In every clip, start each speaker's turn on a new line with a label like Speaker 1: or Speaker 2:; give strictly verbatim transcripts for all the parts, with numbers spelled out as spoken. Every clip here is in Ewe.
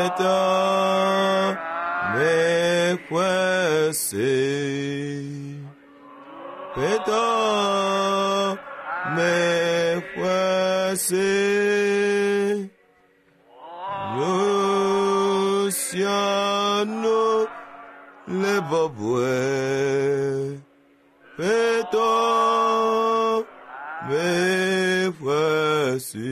Speaker 1: Ƒetɔ mexɔe se. Ƒetɔ mexɔe se. Nu sia nu le bɔbɔe. Ƒetɔ mexɔe se.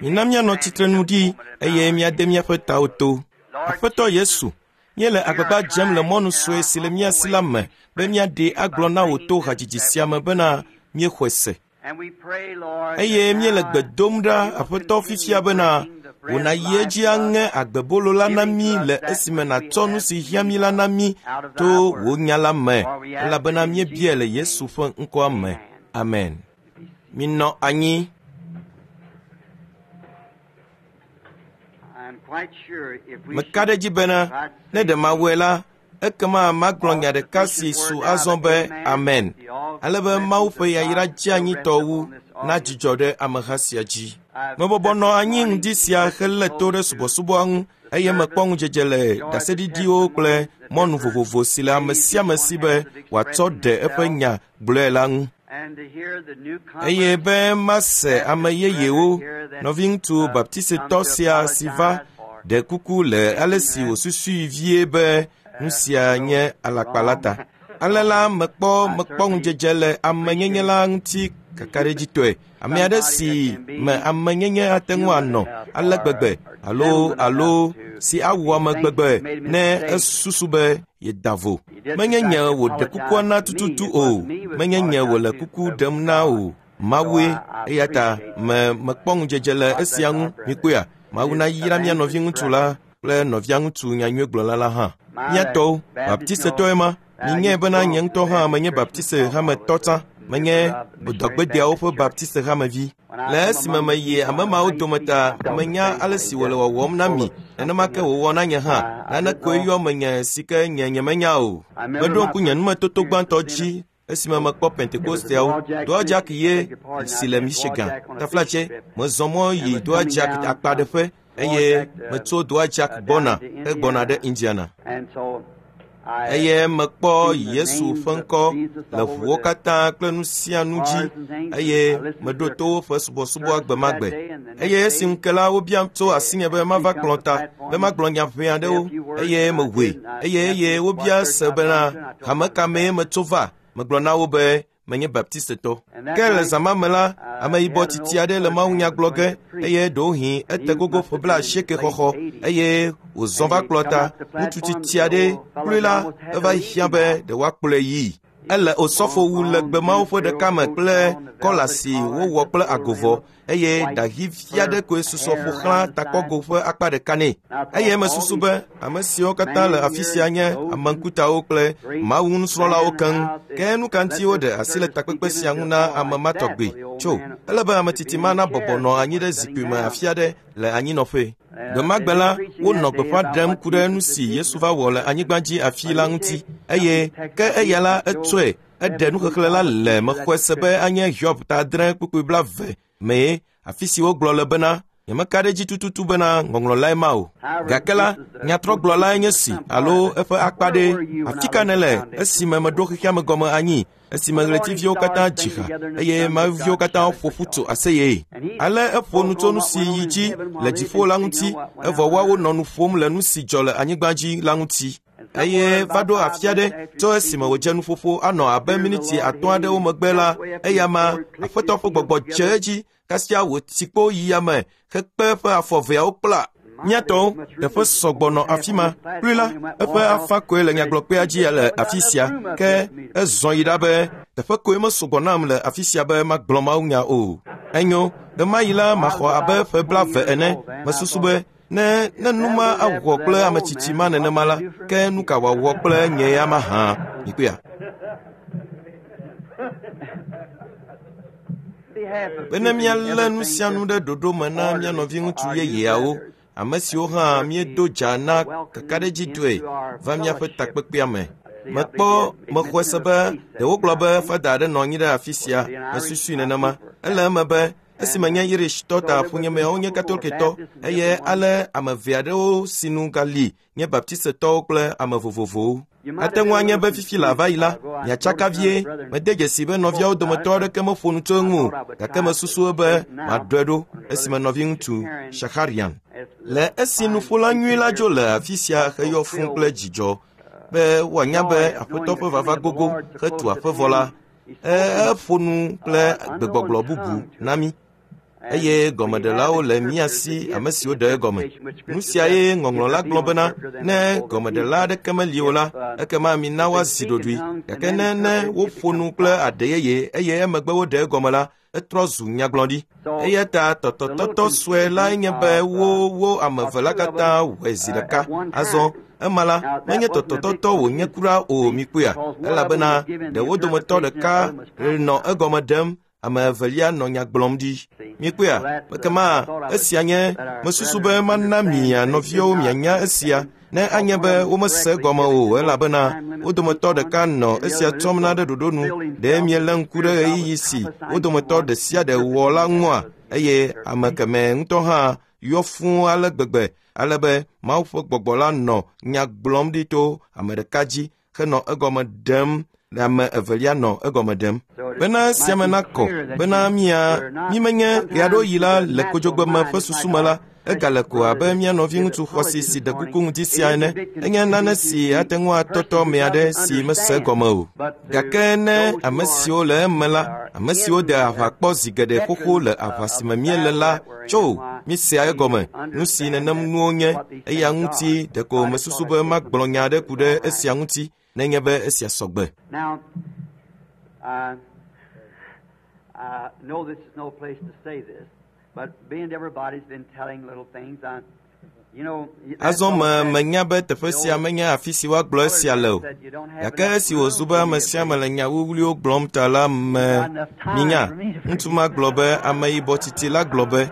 Speaker 2: Mina míanɔ tsitrenu ɖi eye míade míaƒe tawo to. Aƒetɔ Yesu, míele agbagba dzem le mɔnu sue si le mía si la me be míaɖee agblɔ na wò to hadzidzi sia me bena míexɔe se. Eye míele gbe dom ɖa Aƒetɔ fifia bena wò nàyi edzi aŋe agbebolo la na mí le esime nàtsɔ nu si hiã mí la na mí to wò nya la me, elabena míebiae le Yesu ƒe ŋkɔa me. Amen. Minɔ anyi. Meka ɖe edzi bena ne ɖe mawɔe la, ekema magblɔ nya ɖeka si su azɔ be amen, ale be Mawu ƒe yayra dzeanyitɔ wu nadzudzɔ ɖe ameha sia dzi. Mebɔbɔ nɔ anyi ŋdi sia helé to ɖe subɔsubɔa ŋu eye mekpɔ ŋudzedze le ɖaseɖiɖiwo kple mɔnu vovovo si le ame sia ame si be wòatsɔ ɖe eƒe nya gblɔe la ŋu. Eye be mase ame yeyewo, nɔviŋutsu baptisetɔ sia si va ɖe kuku le ale si wòsusui vie be nu sia nye alakpa la ta. Ale la mekpɔ mekpɔ ŋudzedze le amenyenye la ŋuti kakaɖedzitɔe. Ame aɖe si me amenyenye ate ŋu anɔ ale gbegbe alo alo si awɔ ame gbegbe ne esusu be yeda vo. Menye nye wòɖe kukua na tututu o, menye nye wòle kuku ɖem na o. Mawue, eya ta me mekpɔ ŋudzedze le esia ŋu. Mikpɔea, Mawu nayra mía nɔviŋutsu la kple nɔvia ŋutsu nyanyuigblɔla la hã. Mía tɔwo, baptisetɔe ma, minyae bena nye ŋutɔ hã menye baptiste hametɔ tsã, menye dɔgbedeawo ƒe baptiste hamevi. Le esime meyi ame mawo dome ta, menya ale si wòle wɔwɔm na mi, nenema ke wòwɔ na nye hã. Nane koe yɔ menye si ke nye nyemenya o. Meɖo ŋku nye numetoto gbãtɔ dzi esime mekpɔ Pentekosteawo. Doa Jack ye si le Michigan. Taflatse, mezɔ mɔ yi Doa Jack akpaɖeƒe eye metso Doa Jack gbɔna hegbɔna ɖe Indiana. Eye mekpɔ Yesu ƒe ŋkɔ le ʋuwo katã kple nu sia nu dzi eye meɖo to woƒe subɔsubɔa gbe ma gbe. Eye esi ŋu ke la wobiam tso asinye be mava kplɔ ta be magblɔ nya ʋɛ aɖewo eye mewoe eye eye wobia se bena hame ka mee metso va. Megblɔ na wo be menye baptistetɔ. Ke le zã ma me la, ameyibɔ tsitsi aɖe le mawunya gblɔ ge eye ɖewohĩ ete gogo ƒe blaasieke xɔxɔ eye wòzɔ va kplɔ ta. Ŋutsu tsitsi aɖe kloe la eva hiã be ɖe woakplɔe yii. Ele osɔfowu legbe mawo ƒe ɖeka me kple kɔla si wowɔ kple agovɔ eye ɖaɣi vi aɖe koe susɔ ƒo xlã takpɔgo ƒe akpa ɖeka nɛ. Eye mesusu be ame siwo katã le afi sia nye ame ŋkutawo kple Mawu nusrɔ̃lawo keŋ. Ke nu ka ŋuti woɖe asi le takpekpe sia ŋu na ame ma tɔgbe? Tso, ele be ame tsitsi ma nabɔbɔ nɔ anyi ɖe zikpui me afi aɖe le anyinɔƒe. Gbe ma gbe la, wonɔ gbeƒã ɖem ku ɖe nu si Yesu va wɔ le anyigba dzi afi la ŋuti eye ke eya la etsɔe eɖe nuxexlẽ la le mexɔe se be anye Hiob ta adre kpukpui blaeve mee afi si wogblɔ le bena nyemeka ɖe edzi tututu bena ŋɔŋlɔ lae ma o. Gake la, nyatrɔgblɔlae nye si alo eƒe akpa ɖe. Afi ka nèle esime meɖo xexea me gɔme anyi esime ɣletiviwo katã dzi ha eye mawuviwo katã ƒo ƒu tso aseye. Ale eƒo nu tso nu si yi dzi le dziƒo la ŋuti evɔ woawo nɔ nu ƒom le nu si dzɔ le anyigba dzi la ŋuti. Eye va ɖo afi aɖe tso esime wòdze nuƒoƒo anɔ abe miniti atɔ̃ aɖewo megbe la, eya ma Aƒetɔ ƒe gbɔgbɔ dze edzi kasia wòtsi kpo yi yame hekpe eƒe afɔ eveawo kpla. Mía tɔwo, teƒe sɔgbɔ nɔ afi ma. Kloe la, eƒe afã koe le nyagblɔkpea dzi le afi sia. Ke ezɔ yi ɖa be teƒe koe mesɔgbɔ nam le afi sia be magblɔ mawunya o. Enyo, ɣemaɣi la maxɔ abe ƒe blaeve ene. Mesusu be ne ne nu ma awɔ kple ame tsitsi ma nenema la, ke nu ka wòawɔ kple nye ya mahã? Mikpɔea? Bene míalé nu sia nu ɖe ɖoɖo me na mía nɔviŋutsu yeyeawo, ame siwo hã míedo dza na kakaɖedzitɔe va míaƒe takpekpea me. Mekpɔ mexɔe se be ɖe wogblɔ be fada aɖe nɔ anyi ɖe afi sia. Mesusui nenema. Ele eme be Esime nye Irishtɔ ta ƒonyemeawo nye Katoliketɔ eye ale ame eve aɖewo sinu gali nye Baptistetɔwo kple ame vovovowo. Ate ŋu anye be fifi le ava yi la, miatsaka vie. Mede dzesi be nɔviawo dometɔ aɖeke meƒo nu tso eŋu o, gake mesusu be maɖɔe ɖo esime nɔviŋutsu Shakarian. Le esi nuƒola nyui la dzo le afi sia heyɔ fũu kple dzidzɔ be woanya be Aƒetɔ ƒe vava gogo hetu aƒe vɔ la, eƒo nu kple gbegbɔgblɔ bubu na mí. Eye gɔmeɖelawo le mía si ame siwo ɖe egɔme. Nu siae ŋɔŋlɔ la gblɔ bena ne gɔmeɖela aɖeke meli o la, ekema mina woazi ɖoɖoe. Gake ne ne woƒo nu kple aɖe yeye eye emegbe woɖe egɔme la, etrɔ zu nyagblɔɖi. Eya ta tɔtɔtɔtɔ sue lae nye be wo wo ame eve la katã wɔe zi ɖeka. Azɔ ema la menye tɔtɔtɔtɔ wònye kura o mikpɔea, elabena ɖe wo dometɔ ɖeka nɔ egɔme ɖem, ame evelia nɔ nya gblɔm ɖi. Mikpɔea, ekema esia nye mesusu be mana mia nɔviwo mianya esia ne anye be womese egɔme o, elabena wo dometɔ ɖeka nɔ esia tsɔm na ɖe ɖoɖo nu. Ɖe mielé ŋku ɖe ɣeyiɣi si wo dometɔ ɖe sia ɖe wɔ la ŋua? Eye ame kemɛ ŋutɔ hã yɔ fũu ale gbegbe ale be Mawu ƒe gbɔgbɔ la nɔ nya gblɔm ɖi to ame ɖeka dzi henɔ egɔme ɖem ame evelia nɔ egɔme ɖem. Bena esia me nakɔ bena mia mímenye ɣeaɖewoɣi la le kodzogbeme ƒe susu me la, egale ko abe mía nɔviŋutsu xɔasi si ɖe kuku ŋuti sia ene. Enye nane si ate ŋu atɔtɔ ame aɖe si mese egɔme o. Gake ne ame siwo le eme la, ame siwo de aʋa kpɔ zi geɖe xoxo le aʋa si me míele la, tso míesea egɔme nu si nenem nuwo nye. Eya ŋuti ɖeko mesusu be magblɔ nya aɖe ku ɖe esia ŋuti nenye be esia sɔgbe.
Speaker 3: Now, uh, I know this is no place to say this, but being everybody's been telling little things, I, you know.
Speaker 2: Azɔ me menya be teƒe sia menye afi si woagblɔ esia le o. Gake esi wòzu be ame sia ame le nya wuwluiwo gblɔm ta la me minya, ŋutsu ma gblɔ be ameyibɔ tsitsi la gblɔ be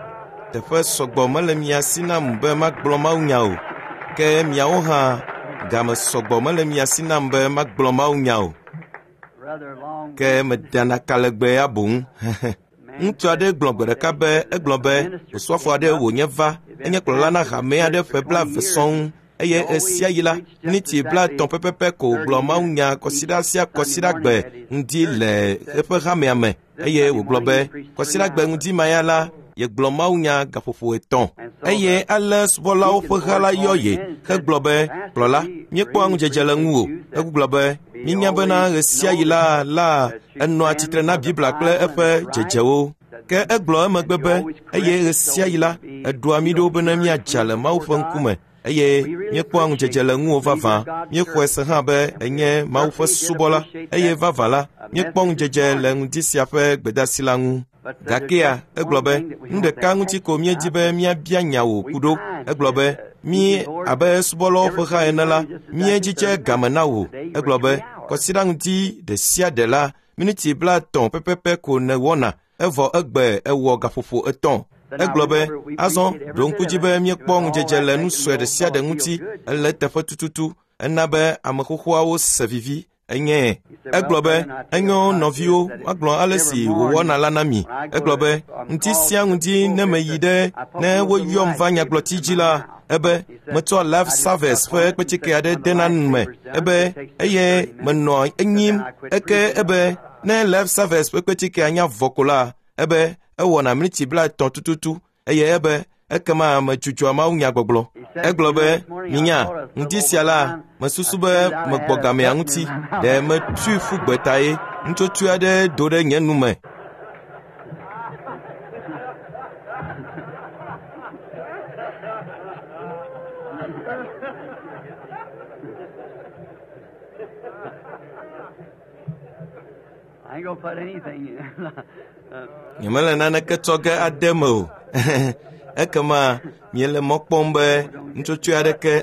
Speaker 2: teƒe sɔgbɔ mele mia si nam be magblɔ mawunya o. Ke miawo hã game sɔgbɔ mele mia si nam be magblɔ mawunya o.
Speaker 3: Rather long.
Speaker 2: Ke medana kalegbe ya boŋ. Ŋutsu aɖe gblɔ gbe ɖeka be egblɔ be osɔfo aɖe wònye va enye kplɔla na hame aɖe ƒe blaeve sɔŋ eye esia yi la miniti blaetɔ̃ pɛpɛpɛ ko wògblɔ mawunya kɔsiɖa sia kɔsiɖagbe ŋdi le eƒe hamea me eye wògblɔ be kɔsiɖagbe ŋdi ma ya la yegblɔ mawunya gaƒoƒo etɔ̃ eye ale subɔlawo ƒe ha la yɔ ye hegblɔ be kplɔla míekpɔa ŋudzedze le ŋuwò. Egblɔ be míenya bena ɣe sia ɣi la la enɔa tsitre na Biblia kple eƒe dzedzewo. Ke egblɔ emegbe be eye ɣe sia ɣi la eɖoa mí ɖo bene míadza le Mawu ƒe ŋkume eye míekpɔa ŋudzedze le ŋuwò vavã. Míexɔe se hã be enye Mawu ƒe subɔla eye vavã la míekpɔ ŋudzedze le ŋdi sia ƒe gbedeasi la ŋu. Gakea egblɔ be nu ɖeka ŋuti ko míedi be míabia nya wò ku ɖo. Egblɔ be mí abe subɔlawo ƒe ha ene la míedzidze game na wò. Egblɔ be kɔsiɖa ŋdi ɖe sia ɖe la miniti blaetɔ̃ pɛpɛpɛ ko nèwɔna evɔ egbe ewɔ gaƒoƒo etɔ̃. Egblɔ be azɔ ɖo ŋku dzi be míekpɔ ŋudzedze le nu sue ɖe sia ɖe ŋuti ele teƒe tututu ena be ame xoxoawo se vivi enye. Egblɔ be enyo nɔviwo magblɔ ale si wòwɔna la na mi. Egblɔ be ŋdi sia ŋdi ne meyi ɖe ne woyɔm va nyagblɔti dzi la ebe metsɔ Life Service ƒe kpetsike aɖe dena nu me ebe eye menɔ enyim eke ebe ne Life Service ƒe kpetsikea nya vɔ ko la ebe ewɔna miniti blaetɔ̃ tututu eye ebe ekema medzudzɔa mawunyagbɔgblɔ. Egblɔ be minya ŋdi sia la mesusu be megbɔ gamea ŋuti ɖe metui ƒu gbe ta ye nutsotsoe aɖe do ɖe nye nu me.
Speaker 3: I ain't gonna put anything in. uh,
Speaker 2: Nyemele naneke tsɔ ge ade me o. Ekema miele mɔ kpɔm be nutsotsoe aɖeke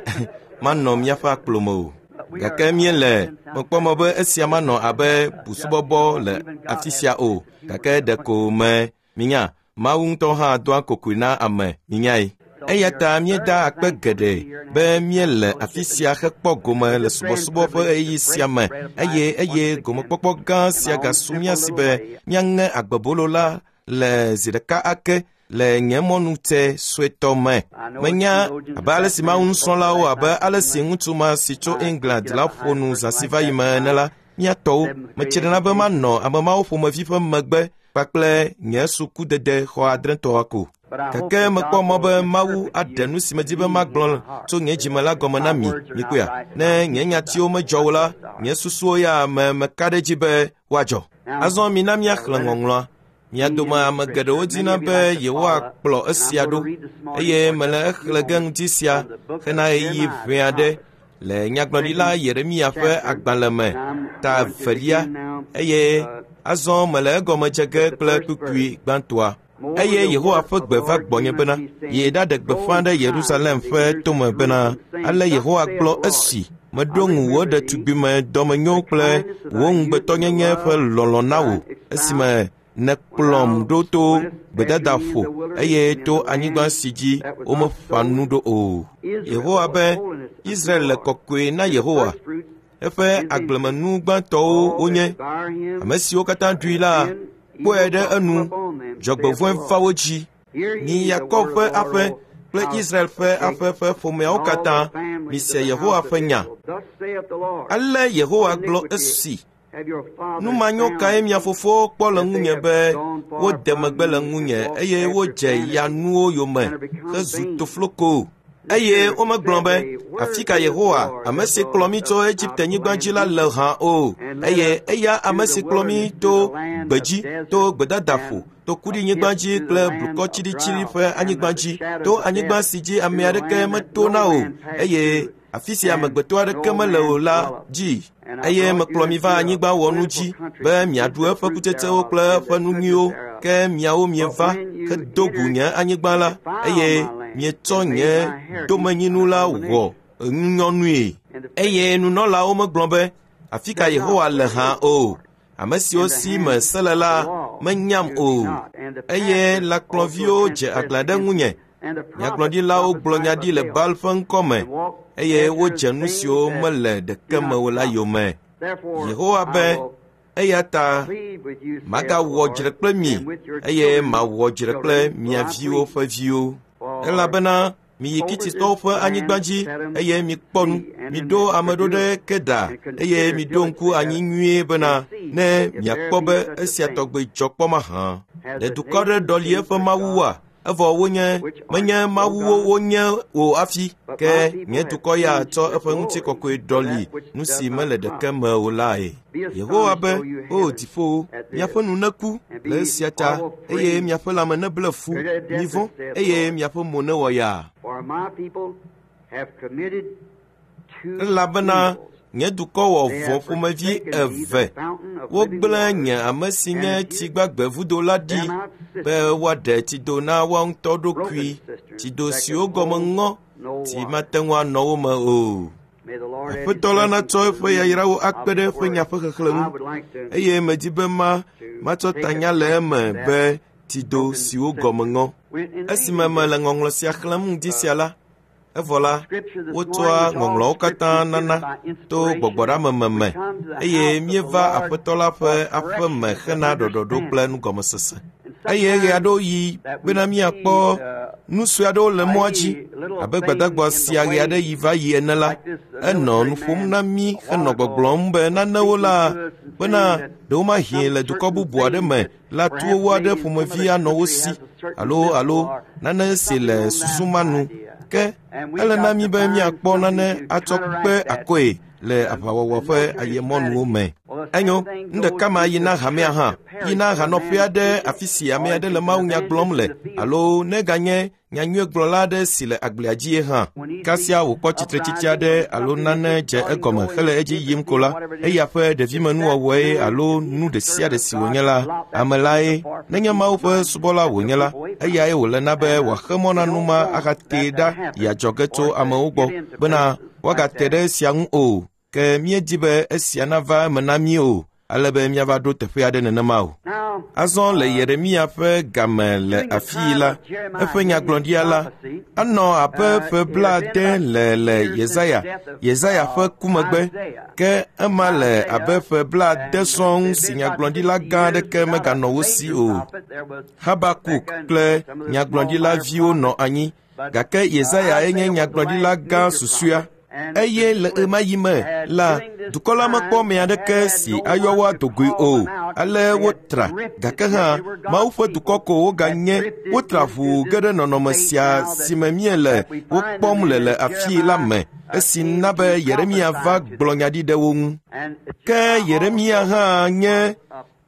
Speaker 2: manɔ míaƒe akplo me o. Gake míele mekpɔ mɔ be esia manɔ abe busubɔbɔ le afi sia o. Gake ɖeko me minya Mawu ŋutɔ hã doa kokoe na ame minyae. Eya ta míeda akpe geɖe be míele afi sia hekpɔ gome le subɔsubɔ ƒe ɣeyiɣi sia me eye eye gomekpɔkpɔ gã sia gasu mía si be míaŋe agbebolo la le zi ɖeka ake le nye mɔnute suetɔ me. Menya abe ale si Mawu nusrɔ̃lawo abe ale si ŋutsu ma si tso England la ƒo nu zã si va yi me ene la, mía tɔwo metsrena be manɔ ame mawo ƒomevi ƒe megbe kpakple nye sukudede xɔ adretɔa ko. Gake mekpɔ mɔ be Mawu aɖe nu si medi be magblɔ tso nye dzime la gɔme na mi, mikpɔea. Ne nye nyatiwo medzɔ o la, nye susuwo ya me meka ɖe edzi be woadzɔ. Azɔ mina míaxlẽ ŋɔŋlɔa. Mia dome ame geɖewo dina be yewoakplɔ esia ɖo, eye mele exlẽ ge ŋuti sia hena ɣeyiɣi ʋɛ aɖe le nyagblɔɖila Yeremia ƒe agbalẽ me, ta evelia, eye azɔ mele egɔme dze ge kple kpukpui gbãtɔa. Eye Yehowa ƒe gbe va gbɔnye bena, yi ɖaɖe gbeƒã ɖe Yerusalem ƒe tome bena, ale Yehowa gblɔ esi, meɖo ŋu wò ɖetugbime dɔmenyo kple wò ŋugbetɔnyenye ƒe lɔlɔ̃ na wò, esime nèkplɔm ɖo to gbedadaƒo eye to anyigba si dzi womeƒã nu ɖo o. Yehowa be, Israel le kɔkɔe na Yehowa. Eƒe agblemenu gbãtɔwo wonye. Ame siwo katã ɖui la, kpɔe ɖe enu, dzɔgbevɔ̃e va wo dzi. Mi Yakob ƒe aƒe kple Israel ƒe aƒe ƒe ƒomeawo katã, mise Yehowa ƒe nya. Ale Yehowa gblɔ esi, nu manyo kae mia fofowo kpɔ le ŋunye be wode megbe le ŋunye eye wodze yanuwo yome hezu tofloko. Eye womegblɔ be, afi ka Yehowa, ame si kplɔ mí tso Egipte-nyigba dzi la le hã o. Eye eya ame si kplɔ mí to gbedzi, to gbedadaƒo, to kuɖinyigba dzi kple blukɔ tsiɖitsiɖi ƒe anyigba dzi, to anyigba si dzi ame aɖeke metona o, eye afi si amegbetɔ aɖeke mele o la dzi. Eye mekplɔ mi va anyigba wɔnu dzi be miaɖu eƒe kutsetsewo kple eƒe nu nyuiwo, ke miawo mieva hedo gu nye anyigba la, eye mietsɔ nye domenyinu la wɔ ŋunyɔnue. Eye nunɔlawo megblɔ be, afi ka Yehowa le hã o. Ame siwo si me se le la menyam o. Eye lãkplɔviwo dze aglã ɖe ŋunye. Nyagblɔɖilawo gblɔ nya ɖi le Baal ƒe ŋkɔ me, eye wodze nu siwo mele ɖeke me o la yome. Yehowa be, eya ta magawɔ dzre kple mi, eye mawɔ dzre kple mia viwo ƒe viwo. Elabena miyi Kititɔwo ƒe anyigba dzi, eye mikpɔ nu. Miɖo ame ɖo ɖe Kedar, eye miɖo ŋku anyi nyuie bena, ne miakpɔ be esia tɔgbe dzɔ kpɔ mahã. Ɖe dukɔ aɖe ɖɔli eƒe mawuwoa? Evɔ wonye menye mawuwo wonye o hafi, ke nye dukɔ ya tsɔ eƒe ŋutikɔkɔe ɖɔli nu si mele ɖeke me o lae. Yehowa be, o dziƒowo, miaƒe nu neku le esia ta, eye miaƒe lãme neble fu, mivɔ̃, eye miaƒe mo newɔ yaa. Elabena nye dukɔ wɔ vɔ̃ ƒomevi eve. Wogblẽ nye ame si nye tsi gbagbe vudo la ɖi be woaɖe tsido na woa ŋutɔ ɖokui, tsido siwo gɔme ŋɔ, tsi mate ŋu anɔ wo me o. Aƒetɔ la natsɔ eƒe yayrawo akpe ɖe eƒe nya ƒe xexlẽ ŋu, eye medi be ma matsɔ tanya le eme be tsido siwo gɔme ŋɔ. Esime mele ŋɔŋlɔ sia xlẽm ŋdi sia la, evɔ la, wotsɔa ŋɔŋlɔawo katã nana to gbɔgbɔɖameme me, eye míeva Aƒetɔ la ƒe aƒe me hena ɖɔɖɔɖo kple nugɔmesese. Eye ɣe aɖewo yi bena míakpɔ nu sue aɖewo le mɔa dzi, abe gbadagba sia ɣe aɖe yi va yi ene la, enɔ nu ƒom na mí henɔ gbɔgblɔm be nanewo la, bena ɖewomahi le dukɔ bubu aɖe me la towo aɖe ƒomevi anɔ wo si, alo alo nane si le susu ma nu. Ke ele na mí be míakpɔ nane atsɔ kpe akɔe le aʋawɔwɔ ƒe ayemɔnuwo me. Enyo, nu ɖeka ma yi na hamea hã, yi na hanɔƒe aɖe afi si ame aɖe le mawunya gblɔm le, alo neganye nyanyuiegblɔla aɖe si le agblea dzie hã. Kasia wòkpɔ tsitretsitsi aɖe alo nane dze egɔme hele edzi yim ko la, eya ƒe ɖevimenuwɔwɔe alo nu ɖe sia ɖe si wònye la, ame lae, nenye Mawu ƒe subɔla wònye la, eyae wòle na be wòaxe mɔ na nu ma ahatee ɖa yi adzɔge tso amewo gbɔ bena woagate ɖe esia ŋu o. Ke míedi be esia nava eme na mí o, ale be míava ɖo teƒe aɖe nenema o. Azɔ le Yeremia ƒe game le afii la, eƒe nyagblɔɖia la, anɔ abe ƒe blaade le le Yesaya, Yesaya ƒe ku megbe, ke ema le abe ƒe blaade sɔŋ si nyagblɔɖila gã aɖeke meganɔ wo si o. Habakuk kple nyagblɔɖila viwo nɔ anyi, gake Yesaya enye nyagblɔɖila gã susɔea. Eye le ɣemaɣi me la, dukɔ la mekpɔ ame aɖeke si ayɔ wo adogoe o. Ale wotra, gake hã Mawu ƒe dukɔ ko woganye. Wotra ʋuu ge ɖe nɔnɔme sia si me míele wo kpɔm le le afii la me, esi na be Yeremia va gblɔ nya ɖi ɖe wo ŋu. Ke Yeremia hã nye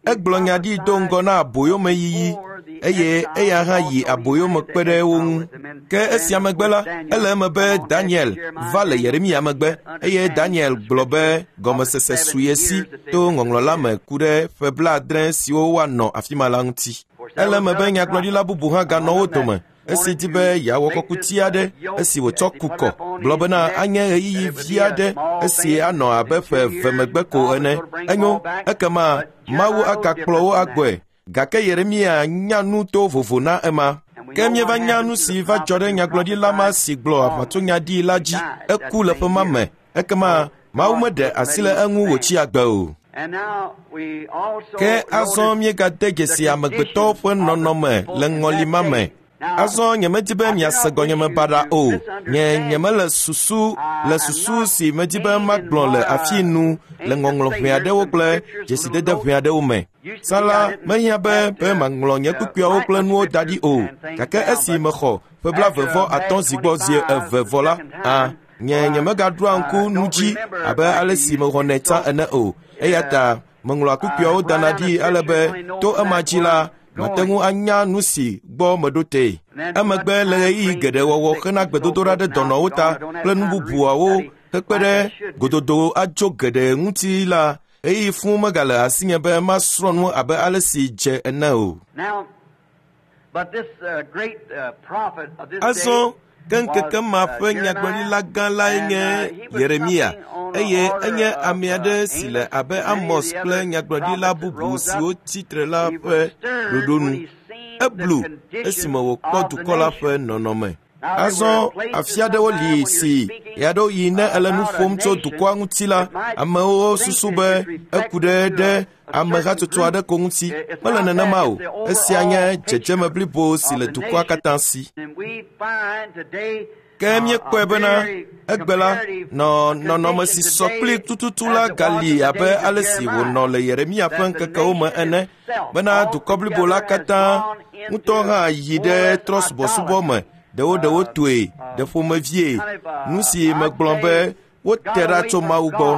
Speaker 2: egblɔ nya ɖi do ŋgɔ na aboyomeyiyi, eye eya hã yi aboyome kpe ɖe wo ŋu. Ke esia megbe la, ele eme be Daniel va le Yeremia megbe, eye Daniel gblɔ be gɔmesese su ye si to ŋɔŋlɔ la me ku ɖe ƒe blaadre siwo woanɔ afi ma la ŋuti. Ele eme be nyagblɔɖila bubu hã ganɔ wo dome, esi di be yeawɔ kɔkuti aɖe esi wòtsɔ ku kɔ, gblɔ bena anye ɣeyiɣi vi aɖe esi anɔ abe ƒe eve megbe ko ene. Enyo, ekema Mawu agakplɔ wo agbɔe. Gake Yeremia nya nu to vovo na ema. Ke míeva nya nu si va dzɔ ɖe nyagblɔɖila ma si gblɔ aʋatsonya ɖi la dzi. Eku le ƒe ma me. Ekema Mawu meɖe asi le eŋu wòtsi agbe o. Ke azɔ míegade dzesi amegbetɔwo ƒe nɔnɔme le ŋɔli ma me. Azɔ nyemedi be miase gɔnyeme baɖa o. Nye nyemele susu le susu si medi be magblɔ le afii nu le ŋɔŋlɔ ʋɛ aɖewo kple dzesidede ʋɛ aɖewo me. Tsã la, mehiã be be maŋlɔ nye kpukpuiawo kple nuwo da ɖi o. Gake esi mexɔ ƒe blaeve vɔ atɔ̃ zi gbɔ zi eve vɔ la, a nye nyemegaɖoa ŋku nu dzi abe ale si mexɔnɛ tsã ene o. Eya ta meŋlɔa kpukpuiawo dana ɖi ale be to ema dzi la, mate ŋu anya nu si gbɔ meɖo tee. Emegbe le ɣeyiɣi geɖe wɔwɔ hena gbedodoɖa ɖe dɔnɔwo ta kple nu bubuawo hekpe ɖe gododo adzo geɖe ŋuti la, ɣeyiɣi fũu megale asinye be masrɔ̃ nu abe ale si dze ene o. Azɔ ke ŋkeke ma ƒe nyagblɔɖila gã lae nye Yeremia, eye enye ame aɖe si le abe Amos kple nyagblɔɖila bubu siwo tsi tre la ƒe ɖoɖo nu. Eblu esime wòkpɔ dukɔ la ƒe nɔnɔme. Azɔ afi aɖewo li si ɣeaɖewoɣi ne ele nu ƒom tso dukɔa ŋuti la, amewo susu be eku ɖe ɖe amehatsotso aɖe ko ŋuti. Mele nenema o. Esia nye dzedzeme blibo si le dukɔa katã si. Ke míekpɔe bena egbe la, nɔ nɔnɔme si sɔ kpli tututu la gali abe ale si wònɔ le Yeremia ƒe ŋkekewo me ene, bena dukɔ blibo la katã ŋutɔ hã yi ɖe trɔ̃subɔsubɔ me, ɖewo ɖewo toe, ɖe ƒomevie, nu si megblɔ be wote ɖa tso Mawu gbɔ.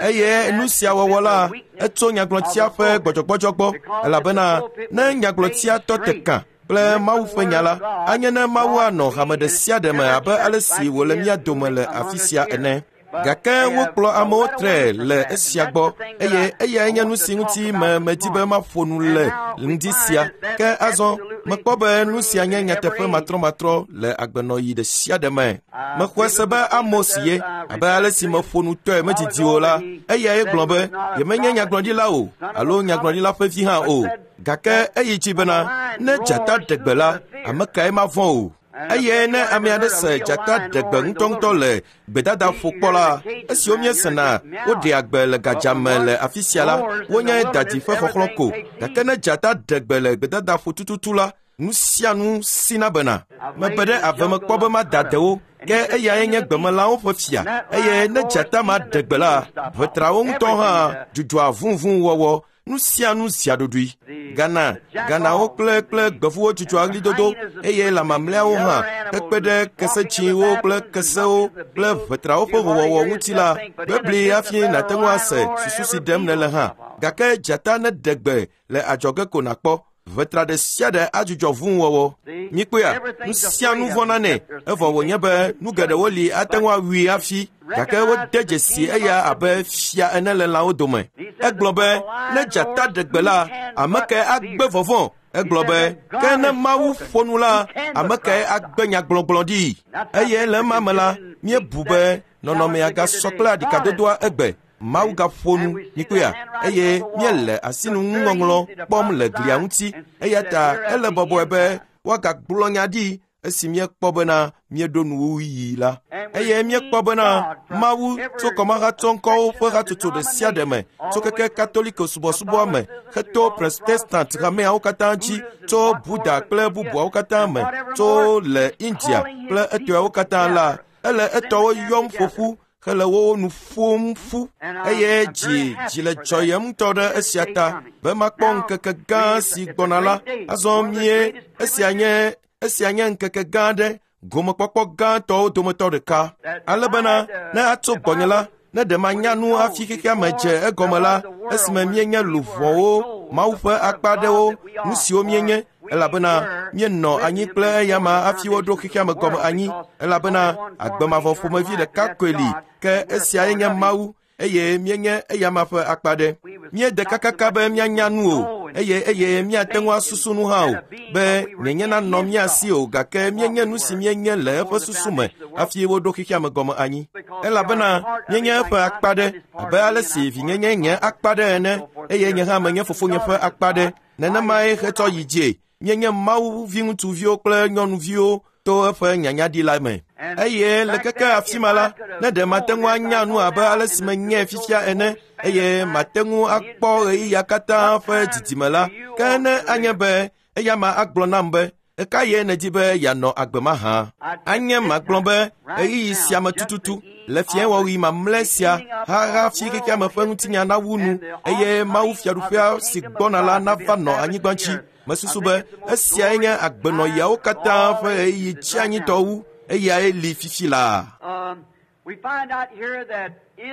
Speaker 2: Eye nu sia wɔwɔ la, etso nyagblɔtia ƒe gbɔdzɔgbɔdzɔ gbɔ, elabena ne nyagblɔtia tɔ te kã kple Mawu ƒe nya la, anye ne Mawu anɔ hame ɖe sia ɖe me abe ale si wòle mía dome le afi sia ene. Gake wokplɔ amewo tre le esia gbɔ, eye eyae nye nu si ŋuti me medi be maƒo nu le ŋdi sia. Ke azɔ mekpɔ be nu sia nye nyateƒe matrɔmatrɔ le agbenɔɣi ɖe sia ɖe me. Mexɔe se be Amos ye, abe ale si meƒo nu tɔe medidi o la, eyae gblɔ be yemenye nyagblɔɖila o alo nyagblɔɖila ƒe vi hã o. Gake eyi dzi bena ne dzata ɖe gbe la, ame kae mavɔ̃ o? Eye ne ame aɖe se dzata ɖe gbe ŋutɔŋutɔ le gbedadaƒo kpɔ la, esiwo míesena woɖea gbe le gadzame le afi sia la, wonye dadi ƒe xɔxlɔ̃ ko. Gake ne dzata ɖe gbe le gbedadaƒo tututu la, nu sia nu sina bena. Mebe ɖe ave me kpɔ be mada dewo, ke eyae nye gbemelãwo ƒe fia. Eye ne dzata ma ɖe gbe la, ʋetrawo ŋutɔ hã dzudzɔa vũvũ wɔwɔ. Nu sia nu zia ɖoɖoe. Gana, ganawo kple kple gbevuwo dzudzɔa ɣlidodo, eye lã mamlɛawo hã hekpe ɖe kesetsiwo kple kesewo kple ʋetrawo ƒe howɔwɔ ŋuti la, bebli hafi nàte ŋu ase susu si ɖem nèle hã. Gake dzata ne ɖe gbe le adzɔge ko nàkpɔ. Ʋetra ɖe sia ɖe adzudzɔ vũwɔwɔ. Míkpɔea, nu sia nu vɔ̃na nɛ, evɔ wònye be nu geɖewo li ate ŋu awui hafi, gake wode dzesi eya abe fia ene le lãwo dome. Egblɔ be ne dzata ɖe gbe la, ame kae agbe vɔvɔ̃? Egblɔ be ke ne Mawu ƒo nu la, ame kae agbe nyagblɔgblɔ ɖi? Eye le ema me la, míebu be nɔnɔmea gasɔ kple aɖikadodoa egbe. Mawu gaƒo nu mikpɔea eye míele asinuŋɔŋlɔ kpɔm le glia ŋuti eya ta ele bɔbɔe be woagagblɔ nya ɖi esi míekpɔ bena míeɖo nuwuɣi la. Eye míekpɔ bena Mawu tso kɔmahatsɔŋkɔwo ƒe hatsotso ɖe sia ɖe me, tso keke Katoliko subɔsubɔa me, heto Protestant hameawo katã dzi, tso Buddha kple bubuawo katã me, tso le India kple etɔewo katã la, ele etɔwo yɔm ƒoƒu hele wo nu ƒom ƒu eye dzi dzi le dzɔyem ŋutɔ ɖe esia ta be makpɔ ŋkeke gã si gbɔna la. Azɔ mie esia nye esia nye ŋkeke gã aɖe, gomekpɔkpɔ gãtɔwo dometɔ ɖeka. Ale bena ne atso gbɔnye la, ne ɖe manya nu hafi xexea me dze egɔme la, esime míenye luʋɔwo, Mawu ƒe akpa aɖewo, nu siwo míenye, elabena míenɔ anyi kple eyama hafi woɖo xexea me gɔme anyi, elabena agbemavɔ ƒomevi ɖeka koe li, ke esiae nye Mawu, eye míenye eyama ƒe akpa ɖe. Míede kakaka be míanya nu o, eye eye míate ŋu asusu nu hã o, be nyenye nanɔ mía si o, gake míenye nu si míenye le eƒe susu me hafi woɖo xexea me gɔme anyi. Elabena míenye eƒe akpa ɖe, abe ale si vinyenye nye akpa ɖe ene, eye nye hã menye fofonye ƒe akpa ɖe. Nenemae hetsɔ yi dzie. Míenye Mawu viŋutsuviwo kple nyɔnuviwo to eƒe nyanyaɖi la me. Eye le keke afi ma la, ne ɖe mate ŋu anya nu abe ale si menye fifia ene, eye mate ŋu akpɔ ɣeyiɣia katã ƒe didime la, ke ne anye be eyama agblɔ nam be, eka ye nèdi be yeanɔ agbe mahã? Anye magblɔ be ɣeyiɣi sia me tututu, le fiẽwɔɣi mamlɛ sia, hafi xexea me ƒe ŋutinya nawu nu, eye Mawu fiaɖuƒea si gbɔna la nava nɔ anyigba dzi. Mesusu be esiae nye agbenɔɣiawo katã ƒe ɣeyiɣi tsianyitɔ wu, eyae li fifi laa.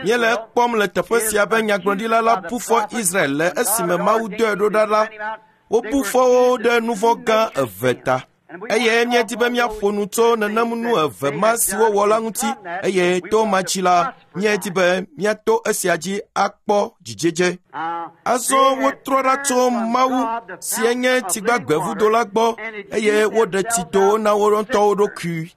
Speaker 2: Míele ekpɔm le teƒe sia be nyagblɔɖila la bu fɔ Israel le esime Mawu dɔe ɖo ɖa la, wobu fɔ wo ɖe nu vɔ̃ gã eve ta. Eye míedi be míaƒo nu tso nenem nu eve ma si wowɔ la ŋuti, eye to ma dzi la, míedi be míato esia dzi akpɔ dzidzedze. Azɔ wotrɔ ɖa tso Mawu si nye tsigbagbevudo la gbɔ, eye woɖe tsidowo na wo ŋutɔwo ɖokui.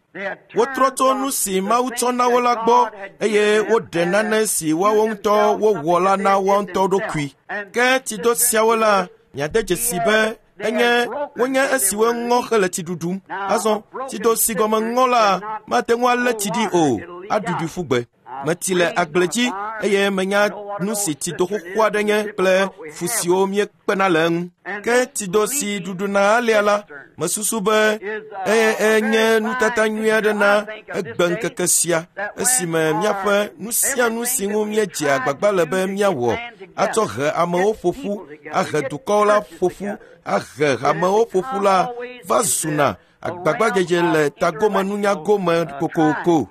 Speaker 2: Wotrɔ tso nu si Mawu tsɔ na wo la gbɔ, eye woɖe nane si woawo ŋutɔ wowɔ la na woa ŋutɔ ɖokui. Ke tsido siawo la, miade dzesi be enye wonye esiwo ŋɔ hele tsi ɖuɖum. Azɔ tsido si gɔme ŋɔ la mate ŋu alé tsi ɖi o, aɖuɖui ƒu gbe. Metsi le agble dzi eye menya nu si tsido xoxo aɖe nye kple fu siwo míekpena le eŋu. Ke tsido si ɖuɖuna alea la, mesusu be enye nutata nyui aɖe na egbe ŋkeke sia, esime míaƒe nu sia nu si ŋu míedzea agbagba le be míawɔ atsɔ he amewo ƒoƒu, ahe dukɔwo la ƒoƒu, ahe hamewo ƒoƒu la va zuna agbagbadzedze le tagomenunya gome kokoko.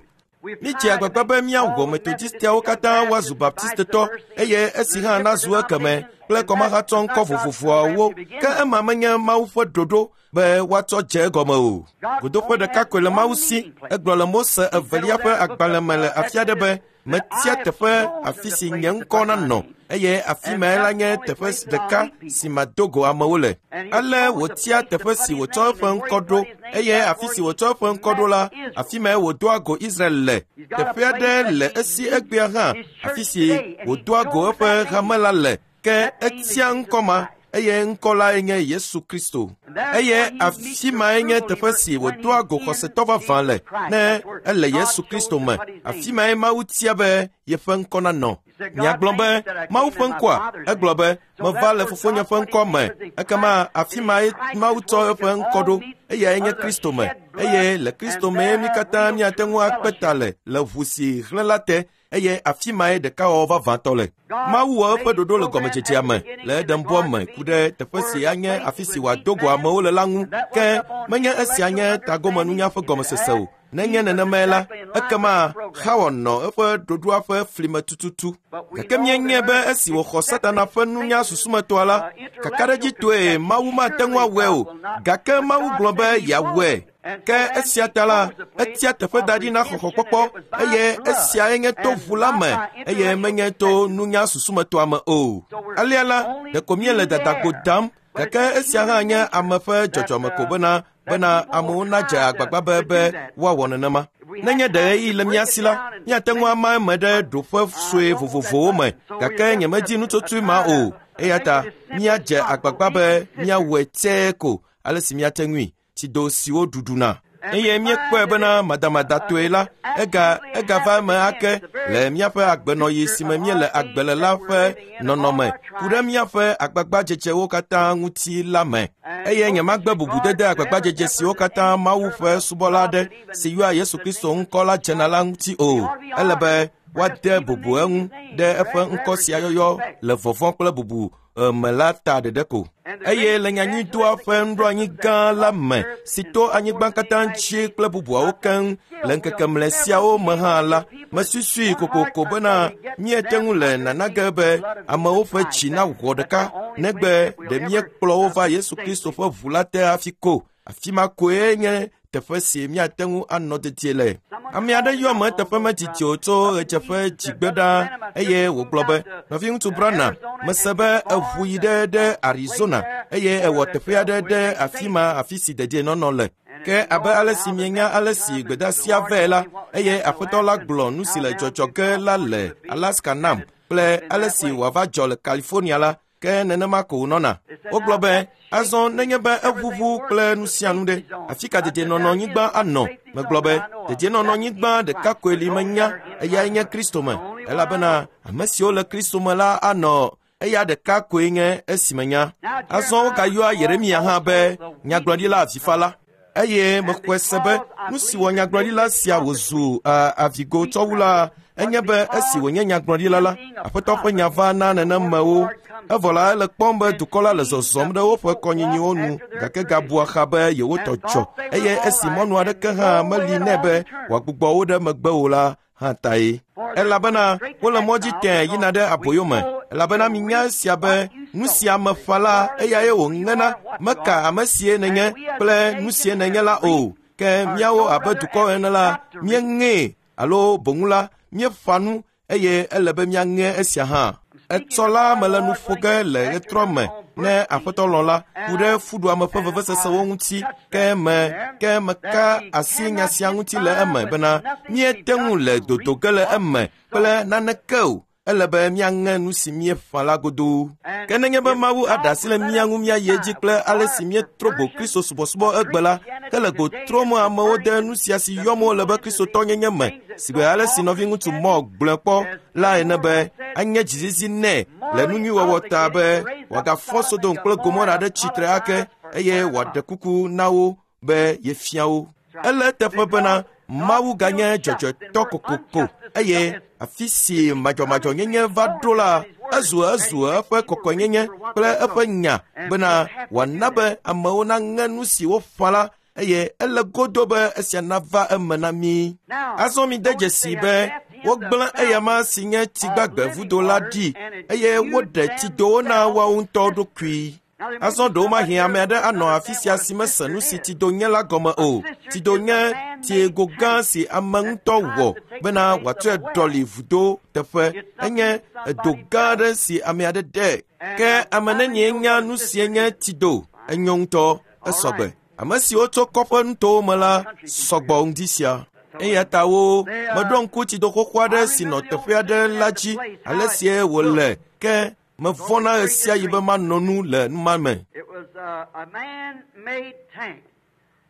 Speaker 2: Míedze agbagba be míawɔ Metodistiawo katã woazu Baptistetɔ, eye esi hã nazu ekeme kple kɔmahatsɔŋkɔ vovovoawo, ke ema menye Mawu ƒe ɖoɖo be woatsɔ dze egɔme o. Godoƒe ɖeka koe le Mawu si. Egblɔ le Mose evelia ƒe agbalẽ me le afi aɖe be, metia teƒe afi si nye ŋkɔ nanɔ, eye afi mae la nye teƒe ɖeka si mado go amewo le. Ale wòtia teƒe si wòtsɔ eƒe ŋkɔ ɖo, eye afi si wòtsɔ eƒe ŋkɔ ɖo la, afi mae wòdoa go Israel le. Teƒe aɖe le esi egbea hã, afi si wòdoa go eƒe hame la le, ke etia ŋkɔ ma, eye ŋkɔ lae nye Yesu Kristo. Eye afi mae nye teƒe si wòdoa go xɔsetɔ vavã le, ne ele Yesu Kristo me. Afi mae Mawu tia be yeƒe ŋkɔ nanɔ. Miagblɔ be Mawu ƒe ŋkɔa? Egblɔ be meva le fofonye ƒe ŋkɔ me. Ekema afi mae Mawu tsɔ eƒe ŋkɔ ɖo, eyae nye Kristo me. Eye le Kristo mee mí katã míate ŋu akpe ta le le ʋu si hlẽ la te, eye afi mae ɖekawɔwɔ vavãtɔ le. Mawu wɔ eƒe ɖoɖo le gɔmedzedzea me le Edenbɔ me ku ɖe teƒe si anye afi si wòado go amewo le la ŋu, ke menye esia nye tagomenunya ƒe gɔmesese o. Nenye nenemae la, ekema Xawa nɔ eƒe ɖoɖoa ƒe fli me tututu. Gake míenye be esi wòxɔ Satana ƒe nunya susumetɔa la, kakaɖedzitɔe Mawu mate ŋu awɔe o, gake Mawu gblɔ be yeawɔe. Ke esia ta la, etia teƒe da ɖi na xɔxɔkpɔkpɔ, eye esiae nye to ʋu la me, eye menye to nunya susumetɔa me o. Alea la, ɖeko míele dadagbo dam, gake esia hã nye ame ƒe dzɔdzɔme ko bena bena amewo nadze agbagba be be woawɔ nenema. Nenye ɖe ɣeyiɣi le mía si la, míate ŋu ama eme ɖe ɖoƒe sue vovovowo me, gake nyemedi nutsotsoe ma o. Eya ta míadze agbagba be míawɔe tsɛe ko ale si míate ŋui, tsido siwo ɖuɖuna. Eye míekpɔe bena madamadatɔe la, ega egava eme ake le míaƒe agbenɔɣi si me míele agbe le la ƒe nɔnɔme ku ɖe míaƒe agbagbadzedzewo katã ŋuti la me. Eye nyemagbe bubudede agbagbadzedze siwo katã Mawu ƒe subɔla aɖe si yɔa Yesu Kristo ŋkɔ la dzena la ŋuti o. Ele be woade bubu eŋu ɖe eƒe ŋkɔ sia yɔyɔ le vɔvɔ̃ kple bubu me la ta ɖeɖe ko. Eye le nyanyuidoa ƒe nuɖoanyi gã la me si to anyigba katã dzi kple bubuawo keŋ le ŋkeke mlɛ siawo me hã la, mesusui kokoko bena míete ŋu le nana ge be amewo ƒe dzi nawɔ ɖeka negbe ɖe míekplɔ wo va Yesu Kristo ƒe ʋu la te hafi ko. Afi ma koe nye teƒe si míate ŋu anɔ dedie le. Ame aɖe yɔ me teƒe medidi o tso ɣedzeƒe dzigbe ɖaa eye wògblɔ be, nɔviŋutsu Branham, mese be eʋu yi ɖe ɖe Arizona eye ewɔ teƒe aɖe ɖe afi ma afi si dedienɔnɔ le. Ke abe ale si mienya ale si gbedeasia vɛ la, eye aƒetɔ la gblɔ nu si le dzɔdzɔ ge la le Alaska nam kple ale si wòava dzɔ le California la, ke nenema ko wònɔna. Wogblɔ be, azɔ nenye be eʋuʋu kple nu sia nu ɖe, afi ka dedienɔnɔnyigba anɔ? Megblɔ be, dedienɔnɔnyigba ɖeka koe li menya, eyae nye Kristo me, elabena ame siwo le Kristo me la anɔ eya ɖeka koe nye esi menya. Azɔ wogayɔa Yeremia hã be nyagblɔɖila avifala. Eye mexɔe se be nu si wɔ nyagblɔɖila sia wòzu avigo tsɔwu la enye be esi wònye nyagblɔɖila la, Aƒetɔ ƒe nya va na nenemewo. Evɔ la ele kpɔm be dukɔ la le zɔzɔm ɖe woƒe kɔnyinyiwo nu gake gabua xa be yewotɔ dzɔ eye esi mɔnu aɖeke hã meli nɛ be wòagbugbɔ wo ɖe megbe o la hã tae. Elabena wole mɔ dzi tẽe yina ɖe aboyo me. Elabena minya esia be nu si ame ƒã la eyae wòŋena, meka ame sie nènye kple nu sie nènye la o. Ke míawo abe dukɔ ene la, míeŋee alo boŋu la, míeƒã nu eye ele be míaŋe esia hã. Etsɔ la mele nu ƒo ge le ɣetrɔ me ne Aƒetɔ lɔ̃ la ku ɖe fuɖuame ƒe vevesesewo ŋuti ke me ke meka asi nya sia ŋuti le eme bena míete ŋu le dodo ge le eme kple naneke o. Ele be míaŋe nu si míeƒã la godoo. Ke nenye be Mawu aɖe asi le mía ŋu míayi edzi kple ale si míetrɔ go Kristo subɔsubɔ egbe la, ke le go trɔm amewo de nu sia si yɔm wole be Kristotɔnyenye me, si be ale si nɔviŋutsu Moore gblɔe kpɔ la ene be anye dzizizi nɛ le nu nyui wɔwɔ ta be wòagafɔ Sodom kple Gomora ɖe tsitre ake eye wòaɖe kuku na wo be yefia wo. Ele eteƒe bena Mawu ganye dzɔdzɔetɔ kokoko eye afi si madzɔmadzɔnyenye va ɖo la, ezu ezu eƒe kɔkɔenyenye kple eƒe nya bena wòana be amewo naŋe nu si woƒã la eye ele godo be esia nava eme na mí. Azɔ mide dzesi be wogblẽ eyama si nye tsigbagbe vudo la ɖi eye woɖe tsidowo na woawo ŋutɔ ɖokui. Azɔ ɖewomahi ame aɖe anɔ afi sia si mese nu si tsido nye la gɔme o. Tsido nye tsiego gã si ame ŋutɔ wɔ bena wòatsɔe ɖɔli vudo teƒe. Enye edo gã aɖe si ame aɖe ɖe. Ke ame nenie nya nu sie nye tsido? Enyo ŋutɔ, esɔgbe. Ame siwo tso kɔƒe nutowo me la sɔgbɔ ŋdi sia. Eya ta wo meɖo ŋku tsido xoxo aɖe si nɔ teƒe aɖe la dzi ale sie wòle ke mevɔ̃na ɣe sia ɣi be manɔ nu le numa me.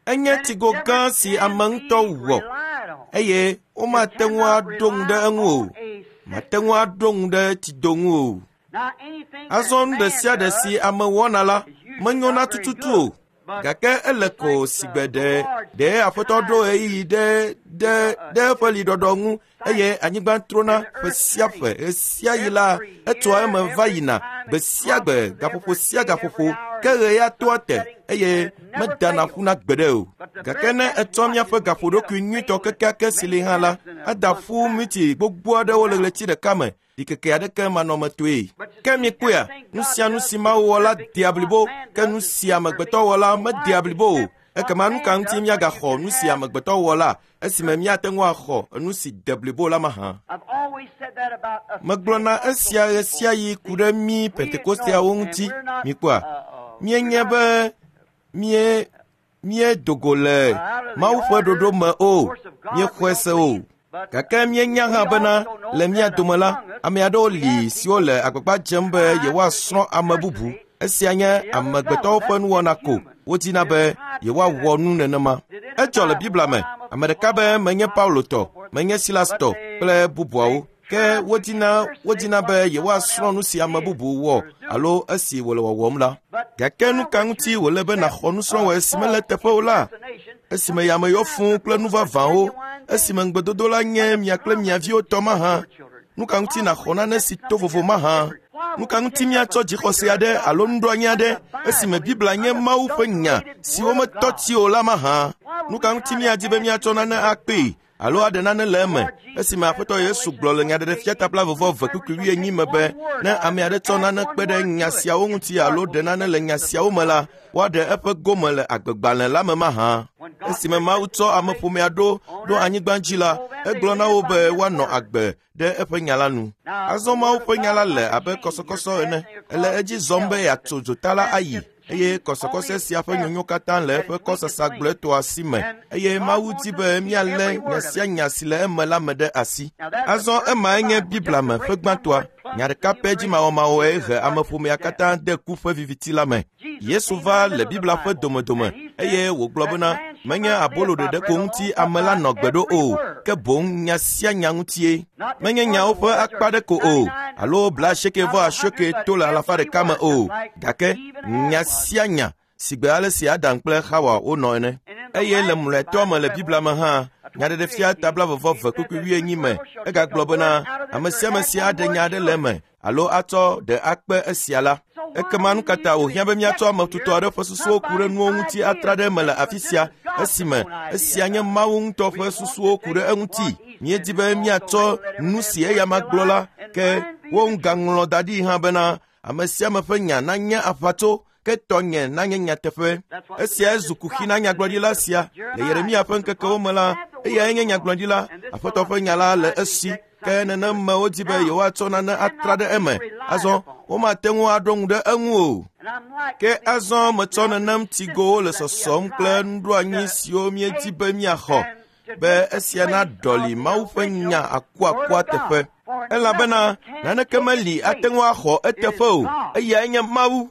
Speaker 2: Enye tsigo gã si ame ŋutɔ wɔ eye womate ŋu aɖo ŋu ɖe eŋu o. Mate ŋu aɖo ŋu ɖe tsido ŋu o. Azɔ nu ɖe sia ɖe si ame wɔna la menyona tututu o. Gake ele ko sigbe ɖe ɖe Aƒetɔ ɖo ɣeyiɣi ɖe ɖe ɖe eƒe liɖɔɖɔ ŋu eye anyigba trona ƒe sia ƒe ɣe sia ɣi la etsoa eme va yina gbe sia gbe gaƒoƒo sia gaƒoƒo ke ɣe ya toa te eye medana ƒuna gbeɖe o. Gake ne etsɔ míaƒe gaƒoɖokui nyuitɔ kekeake si li hã la, ada ƒu miti gbogbo aɖewo le ɣleti ɖeka me ɖikeke aɖeke manɔmetoe. Ke mikpɔea, nu sia nu si Mawu wɔ la dea blibo, ke nu si amegbetɔ wɔ la medea blibo o. Ekema nu ka ŋuti míagaxɔ nu si amegbetɔ wɔ la esime míate ŋu axɔ nu si de blibo la mahã? Megblɔna esia ɣe sia ɣi ku ɖe mí Pentekosteawo ŋuti. Mikpɔa, míenye be mie Míedo go le Mawu ƒe ɖoɖo me o, míexɔe se o. Gake míenya hã bena le mía dome la, ame aɖewo li siwo le agbagba dzem be yewoasrɔ̃ ame bubu. Esia nye amegbetɔwo ƒe nuwɔna ko wodina be yewoawɔ nu nenema. Edzɔ le Biblia me, ame ɖeka be menye Paulo tɔ, menye Silas tɔ kple bubuawo. Ke wodina wodina be yewoasrɔ̃ nu si ame bubu wɔ alo esi wòle wɔwɔm la. Gake nu ka ŋuti wòle be nàxɔ nusrɔ̃wɔe si mele teƒe o la? Esime yame yɔ fũu kple nu vavãwo, esime ŋugbedodo la nye mia kple mia viwo tɔ mahã, nu ka ŋuti nàxɔ nane si to vovo mahã? Nu ka ŋuti míatsɔ dzixɔse aɖe alo nuɖoanyi aɖe esime Biblia nye Mawu ƒe nya si wometɔ tsi o la mahã? Nu ka ŋuti míadi be míatsɔ nane akpee alo aɖe nane le eme esime Aƒetɔ Yesu gblɔ le Nyaɖeɖefia ta blaeve vɔ eve kpukpui wuienyi me be ne ame aɖe tsɔ nane kpe ɖe nya siawo ŋuti alo ɖe nane le nya siawo me la, woaɖe eƒe gome le agbegbalẽ la me mahã. Esime Mawu tsɔ ameƒomea ɖo ɖo anyigba dzi la, egblɔ na wo be woanɔ agbe ɖe eƒe nya la nu. Azɔ Mawu ƒe nya la le abe kɔsɔkɔsɔ ene, ele edzi zɔm be yeatso dzota la ayi. Eye kɔsɔkɔsɔ sia ƒe nyonyo katã le eƒe kɔsasa gblɔetɔa si me, eye Mawu di be míalé nya sia nya si le eme la me ɖe asi. Azɔ emae nye Biblia me ƒe gbãtɔa. Nya ɖeka pɛ dzimawɔmawɔe he ameƒomea katã de ku ƒe viviti la me. Yesu va le Biblia ƒe domedome eye wògblɔ bena menye abolo ɖeɖe ko ŋuti ame la nɔ gbe ɖo o, ke boŋ nya sia nya ŋutie. Menye nyawo ƒe akpa ɖe ko o, alo blaasieke vɔ asieke to le alafa ɖeka me o, gake nya sia nya si gbe ale si Adam kple Xawa wonɔ ene. Eye le mlɔetɔ me le Biblia me hã, Nyaɖeɖefia ta blaeve vɔ eve kpukpui wuienyi me, egagblɔ bena ame sia ame si aɖe nya aɖe le eme alo atsɔ ɖe akpe esia la, ekema nu ka ta wòhiã be míatsɔ ame tutɔ aɖe ƒe susuwo ku ɖe nuwo ŋuti atra ɖe eme le afi sia, esime esia nye Mawu ŋutɔ ƒe susuwo ku ɖe eŋuti? Míedi be míatsɔ nu si eyama gblɔ la, ke wo ŋgaŋlɔ da ɖi hã bena ame sia ame ƒe nya nanye aʋatso, ke tɔnye nanye nyateƒe. Esiae zu kuxi na nyagblɔɖila sia le Yeremia ƒe ŋkekewo me la, eyae nye nyagblɔɖila, Aƒetɔ ƒe nya la le esi. Ke neneme wodi be yewoatsɔ nane atra ɖe eme. Azɔ womate ŋu aɖo ŋu ɖe eŋu o. Ke azɔ metsɔ nenem tsigowo le sɔsɔm kple nuɖoanyi siwo míedi be míaxɔ, be esia naɖɔli Mawu ƒe nya akuakua teƒe. Elabena naneke meli ate ŋu axɔ eteƒe o, eyae nye Mawu.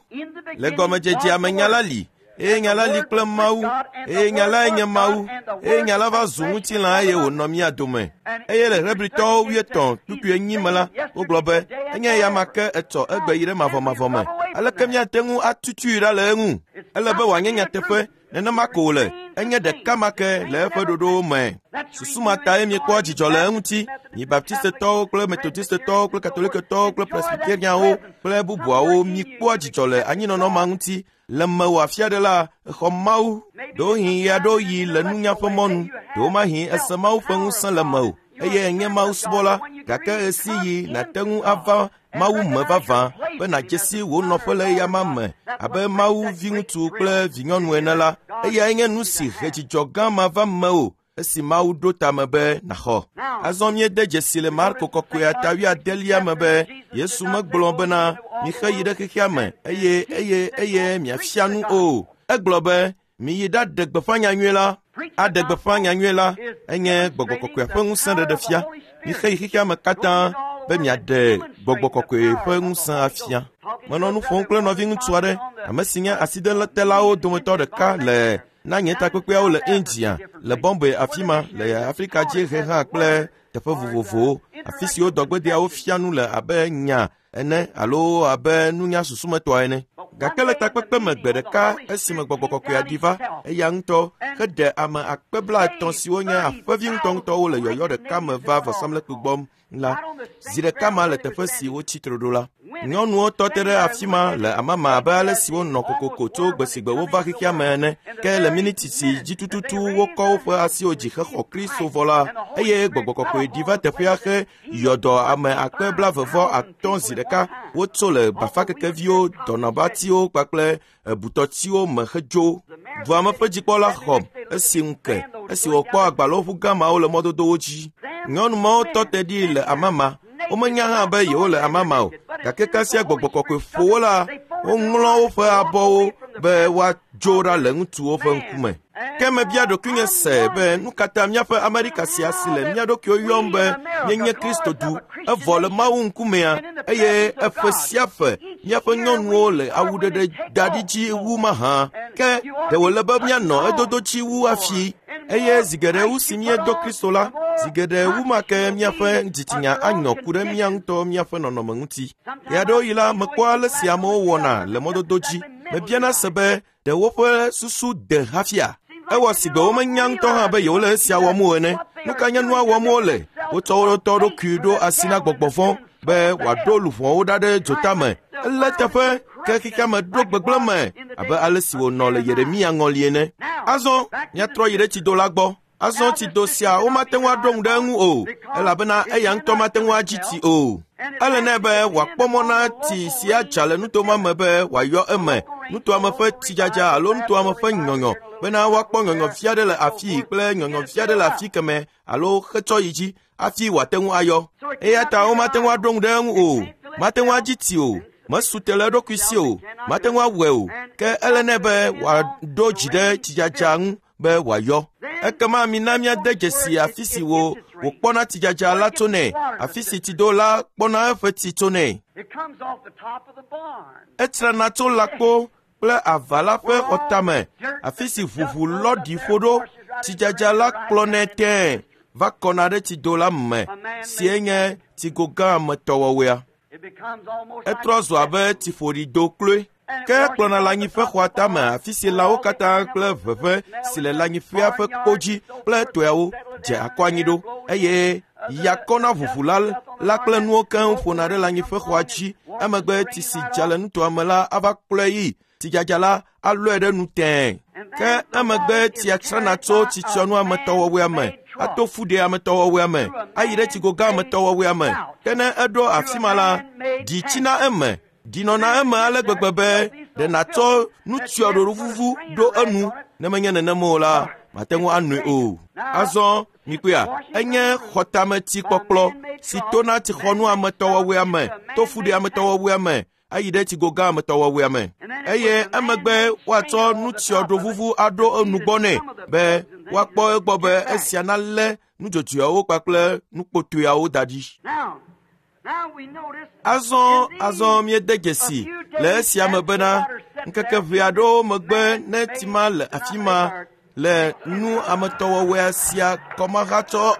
Speaker 2: Le gɔmedzedzea me nya la li, eye nya la li kple Mawu, eye nya lae nye Mawu, eye nya la va zu ŋutilã eye wònɔ mía dome. Eye le Hebritɔwo wuietɔ̃ kpukpui enyi me la, wogblɔ be enye eyama ke etsɔ egbe yi ɖe mavɔmavɔ me. Aleke míate ŋu atutui ɖa le eŋu? Ele be wòanye nyateƒe, nenema ko wòle, enye ɖeka ma ke le eƒe ɖoɖowo me. Susu ma tae miekpɔa dzidzɔ le eŋuti, mi Baptistetɔwo kple Metodistetɔwo kple Katoliketɔwo kple Presbyterianwo kple bubuawo mikpɔa dzidzɔ le anyinɔnɔ ma ŋuti. Le mewò afi aɖe la, exɔ Mawu, ɖewohĩ ɣeaɖewoɣi le nunya ƒe mɔnu, ɖewomahi ese Mawu ƒe ŋusẽ le mewò, eye enye Mawu subɔla, gake ɣesiɣi nàte ŋu ava Mawu me vavã be nàdze si wò nɔƒe le eyama me abe Mawu viŋutsu kple vinyɔnu ene la, eyae nye nu si he dzidzɔ gã ma va mewò esi Mawu ɖo tame be nàxɔ. Azɔ míede dzesi le Marko kɔkɔea ta wuiadelia me be Yesu megblɔ bena mixe yi ɖe xexea me eye eye eye miafia nu o. Egblɔ be miyi ɖaɖe gbeƒã nyanyui la. Aɖe gbeƒã nyanyui la enye gbɔgbɔ kɔkɔea ƒe ŋusẽ ɖeɖe fia. Mixe yi xexea me katã be miaɖe gbɔgbɔ kɔkɔe ƒe ŋusẽ afia. Menɔ nu ƒom kple nɔviŋutsu aɖe, ame si nye asidetelawo dometɔ ɖeka le na nye takpekpeawo le India, le Bombay afi ma, le Afrika dziehe hã kple teƒe vovovowo, afi siwo dɔgbedeawo fia nu le abe nya ene alo abe nunya susumetɔa ene. Gake le takpekpe me gbe ɖeka esime gbɔgbɔ kɔkɔea ɖi va, eya ŋutɔ heɖe ame akpe blaetɔ̃ siwo nye aƒevi ŋutɔŋutɔwo le yɔyɔ ɖeka me va vɔsamlekpui gbɔ la, zi ɖeka ma le teƒe si wotsi tre ɖo la. Nyɔnuwo tɔ te ɖe afi ma le amama abe ale si wonɔ kokoko tso gbe si gbe wova xexea me ene. Ke le miniti si dzi tututu wokɔ woƒe asiwo dzi hexɔ Kristo vɔ la, eye gbɔgbɔ kɔkɔe ɖi va teƒea he yɔ dɔ ame akpe blaeve vɔ atɔ̃ zi ɖeka. Wotso le bafakekeviwo, dɔnɔbatiwo kpakple butɔtiwo me hedzo. Dua me ƒe dzikpɔla xɔm esi ŋu ke esi wòkpɔ agbalẽwoʋu gã mawo le mɔdodowo dzi. Nyɔnu mawo tɔ te ɖi le amama. Womenya hã be yewole amama o, gake kasia gbɔgbɔ kɔkɔe ƒo wo la, woŋlɔ woƒe abɔwo be woado dzo ɖa le ŋutsuwo ƒe ŋkume. Ke mebia ɖokuinye se be nu ka ta míaƒe Amerika sia si le mía ɖokuiwo yɔm be míenye Kristo du, evɔ le Mawu ŋkumea, eye eƒe sia ƒe míaƒe nyɔnuwo le awuɖeɖe da ɖi dzi wu mahã. Ke ɖe wòle be míanɔ edodo dzi wu hafi. Eye zi geɖe wu si míedo Kristo la, zi geɖe wu ma ke míaƒe dzitsinya anyɔ ku ɖe mía ŋutɔ míaƒe nɔnɔme ŋuti. Ɣeaɖewoɣi la, mekpɔa ale si amewo wɔna le mɔdodo dzi. Mebiana se be ɖe woƒe susu de hafia. Ewɔ si gbe womenya ŋutɔ hã be yewole esia wɔm o ene. Nu ka nye nua wɔm wole? Wotsɔ wo ŋutɔ ɖokui ɖo asi na gbɔgbɔ vɔ̃ be wòaɖo luʋɔwo ɖa ɖe dzotame. Ele teƒe ke xexea me ɖo gbegblẽ me abe ale si wònɔ le Yeremia ŋɔli ene. Azɔ míatrɔ yi ɖe tsido la gbɔ. Azɔ tsido sia womate ŋu aɖo ŋu ɖe eŋu o, elabena eya ŋutɔ mate ŋu adzi tsi o. Ele nɛ be wòakpɔ mɔ na tsi si adza le nuto ma me be wòayɔ eme, nutoa me ƒe tsidzadza alo nutoa me ƒe nyɔnyɔ, bena woakpɔ nyɔnyɔvi aɖe le afii kple nyɔnyɔvi aɖe le afi kemɛ alo xetsɔ yi dzi hafi wòate ŋu ayɔ. Eya ta womate ŋu aɖo ŋu ɖe eŋu o, mate ŋu adzi tsi o, mesu te le eɖokui si o, mate ŋu awɔe o. Ke ele nɛ be wòaɖo dzi ɖe tsidzadza ŋu be wòayɔ. Ekema mina míade dzesi afi si wò wòkpɔna tsidzadza la tsonɛ, afi si tsido la kpɔna eƒe tsi tsonɛ.
Speaker 3: It comes off the top of the barn.
Speaker 2: Etsrana tso lãkpo kple ava la ƒe xɔtame, afi si ʋuʋu lɔ ɖi ƒo ɖo. Tsidzadza la kplɔnɛ tẽe va kɔna ɖe tsido la me, sie nye tsigo gã me tɔwɔwɔea.
Speaker 3: It becomes almost
Speaker 2: Etrɔ zu abe tsiƒoɖido kloe. Ke kplɔna le anyiƒe xɔa tame, afi si lãwo katã kple ʋeʋẽ si le lãnyiƒea ƒe kpo dzi kple toeawo dze akɔ anyi ɖo, eye ya kɔna ʋuʋu la la kple nuwo keŋ ƒona ɖe lãnyiƒe xɔa dzi. Emegbe tsi si dza le nutoa me la ava kplɔe yi. Tsidzadza la alɔe ɖe nu tẽe. Ke emegbe tsia tsrana tso tsitsyɔnu ametɔwɔwɔea me, ato fuɖe ametɔwɔwɔea me, ayi ɖe tsigo gã ametɔwɔwɔea me. Ke ne eɖo afi ma la, ɖi tsina eme, ɖi nɔna eme ale gbegbe be ɖe nàtsɔ nutsyɔɖoɖo vuvu ɖo enu. Ne menye nenem o la, mate ŋu anoe o. Azɔ mikpɔea, enye xɔtametsikpɔkplɔ si tona tsixɔnu ametɔwɔwɔea me, to fuɖe ametɔwɔwɔea me, ayi ɖe tsigo gã ametɔwɔwɔea me. Eye emegbe woatsɔ nutsyɔɖovuvu aɖo enu gbɔ nɛ be woakpɔ egbɔ be esia nalé nudzodzoeawo kpakple nukpotoeawo da ɖi.
Speaker 3: Now, now we notice
Speaker 2: Azɔ azɔ míede dzesi le esia me bena ŋkeke ʋɛ aɖewo megbe ne tsi ma le afi ma le nu ametɔwɔwɔea sia kɔmahatsɔ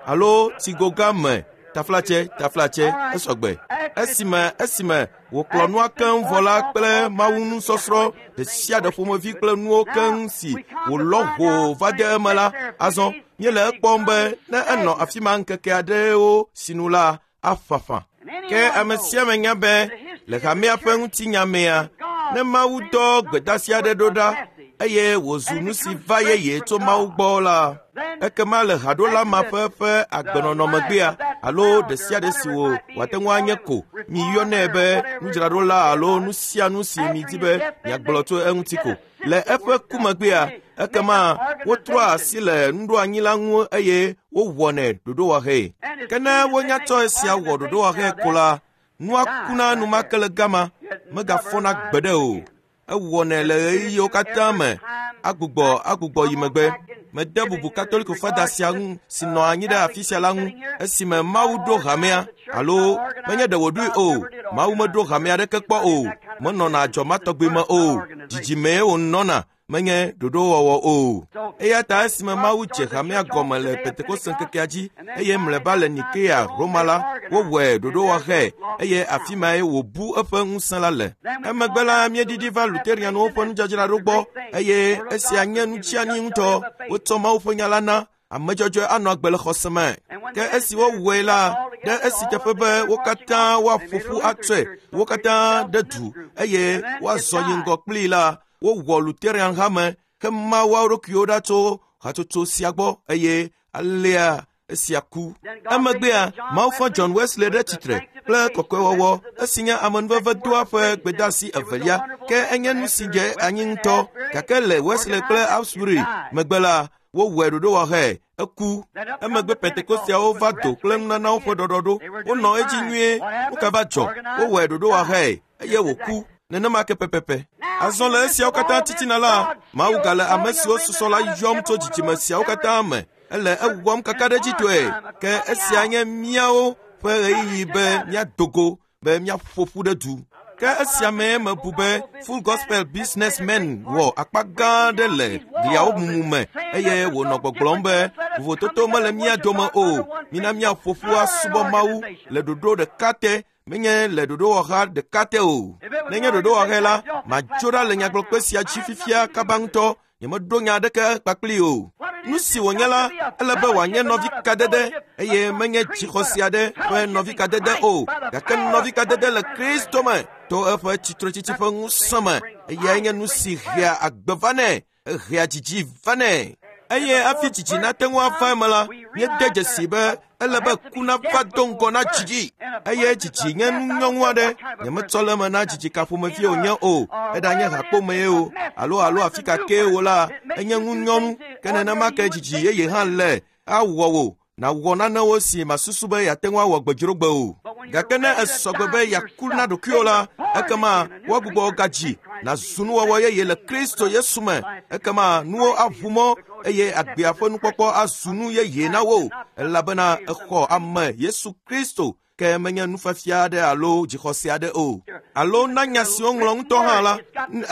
Speaker 2: alo tsigo gã me taflatse taflatse esɔgbe. Esime esime wòkplɔ nua keŋ vɔ la kple Mawu nusɔsrɔ̃ ɖe sia ɖe ƒomevi kple nuwo keŋ si wòlɔ ʋoo va de eme la, azɔ míele ekpɔm be ne enɔ afi ma ŋkeke aɖewo sinu la, aƒaƒã. Ke ame sia ame nya be le hamea ƒe ŋutinya mea, ne Mawu dɔ gbedeasi aɖe ɖo ɖa eye wòzu nu si va yeye tso Mawu gbɔ la, ekema le haɖola ma ƒe ƒe agbenɔnɔ megbea alo ɖe sia ɖe si wò wòate ŋu anye ko, miyɔnɛ be nudzraɖola alo nu sia nu si midi be miagblɔ tso eŋuti ko. Le eƒe ku megbea, ekema wotrɔa asi le nuɖoanyi la ŋu eye wowɔnɛ ɖoɖowɔhɛ. Ke ne wonya tsɔ esia wɔ ɖoɖowɔhɛ ko la, nua kuna enumake le gama, megafɔna gbeɖe o. Ewɔnɛ le ɣeyiɣiwo katã me, agbugbɔ agbugbɔ yi megbe. Mede bubu Katoliko fada sia ŋu si nɔ anyi ɖe afi sia la ŋu esime Mawu ɖo hamea, alo menye ɖe wòɖoe o. Mawu meɖo hamea aɖeke kpɔ o, menɔna adzɔ ma tɔgbi me o. Dzidzimee wònɔna, menye ɖoɖowɔwɔ o. Eya ta esime Mawu dze hamea gɔme le Pentekoste ŋkekea dzi eye mlɔeba le Nikea, Roma la, wowɔe ɖoɖowɔhɛ eye afi mae wòbu eƒe ŋusẽ la le. Emegbe la, míeɖiɖi va Luterianwo ƒe nudzadzraɖo gbɔ eye esia nye nu tsiani ŋutɔ. Wotsɔ Mawu ƒe nya la na ame dzɔdzɔe anɔ agbe le xɔse me. Ke esi wowɔe la, ɖe esi teƒe be wo katã woaƒo ƒu atsɔe, wo katã ɖe du eye woazɔ yi ŋgɔ kplii la, wowɔ Luterian hame hema woawo ɖokuiwo ɖa tso hatsotso sia gbɔ eye alea esia ku. Emegbea, Mawu fɔ John Wesley ɖe tsitre kple kɔkɔewɔwɔ esi nye amenuvevedoa ƒe gbedeasi evelia, ke enye nu si dze anyi ŋutɔ. Gake le Wesley kple Asbury megbe la, wowɔe ɖoɖowɔhɛ eku. Emegbe Pentekosteawo va do kple nunanawo ƒe ɖɔɖɔɖo. Wonɔ edzi nyuie. Nu ka va dzɔ? Wowɔe ɖoɖowɔhɛ eye wòku. Nenema ke pɛpɛpɛ. Azɔ le esiawo katã titina la, Mawu gale ame siwo susɔ la yɔm tso dzidzime siawo katã me. Ele ewɔm kakaɖedzitɔe. Ke esia nye míawo ƒe ɣeyiɣi be míado go be míaƒo ƒu ɖe du. Ke esia mee mebu be Full Gospel Businessmen wɔ akpa gã aɖe le gliawo mumu me eye wònɔ gbɔgblɔm be vovototo mele mía dome o. Mina míaƒo ƒu asubɔ Mawu le ɖoɖo ɖeka te, menye le ɖoɖowɔha ɖeka te o. Nenye ɖoɖowɔhae la, madzo ɖa le nyagblɔkpe sia dzi fifia kaba ŋutɔ. Nyemeɖo nya aɖeke kpakpli o. Nu si wònye la, ele be wòanye nɔvikadede eye menye dzixɔse aɖe ƒe nɔvikadede o, gake nɔvikadede le Kristo me to eƒe tsitretsitsi ƒe ŋusẽ me. Eyae nye nu si hea agbe vanɛ, ehea dzidzi vanɛ. Eye hafi dzidzi nate ŋu ava eme la, míede dzesi be ele be ku nava do ŋgɔ na dzidzi. Eye dzidzi nye nu nyɔŋu aɖe. Nyemetsɔ le eme na dzidzi ka ƒomevie wònye o, eɖanye hakpomee o, alo alo afi ka kee o la, enye nu nyɔnu. Ke nenema ke dzidzi yeye hã le awɔ wò nàwɔ nanewo si masusu be yeate ŋu awɔ gbedzrogbe o. Gake ne esɔgbe be yeaku na ɖokuiwò la, ekema woagbugbɔ gadzi nàzu nuwɔwɔ yeye le Kristo Yesu me. Ekema nuwo aʋu mɔ eye agbea ƒe nukpɔkpɔ azu nu yeye na wò, elabena exɔ ame Yesu Kristo ke menye nufiafia aɖe alo dzixɔse aɖe o. Alo na nya si woŋlɔ ŋutɔ hã la,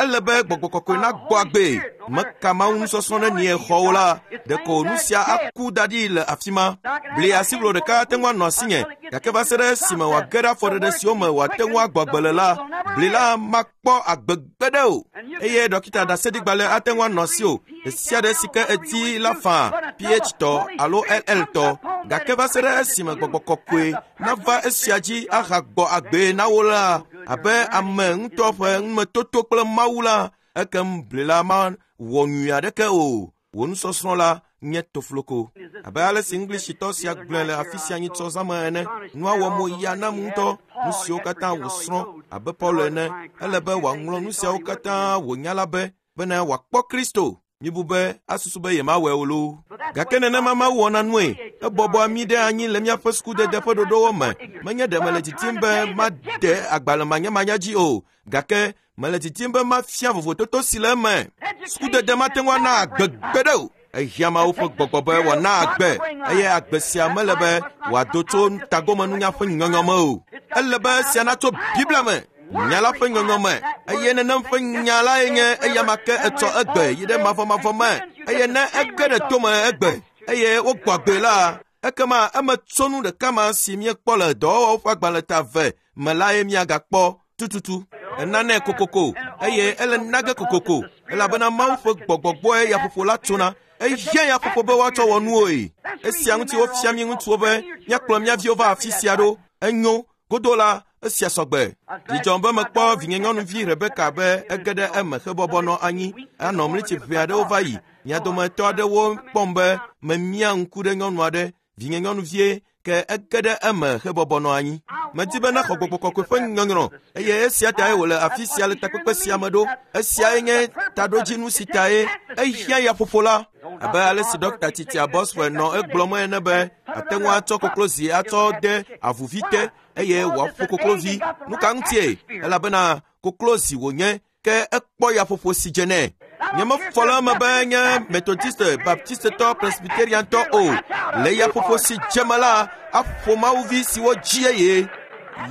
Speaker 2: ele be gbɔgbɔ kɔkɔe nagbɔ agbee. Meka Mawu nusɔsrɔ̃ nenie xɔ wo la, ɖeko nu sia aku da ɖi le afi ma. Bli asiʋlo ɖeka ate ŋu anɔ asinye, gake va se ɖe esime wòage ɖe afɔɖeɖe siwo me wòate ŋu agbɔ agbe le la, bli la makpɔ agbe gbeɖe o. Eye ɖɔkita ɖaseɖigbalẽ ate ŋu anɔ asiwò ɖe sia ɖe si ke edi la faa, P H tɔ alo L L tɔ, gake va se ɖe esime gbɔgbɔ kɔkɔe nava esia dzi ahagbɔ agbee na wo la, abe ame ŋutɔ ƒe numetoto kple Mawu la, ekem bli la mawɔ nyui aɖeke o. Wò nusɔsrɔ̃ la nye tofloko. Abe ale si Englishitɔ sia gblɔe le afi sia nyitsɔ zãme ene, nua wɔ mo ya nam ŋutɔ. Nu siwo katã wòsrɔ̃ abe Paulo ene, ele be wòaŋlɔ nu siawo katã wònya la be bene wòakpɔ Kristo. Mibu be asusu be yemawɔe o loo. Gake nenema Mawu wɔna nue. Ebɔbɔa mí ɖe anyi le míaƒe sukudede ƒe ɖoɖowo me. Menye ɖe mele didim be made agbalẽ manyamanya dzi o, gake mele didim be mafia vovototo si le eme. Sukudede mate ŋu ana agbe gbeɖe o. Ehiã Mawu ƒe gbɔgbɔ be wòana agbe, eye agbe sia mele be wòado tso tagomenunya ƒe nyɔnyɔ me o. Ele be esia natso Biblia me, nya la ƒe nyɔnyɔ me, eye nenem ƒe nya lae nye eyama ke etsɔ egbe yi ɖe mavɔmavɔ me. Eye ne ege ɖe tome egbe eye wogbɔ agbee la, ekema emetsonu ɖeka ma si míekpɔ le dɔwɔwɔwo ƒe agbalẽ ta eve me lae míagakpɔ tututu. Enanɛ kokoko eye ele nage kokoko, elabena Mawu ƒe gbɔgbɔ gbɔe yaƒoƒo la tsona. Ehiã yaƒoƒo be woatsɔ wɔ nuwoe. Esia ŋuti wofia mí ŋutsuwo be míakplɔ mía viwo va afi sia ɖo. Enyo godo la, esia sɔgbe. Dzidzɔm be mekpɔ vinyenyɔnuvi Rebeka be ege ɖe eme hebɔbɔ nɔ anyi anɔ mlitsi ʋɛ aɖewo va yi. Mia dometɔ aɖewo kpɔm be memia ŋku ɖe nyɔnu aɖe, vinyenyɔnuvie, ke ege ɖe eme hebɔbɔ nɔ anyi. Medi be naxɔ gbɔgbɔ kɔkɔe ƒe nyɔnyrɔ eye esia tae wòle afi sia le takpekpe sia me ɖo. Esiae nye taɖodzinu si tae ehiã yaƒoƒo la. Abe ale si Ɖɔkita Titia Boswell nɔ egblɔm ene be ate ŋu atsɔ koklozi atsɔ de avuvi te eye wòaƒo koklovi. Nu ka ŋutie? Elabena koklozi wònye, ke ekpɔ yaƒoƒo si dze nɛ. Nyemefɔ le eme be nye Methodiste, Baptistetɔ, Presbyteriantɔ o. Le yaƒoƒo si dze me la, aƒo mawuvi siwo dzi yeye.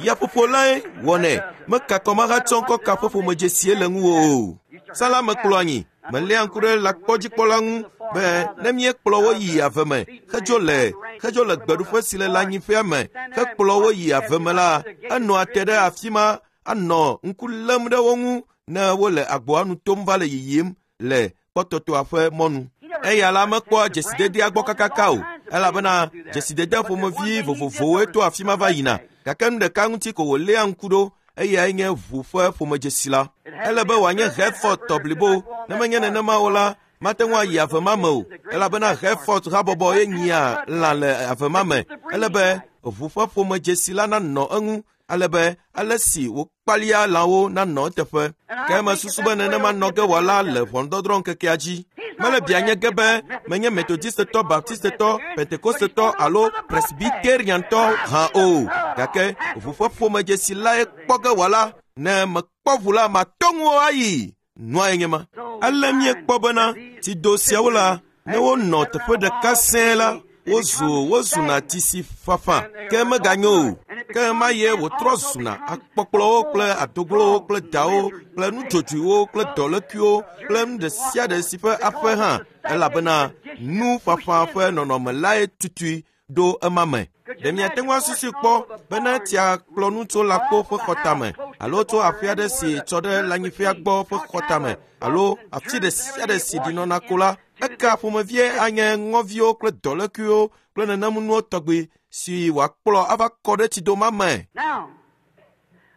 Speaker 2: Yaƒoƒo lae wɔnɛ. Meka kɔmahatsɔ ŋkɔ ka ƒe ƒomedzesie le ŋuwò o. Sala mekplɔ anyi. Meléa ŋku ɖe lãkpɔdzikpɔla ŋu be ne míekplɔ wo yi ave me hedzo le hedzo le gbeɖuƒe si le lãnyiƒea me hekplɔ wo yi ave me la, enɔa te ɖe afi ma anɔ ŋku lém ɖe wo ŋu ne wole agboa nu tom va le yiyim le kpɔtɔtɔa ƒe mɔnu. Eya la mekpɔa dzesidedea gbɔ kakaka o, elabena dzesidede ƒomevi vovovowoe to afi ma va yina. Gake nu ɖeka ŋuti ko wòléa ŋku ɖo, eyae nye ʋu ƒe ƒomedzesi la. Ele be wòanye Hereford tɔ blibo. Ne menye nenema o la, mate ŋu ayi ave ma me o, elabena Hereford habɔbɔ ye nyia lã le ave ma me. Ele be ʋu ƒe ƒomedzesi la nanɔ eŋu, ale be ale si wòkpalia lãwo nanɔ eteƒe. Ke mesusu be nenema nɔ ge wòala le ʋɔnudɔdrɔ̃ ŋkekea dzi. Mele bia nye ge be menye Methodistetɔ, Baptistetɔ, Pentekostetɔ alo Presbyteriantɔ hã o, gake ʋu ƒe ƒomedzesi lae kpɔ ge wòala. Ne mekpɔ mekpɔ ʋu la matɔ ŋuwò ayi. Nua ye nye ma. Ale míekpɔ bena tsido siawo la, ne wonɔ teƒe ɖeka sẽe la, wozu wozuna tsi si fafa ke meganyo o. Ke ma ye wòtrɔ zuna akpɔkplɔwo kple adoglowo kple dawo kple nudzodzoewo kple dɔlékuiwo kple nu ɖe sia ɖe si ƒe aƒe hã elabena nu fafa ƒe nɔnɔme lae tutui ɖo ema me. Ɖe miate ŋu asusui kpɔ bena tsia kplɔ nu tso lãkpo ƒe xɔtame alo tso aƒe aɖe si tsɔ ɖe lãnyiƒea gbɔ ƒe xɔtame alo afi ɖe sia ɖe si ɖi nɔna ko la, eka ƒomevie anye ŋɔviwo kple dɔlékuiwo kple nenemunuwo tɔgbi si wòakplɔ ava kɔ ɖe tsidoma me.
Speaker 3: Now,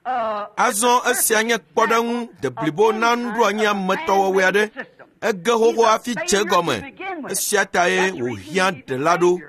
Speaker 3: uh,
Speaker 2: Azɔ esia nye kpɔɖeŋu deblibo na nuɖoanyi ametɔwɔwɔe aɖe. Ege xoxo hafi dze egɔme. Esia tae wòhiã ɖela ɖo.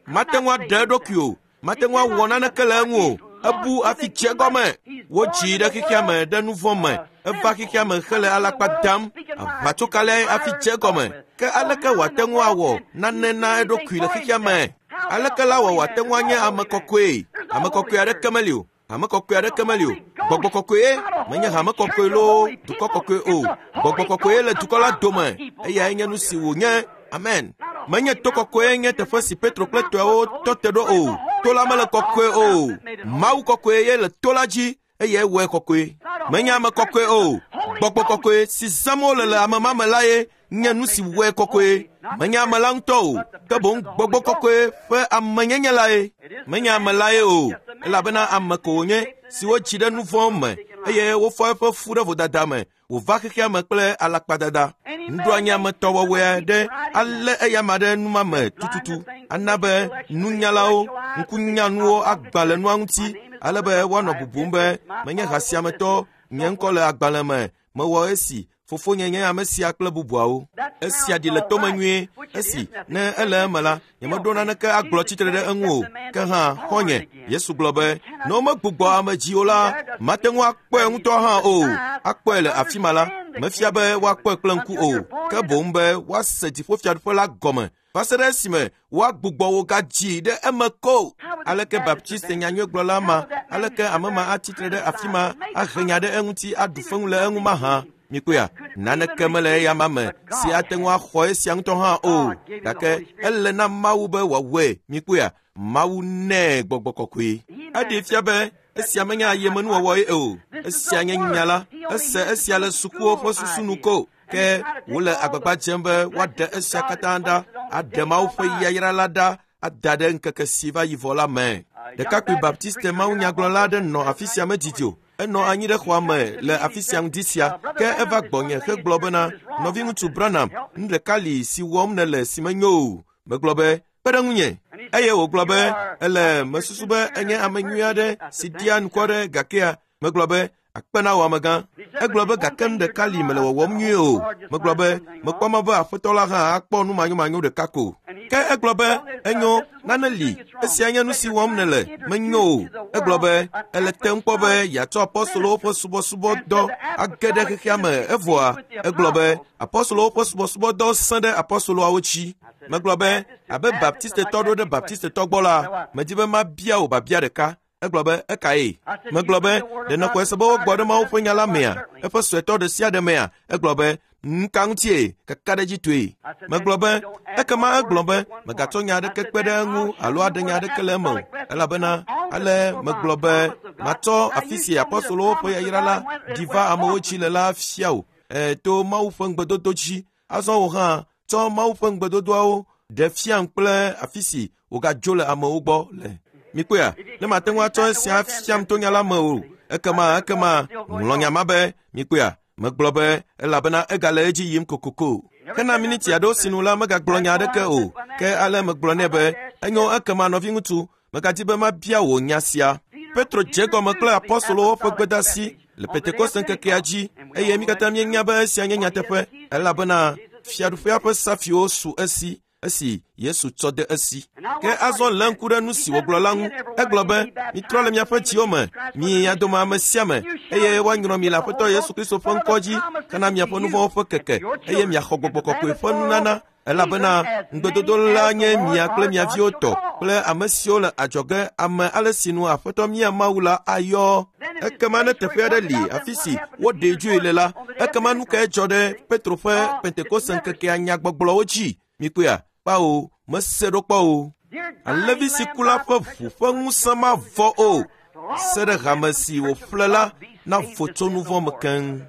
Speaker 2: Mate ŋu aɖe eɖokui o. Mate ŋu awɔ naneke le eŋu o. Ebu hafi dze egɔme. Wodzii ɖe xexea me ɖe nu vɔ̃ me. Eva xexea me hele alakpa dam. Aʋatsokalae hafi dze egɔme. Ke aleke wòate ŋu awɔ nane na eɖokui le xexea me? Aleke la wɔ wòate ŋu anye ame kɔkɔe? Ame kɔkɔe aɖeke meli o. Hame kɔkɔe aɖeke meli o. Gbɔgbɔ kɔkɔe menye hame kɔkɔe loo dukɔ kɔkɔe o. Gbɔgbɔ kɔkɔe le dukɔ la dome. Eyae nye nu si wònye. Amen. Menye to kɔkɔe nye teƒe si Petro kple tɔewo tɔ te ɖo o. To la mele kɔkɔe o. Mawu kɔkɔe ye le to la dzi eye wɔe kɔkɔe. Menye ame kɔkɔe o. Gbɔgbɔ kɔkɔe si zãm wole le ame ma me la ye nye nu si wɔe kɔkɔe. Menye ame la ŋutɔ o, ke boŋ gbɔgbɔ kɔkɔe ƒe amenyenye lae. Menye ame lae o, elabena ame ko wònye si wodzi ɖe nu vɔ̃ me eye wofɔ eƒe fu ɖe vodada me wòva xexea me kple alakpadada. Nuɖoanyi ametɔwɔwɔe ɖe alé eyama ɖe numa me tututu ana be nunyalawo, ŋkunyanuwo agbã le nua ŋuti ale be woanɔ bubum be menye ha sia me tɔ, nye ŋkɔ le agbalẽ me, mewɔ esi fofonye nye ame sia kple bubuawo. Esia ɖi le tome nyuie esi ne ele eme la, nyemeɖo naneke agblɔ tsitre ɖe eŋu o. Ke hã xɔ̃nye, Yesu gblɔ be ne womegbugbɔ ame dzi o la, mate ŋu akpɔe ŋutɔ hã o. Akpɔe le afi ma la, mefia be woakpɔe kple ŋku o, ke boŋ be woase dziƒofiaɖuƒe la gɔme va se ɖe esime woagbugbɔ wo gadzi ɖe eme ko. Aleke Baptiste nyanyuigblɔla ma, aleke ame ma atsitre ɖe afi ma ahe nya ɖe eŋuti aɖu feŋu le eŋu mahã? Mikpɔea, naneke mele eya ma me si ate ŋu axɔ esia ŋutɔ hã o. Gake ele na Mawu be wòawɔe. Mikpɔea, Mawu nɛ gbɔgbɔ kɔkɔe. Eɖee fia be esia menye ayemenuwɔwɔe o. Esia nye nya la. Ese esia le sukuwo ƒe susu nu ko. Ke wole agbagba dzem be woaɖe esia katã ɖa, aɖe Mawu ƒe yayra la ɖa, ada ɖe ŋkeke si va yi vɔ la me. Ɖekakpui Baptiste mawunyagblɔla aɖe nɔ afi sia medidi o. Enɔ anyi ɖe xɔa me le afi sia ŋdi sia. Ke eva gbɔnye hegblɔ bena, nɔviŋutsu Branham, nu ɖeka li si wɔm nèle si menyo o. Megblɔ be, kpe ɖe ŋunye. Eye wògblɔ be, ele mesusu be enye ame nyui aɖe si dia ŋkɔ ɖe gakea. Megblɔ be, akpe na wò amegã. Egblɔ be gake nu ɖeka li mele wɔwɔm nyuie o. Megblɔ be, mekpɔ mɔ be aƒetɔ la hã akpɔ nu manyomanyo ɖeka ko. Ke egblɔ be, enyo, nane li, esia nye nu si wɔm nèle, menyo o. Egblɔ be, ele te ŋu kpɔ be yeatsɔ apɔstolowo ƒe subɔsubɔdɔ age ɖe xexea me evɔa. Egblɔ be, apɔstolowo ƒe subɔsubɔdɔ sẽ ɖe apɔstoloawo dzi. Megblɔ be, abe Baptistetɔ ɖo ɖe Baptistetɔ gbɔ la, medi be mabia wò biabia ɖeka. Egblɔ be, ekae? Megblɔ be, ɖe nèxɔe se be wogbɔ ɖe Mawu ƒe nya la mea? Eƒe suetɔ ɖe sia ɖe mea? Egblɔ be, nu ka ŋutie? Kakaɖedzitɔe. Megblɔ be, ekema egblɔ be, megatsɔ nya aɖeke kpe ɖe eŋu alo aɖe nya aɖeke le eme o. Elabena ale megblɔ be, matsɔ afi si apɔstolowo ƒe yayra la ɖi va amewo dzi le la fia wò, e, to Mawu ƒe ŋugbedodo dzi. Azɔ wò hã tsɔ Mawu ƒe ŋugbedodoawo ɖe fiam kple afi si wògadzo le amewo gbɔ le. Mikpɔea, ne mate ŋu atsɔ esia fiam to nya la me o, ekema ekema ŋlɔ nya ma be. Mikpɔea, megblɔ be elabena egale edzi yim kokoko. Hena miniti aɖewo sinu la megagblɔ nya aɖeke o. Ke ale megblɔ nɛ be, enyo ekema nɔviŋutsu, megadi be mabia wò nya sia. Petro dze egɔme kple apɔstolowo ƒe gbedasi le Pentekoste ŋkekea dzi eye mí katã míenya be esia nye nyateƒe elabena fiaɖuƒea ƒe safiwo su esi esi Yesu tsɔ de esi. Ke azɔ lé ŋku ɖe nu si wògblɔ la ŋu. Egblɔ be, mitrɔ le miaƒe dziwo me, mi ya dome ame sia ame, eye woanyrɔ mi le Aƒetɔ Yesu Kristo ƒe ŋkɔ dzi hena miaƒe nu vɔ̃wo ƒe keke, eye miaxɔ gbɔgbɔ kɔkɔe ƒe nunana, elabena ŋugbedodo la nye mia kple mia viwo tɔ kple ame siwo le adzɔge ame ale si nu Aƒetɔ mía Mawu la ayɔ. Ekema ne teƒe aɖe li afi si woɖee dzoe le la, ekema nu kae dzɔ ɖe Petro ƒe Pentekoste ŋkekea nyagbɔgblɔwo dzi? Mikpɔea? Kpao, mese ɖo kpɔ o. Alẽvi si ku la ƒe ʋu ƒe ŋusẽ mavɔ o. Se ɖe hame si wòƒle la navo tso nu vɔ̃ me keŋ.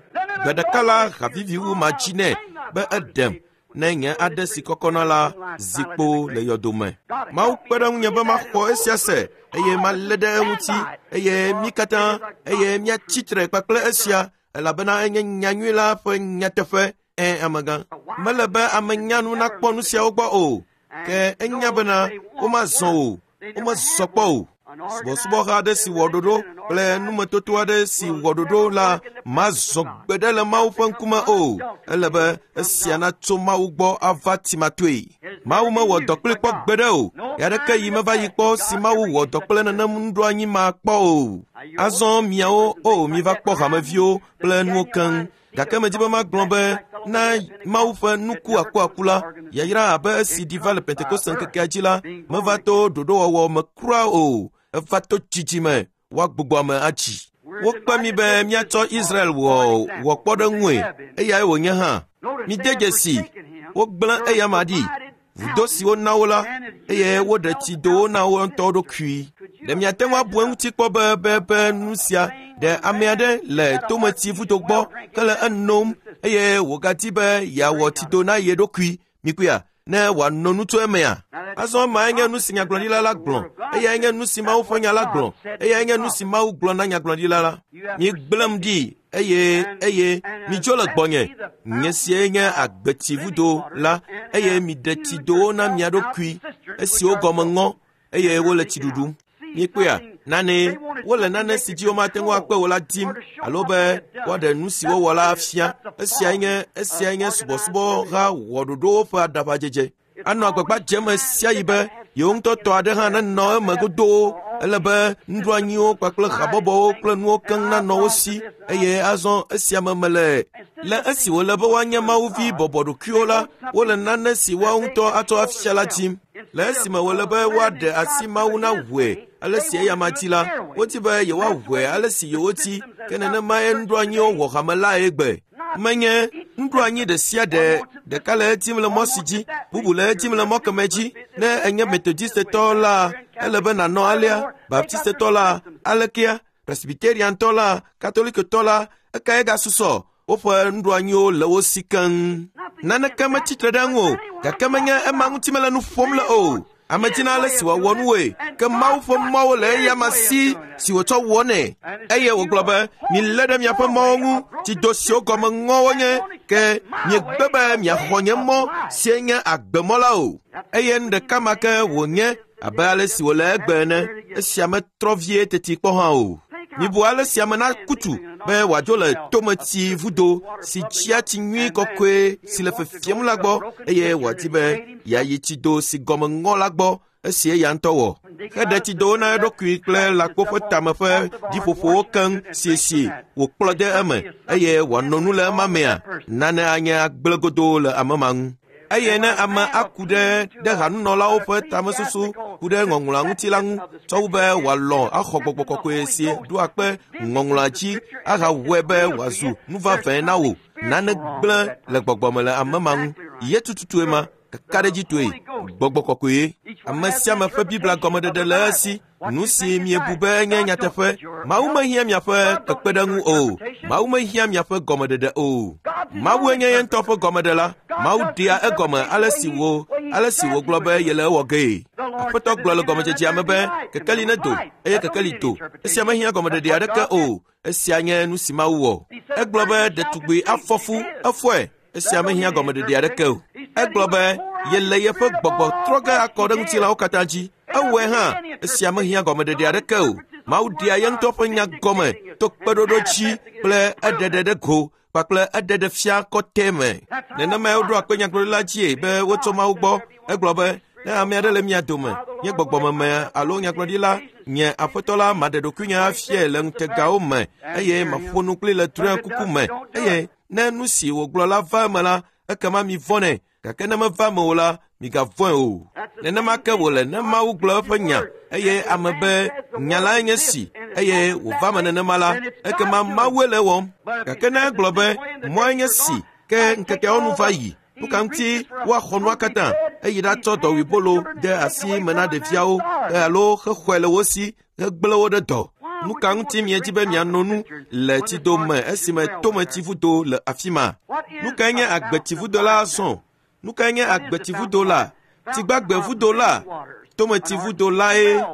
Speaker 2: Gbe ɖeka la haviviwu ma dzi nɛ be eɖem ne nye aɖe si kɔkɔna la zi kpo le yɔdome. Mawu kpe ɖe ŋunye be maxɔ esia se eye malé ɖe eŋuti eye mí katã eye míatsi tre kpakple esia elabena enye nyanyui la ƒe nyateƒe. Ẽ amegã, mele be ame nyanu nakpɔ nu siawo gbɔ o, ke enya bena womazɔ o, womezɔ kpɔ o. Subɔsubɔha aɖe si wɔ ɖoɖo kple numetoto aɖe si wɔ ɖoɖo la mazɔ gbeɖe le Mawu ƒe ŋkume o. Ele be esia natso Mawu gbɔ ava timatoe. Mawu mewɔ dɔ kpli kpɔ gbeɖe o. Ya ɖeke yi meva yi kpɔ si Mawu wɔ dɔ kple nenem nuɖoanyi ma kpɔ o. Azɔ miawo o miva kpɔ hameviwo kple nuwo keŋ. Gake medzi be magblɔ be na Mawu ƒe nuku akuaku la, yayra abe esi ɖi va le Pentekoste ŋkekea dzi la, meva to ɖoɖowɔwɔ me kura o. Eva to dzidzime woagbugbɔ ame atsi. Wokpe mi be míatsɔ Israel wɔ wɔ kpɔɖeŋue, eyae wònye hã. Mide dzesi, wogblẽ eyama ɖi, vudo si wona wo la, eye woɖe tsidowo na wo ŋutɔwo ɖokui. Ɖe miate ŋu abu eŋuti kpɔ be be be nu sia ɖe ame aɖe le tometsi vudo gbɔ ke le enom eye wògadi be yeawɔ tsido na ye ɖokui. Mikpɔea? Ne wòano nu tso emea? Azɔ mae nye nu si nyagblɔɖila la gblɔ. Eyae nye nu si Mawu ƒe nya la gblɔ. Eyae nye nu si Mawu gblɔ na nyagblɔɖila la. Migblẽm ɖi eye eye midzo le gbɔnye. Nye sie nye agbetsivudo la eye miɖe tsidowo na mia ɖokui esiwo gɔme ŋɔ eye wole tsi ɖuɖum. Mikpɔea? Nane wole nane si dzi womate ŋu akpe o la dim alo be woaɖe nu si wowɔ la afia. Esiae nye esiae nye subɔsubɔha wɔɖoɖowo ƒe aɖaʋadzedze. Anɔ agbagba dzem sia yi be yewo ŋutɔ tɔ aɖe hã nenɔ eme godoo. Ele be nuɖoanyiwo kpakple habɔbɔwo kple nuwo keŋ nanɔ wo si eye azɔ esia me mele. Le esi wòle be woanye Mawuvi bɔbɔɖokuiwo la, wole nane si woawo ŋutɔ atsɔ afia la dim. Le esime wòle be woaɖe asi Mawu naʋue ale si eyama dzi la, wodi be yewoaʋue ale si yewodi, ke nenemae nuɖoanyiwo wɔ hame lae gbe. Menye nuɖoanyi ɖe sia ɖe ɖeka le edim le mɔ si dzi, bubu le edim le mɔ keme dzi. Ne enye Metodistetɔ la, ele be nànɔ alea, Baptistetɔ la, alekea, Presbyteriantɔ la, Katolikotɔ la, ekae gasusɔ? Woƒe nuɖoanyiwo le wo si keŋ. Naneke metsi tre ɖe eŋu o, gake menye ema ŋuti mele nu ƒom le o. Ame dzina ale si wòawɔ nuwoe, ke Mawu ƒe mɔwo le eyama si si wòtsɔ wɔnɛ. Eye wògblɔ be, milé ɖe miaƒe mɔwo ŋu, tsido siwo gɔme ŋɔ wonye, ke miegbe be miaxɔ nye mɔ sie nye agbemɔ la o. Eye nu ɖeka ma ke wònye abe ale si wòle egbe ene, esia metrɔ vie teti kpɔ hã o. Mibu ale si ame nakutu be wòadzo le tometsi vudo si tsia tsi nyui kɔkɔe si le fefiem la gbɔ eye wòadi be yeayi tsido si gɔme ŋɔ la gbɔ esi eya ŋutɔ wɔ. Heɖe tsidowo na eɖokui kple lãkpo ƒe tame ƒe ɖiƒoƒowo keŋ siesie wòkplɔ de eme eye wòano nu le ema mea, nane anye agblẽ godoo le ame ma ŋu. Eye ne ame aku ɖe ɖe hanunɔlawo ƒe tamesusu ku ɖe ŋɔŋlɔa ŋuti la ŋu tsɔ wu be wòalɔ̃ axɔ gbɔgbɔ kɔkɔe si ɖoa kpe ŋɔŋlɔa dzi ahawɔe be wòazu nu vavãe na wò. Nane gblẽ le gbɔgbɔme le ame ma ŋu. Ye tututue ma, kakaɖedzitɔe, gbɔgbɔ kɔkɔe. Ame sia ame ƒe Biblia gɔmeɖeɖe le esi. Nu si miebu be enye nyateƒe. Mawu mehiã miaƒe kpekpeɖeŋu o. Mawu mehiã miaƒe gɔmeɖeɖe o. Mawue nye ye ŋutɔ ƒe gɔmeɖela. Mawu ɖea egɔme ale si wo ale si wògblɔ be yele ewɔ gee. Aƒetɔ gblɔ le gɔmedzedzea me be kekeli nedo eye kekeli do. Esia mehiã gɔmeɖeɖe aɖeke o. Esia nye nu si Mawu wɔ. Egblɔ be ɖetugbui afɔ fu efɔe. Esia mehiã gɔmeɖeɖe aɖeke o. Egblɔ be yele yeƒe gbɔgbɔ trɔ ge akɔ ɖe ŋutilãwo katã dzi. Ewɔe hã. Esia mehiã gɔmeɖeɖe aɖeke o. Mawu ɖea ye ŋutɔ ƒe nya gɔme to kpeɖoɖo dzi kple eɖeɖe ɖe go kpakple eɖeɖe fia kɔtɛ me. Nenemae woɖo akpe nyagblɔɖila dzie be wotso Mawu gbɔ. Egblɔ be ne ame aɖe le mia dome, nye gbɔgbɔmeme alo nyagblɔɖila, nye aƒetɔ la maɖe ɖokuinye afiae le ŋutegawo me eye maƒo nu kpli le drɔ̃ekuku me. Eye ne nu si wògblɔ la va eme la, ekema mivɔ̃nɛ, gake ne meva eme o la, migavɔ̃e o. Nenema ke wòle ne Mawu gblɔ eƒe nya eye ame be nya lae nye si eye wòva me nenema la, ekema Mawue le ewɔm. Gake ne egblɔ be mɔe nye si ke ŋkekeawo nu va yi, nu ka ŋuti woaxɔ nua katã eye ɖatsɔ dɔwuibolo de asi me na ɖeviawo alo hexɔe le wo si hegblẽ wo ɖe dɔ. Nu ka ŋuti miedzi be miano nu le tsido me esime tometsivudo le afi ma? Nu kae nye agbetsivudo la azɔ? Nu kae nye agbetsivudo la? Tsigbagbevudo la? Tometsivudo lae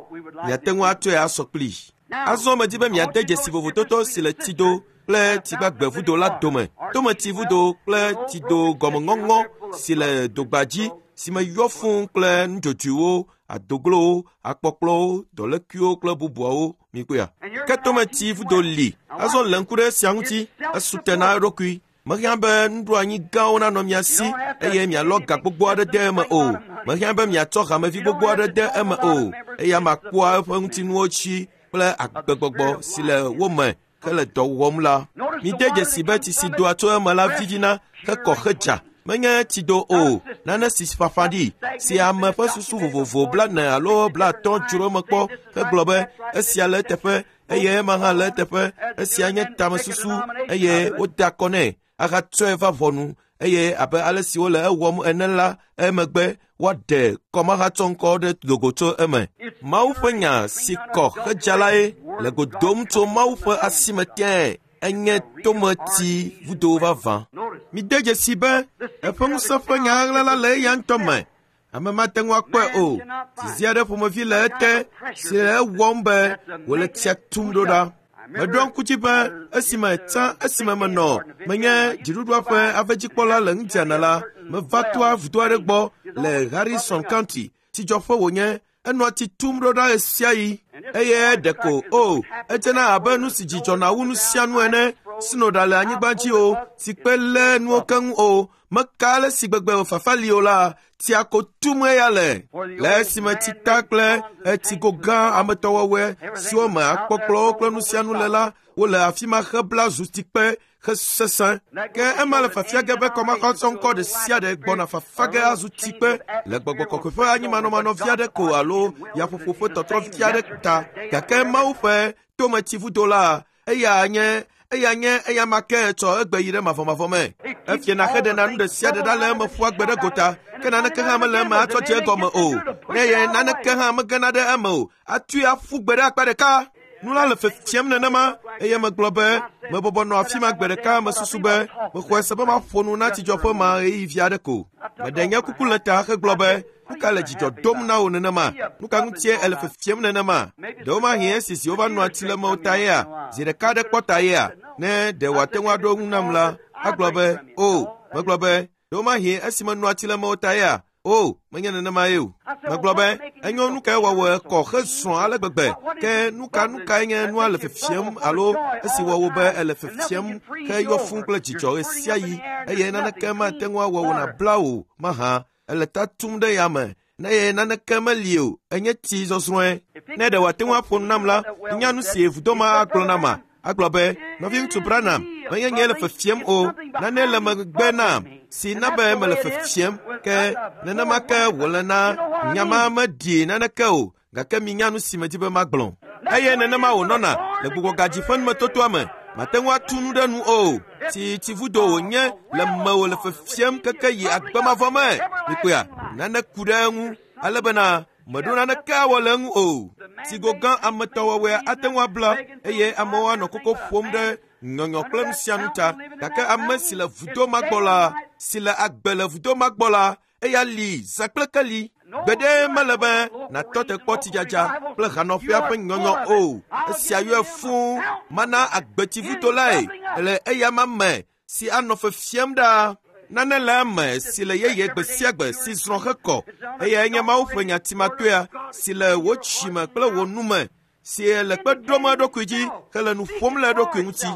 Speaker 2: miate ŋu atsɔe asɔ kpli. Azɔ medzi be miade dzesi vovototo si le tsido kple tsigbagbevudo la dome. Tometsivudo kple tsido gɔmeŋɔŋɔ si le dogba dzi si me yɔ fũu kple nudzodzoewo, adoglowo, akpɔkplɔwo, dɔlékuiwo kple bubuawo mikpɔea. Ke tometsivudo li. Azɔ le ŋku ɖe esia ŋuti, esu te na eɖokui. Mehiã be nuɖoanyi gãwo nanɔ mia si eye mialɔ ga gbogbo aɖe de eme o. Mehiã be miatsɔ hamevi gbogbo aɖe de eme o. Eya makpɔa eƒe ŋutinuwo tsi kple agbegbɔgbɔ si le wo me hele dɔ wɔm la. Mide dzesi be tsi si doa tso eme la vivina hekɔ hedza. Menye tsido o, nane si ƒaƒã ɖi, si ame ƒe susu vovovo blaene alo blaatɔ̃ dzro eme kpɔ hegblɔ be esia le eteƒe eye ema hã le eteƒe, esia nye tamesusu eye wode akɔ nɛ ahatsɔe va ʋɔnu eye abe ale si wole ewɔm ene la emegbe woaɖe kɔmahatsɔŋkɔ ɖe dogo tso eme. Mawu ƒe nya si kɔ hedza lae le go dom tso Mawu ƒe asime tẽe enye tometsi vudo vavã. Mide dzesi be eƒe ŋusẽ ƒe nya ɣaɣla la le eya ŋutɔ me. Ame mate ŋu akpɔe o. Zizi aɖe ƒomevi le ete si le ewɔm be wòle tsia tum ɖo ɖa. Meɖo ŋku dzi be esime tsã esime menɔ menye dziɖuɖua ƒe avedzikpɔla le Indiana la, meva toa vudo aɖe gbɔ le Harrison County. Tsidzɔƒe wònye. Enɔa tsi tum ɖo ɖa ɣesiaɣi eye ɖeko o edzena abe nu si dzidzɔna wu nu sia nu ene. Sno ɖa le anyigba dzi o, si kpe lé nuwo keŋ o. Meka ale si gbegbe fafa li o la, tsia ko tum eya le. Le esime tsita kple etsigo gã ametɔwɔwɔe siwo me akpɔkplɔwo kple nu sia nu le la, wole afi ma hebla zu tsikpe hesesẽ. Ke ema le fafia ge be kɔmahatsɔŋkɔ ɖe sia ɖe gbɔna fafa ge azu tsikpe le gbɔgbɔ kɔkɔe ƒe anyimanɔmanɔ vi aɖe ko alo yaƒoƒo ƒe tɔtrɔ vi aɖe ta. Gake Mawu ƒe tometsivudo la, eya nye eya nye eya ma ke tsɔ egbe yi ɖe mavɔmavɔ me. Efiana heɖena nu ɖe sia ɖe ɖa le eme ƒua gbe ɖe gota, ke naneke hã mele eme atsɔ dze egɔme o. Ne ye naneke hã megena ɖe eme o, atui aƒu gbe ɖe akpa ɖeka. Nu la le fefiem nenema eye megblɔ be mebɔbɔ nɔ afi ma gbe ɖeka mesusu be mexɔe se be maƒo nu na tsidzɔƒe ma ɣeyiɣi vi aɖe ko. Meɖe nye kuku le ta hegblɔ be nu ka le dzidzɔ dom na wò nenema? Nu ka ŋutie ele fefiem nenema? Ɖewomahi esi si wova nɔa tsi le mewo ta yea? Zi ɖeka aɖe kpɔ ta yea? Ne ɖe wòate ŋu aɖo eŋu nam la, agblɔ be o. Megblɔ be ɖewomahi esi menɔa tsi le mewo ta yea? O, menye nenema ye o. Megblɔ be enyo nu kae wɔwɔ kɔ hezrɔ̃ ale gbegbe ke nu ka nu kae nye nua le fefiem alo esi wɔwɔ be ele fefiem heyɔ fũu kple dzidzɔ ɣesiaɣi eye naneke mate ŋu awɔ wò nabla wò mahã. Ele ta tum ɖe yame ne ye naneke meli o, enye tsi zɔzrɔ̃e. Ne ɖe wòate ŋu aƒo nu nam la, nya nu si vudo ma agblɔ nama. Agblɔ be nɔviŋutsu Branham, menye nye le fefiem o, nane le megbe nam si na be mele fefiem ke nenema ke wòle na nya ma meɖi naneke o, gake minya nu si medzi be magblɔ. Eye nenema wònɔna le gbugbɔgadzi ƒe numetotoa me. Mate ŋu atu nu ɖe nu o. Tsi tsivudo wònye le mewò le fefiem keke yi agbemavɔ me. Mikpɔea, nane ku ɖe eŋu ale bena meɖo naneke awɔ le eŋu o. Tsigo gã ametɔwɔwɔe ate ŋu abla eye amewo anɔ koko ƒom ɖe nyɔnyɔ kple nu sia nu ta. Gake ame si le vudo ma gbɔ la, si le agbe le vudo ma gbɔ la, eya li zã kple keli. Gbeɖe mele be nàtɔ te kpɔ tsidzadza kple hanɔƒea ƒe nyɔnyɔ o. Esia yɔe fũu mana agbetsivudo lae le eya ma me si anɔ fefiem ɖaa. Nane le eme si le yeye gbe sia gbe si zrɔ̃ hekɔ. Eyae nye Mawu ƒe nyatimatoea si le wò tsime kple wò nu me si le kpe ɖom eɖokui dzi hele nu ƒom le eɖokui ŋuti.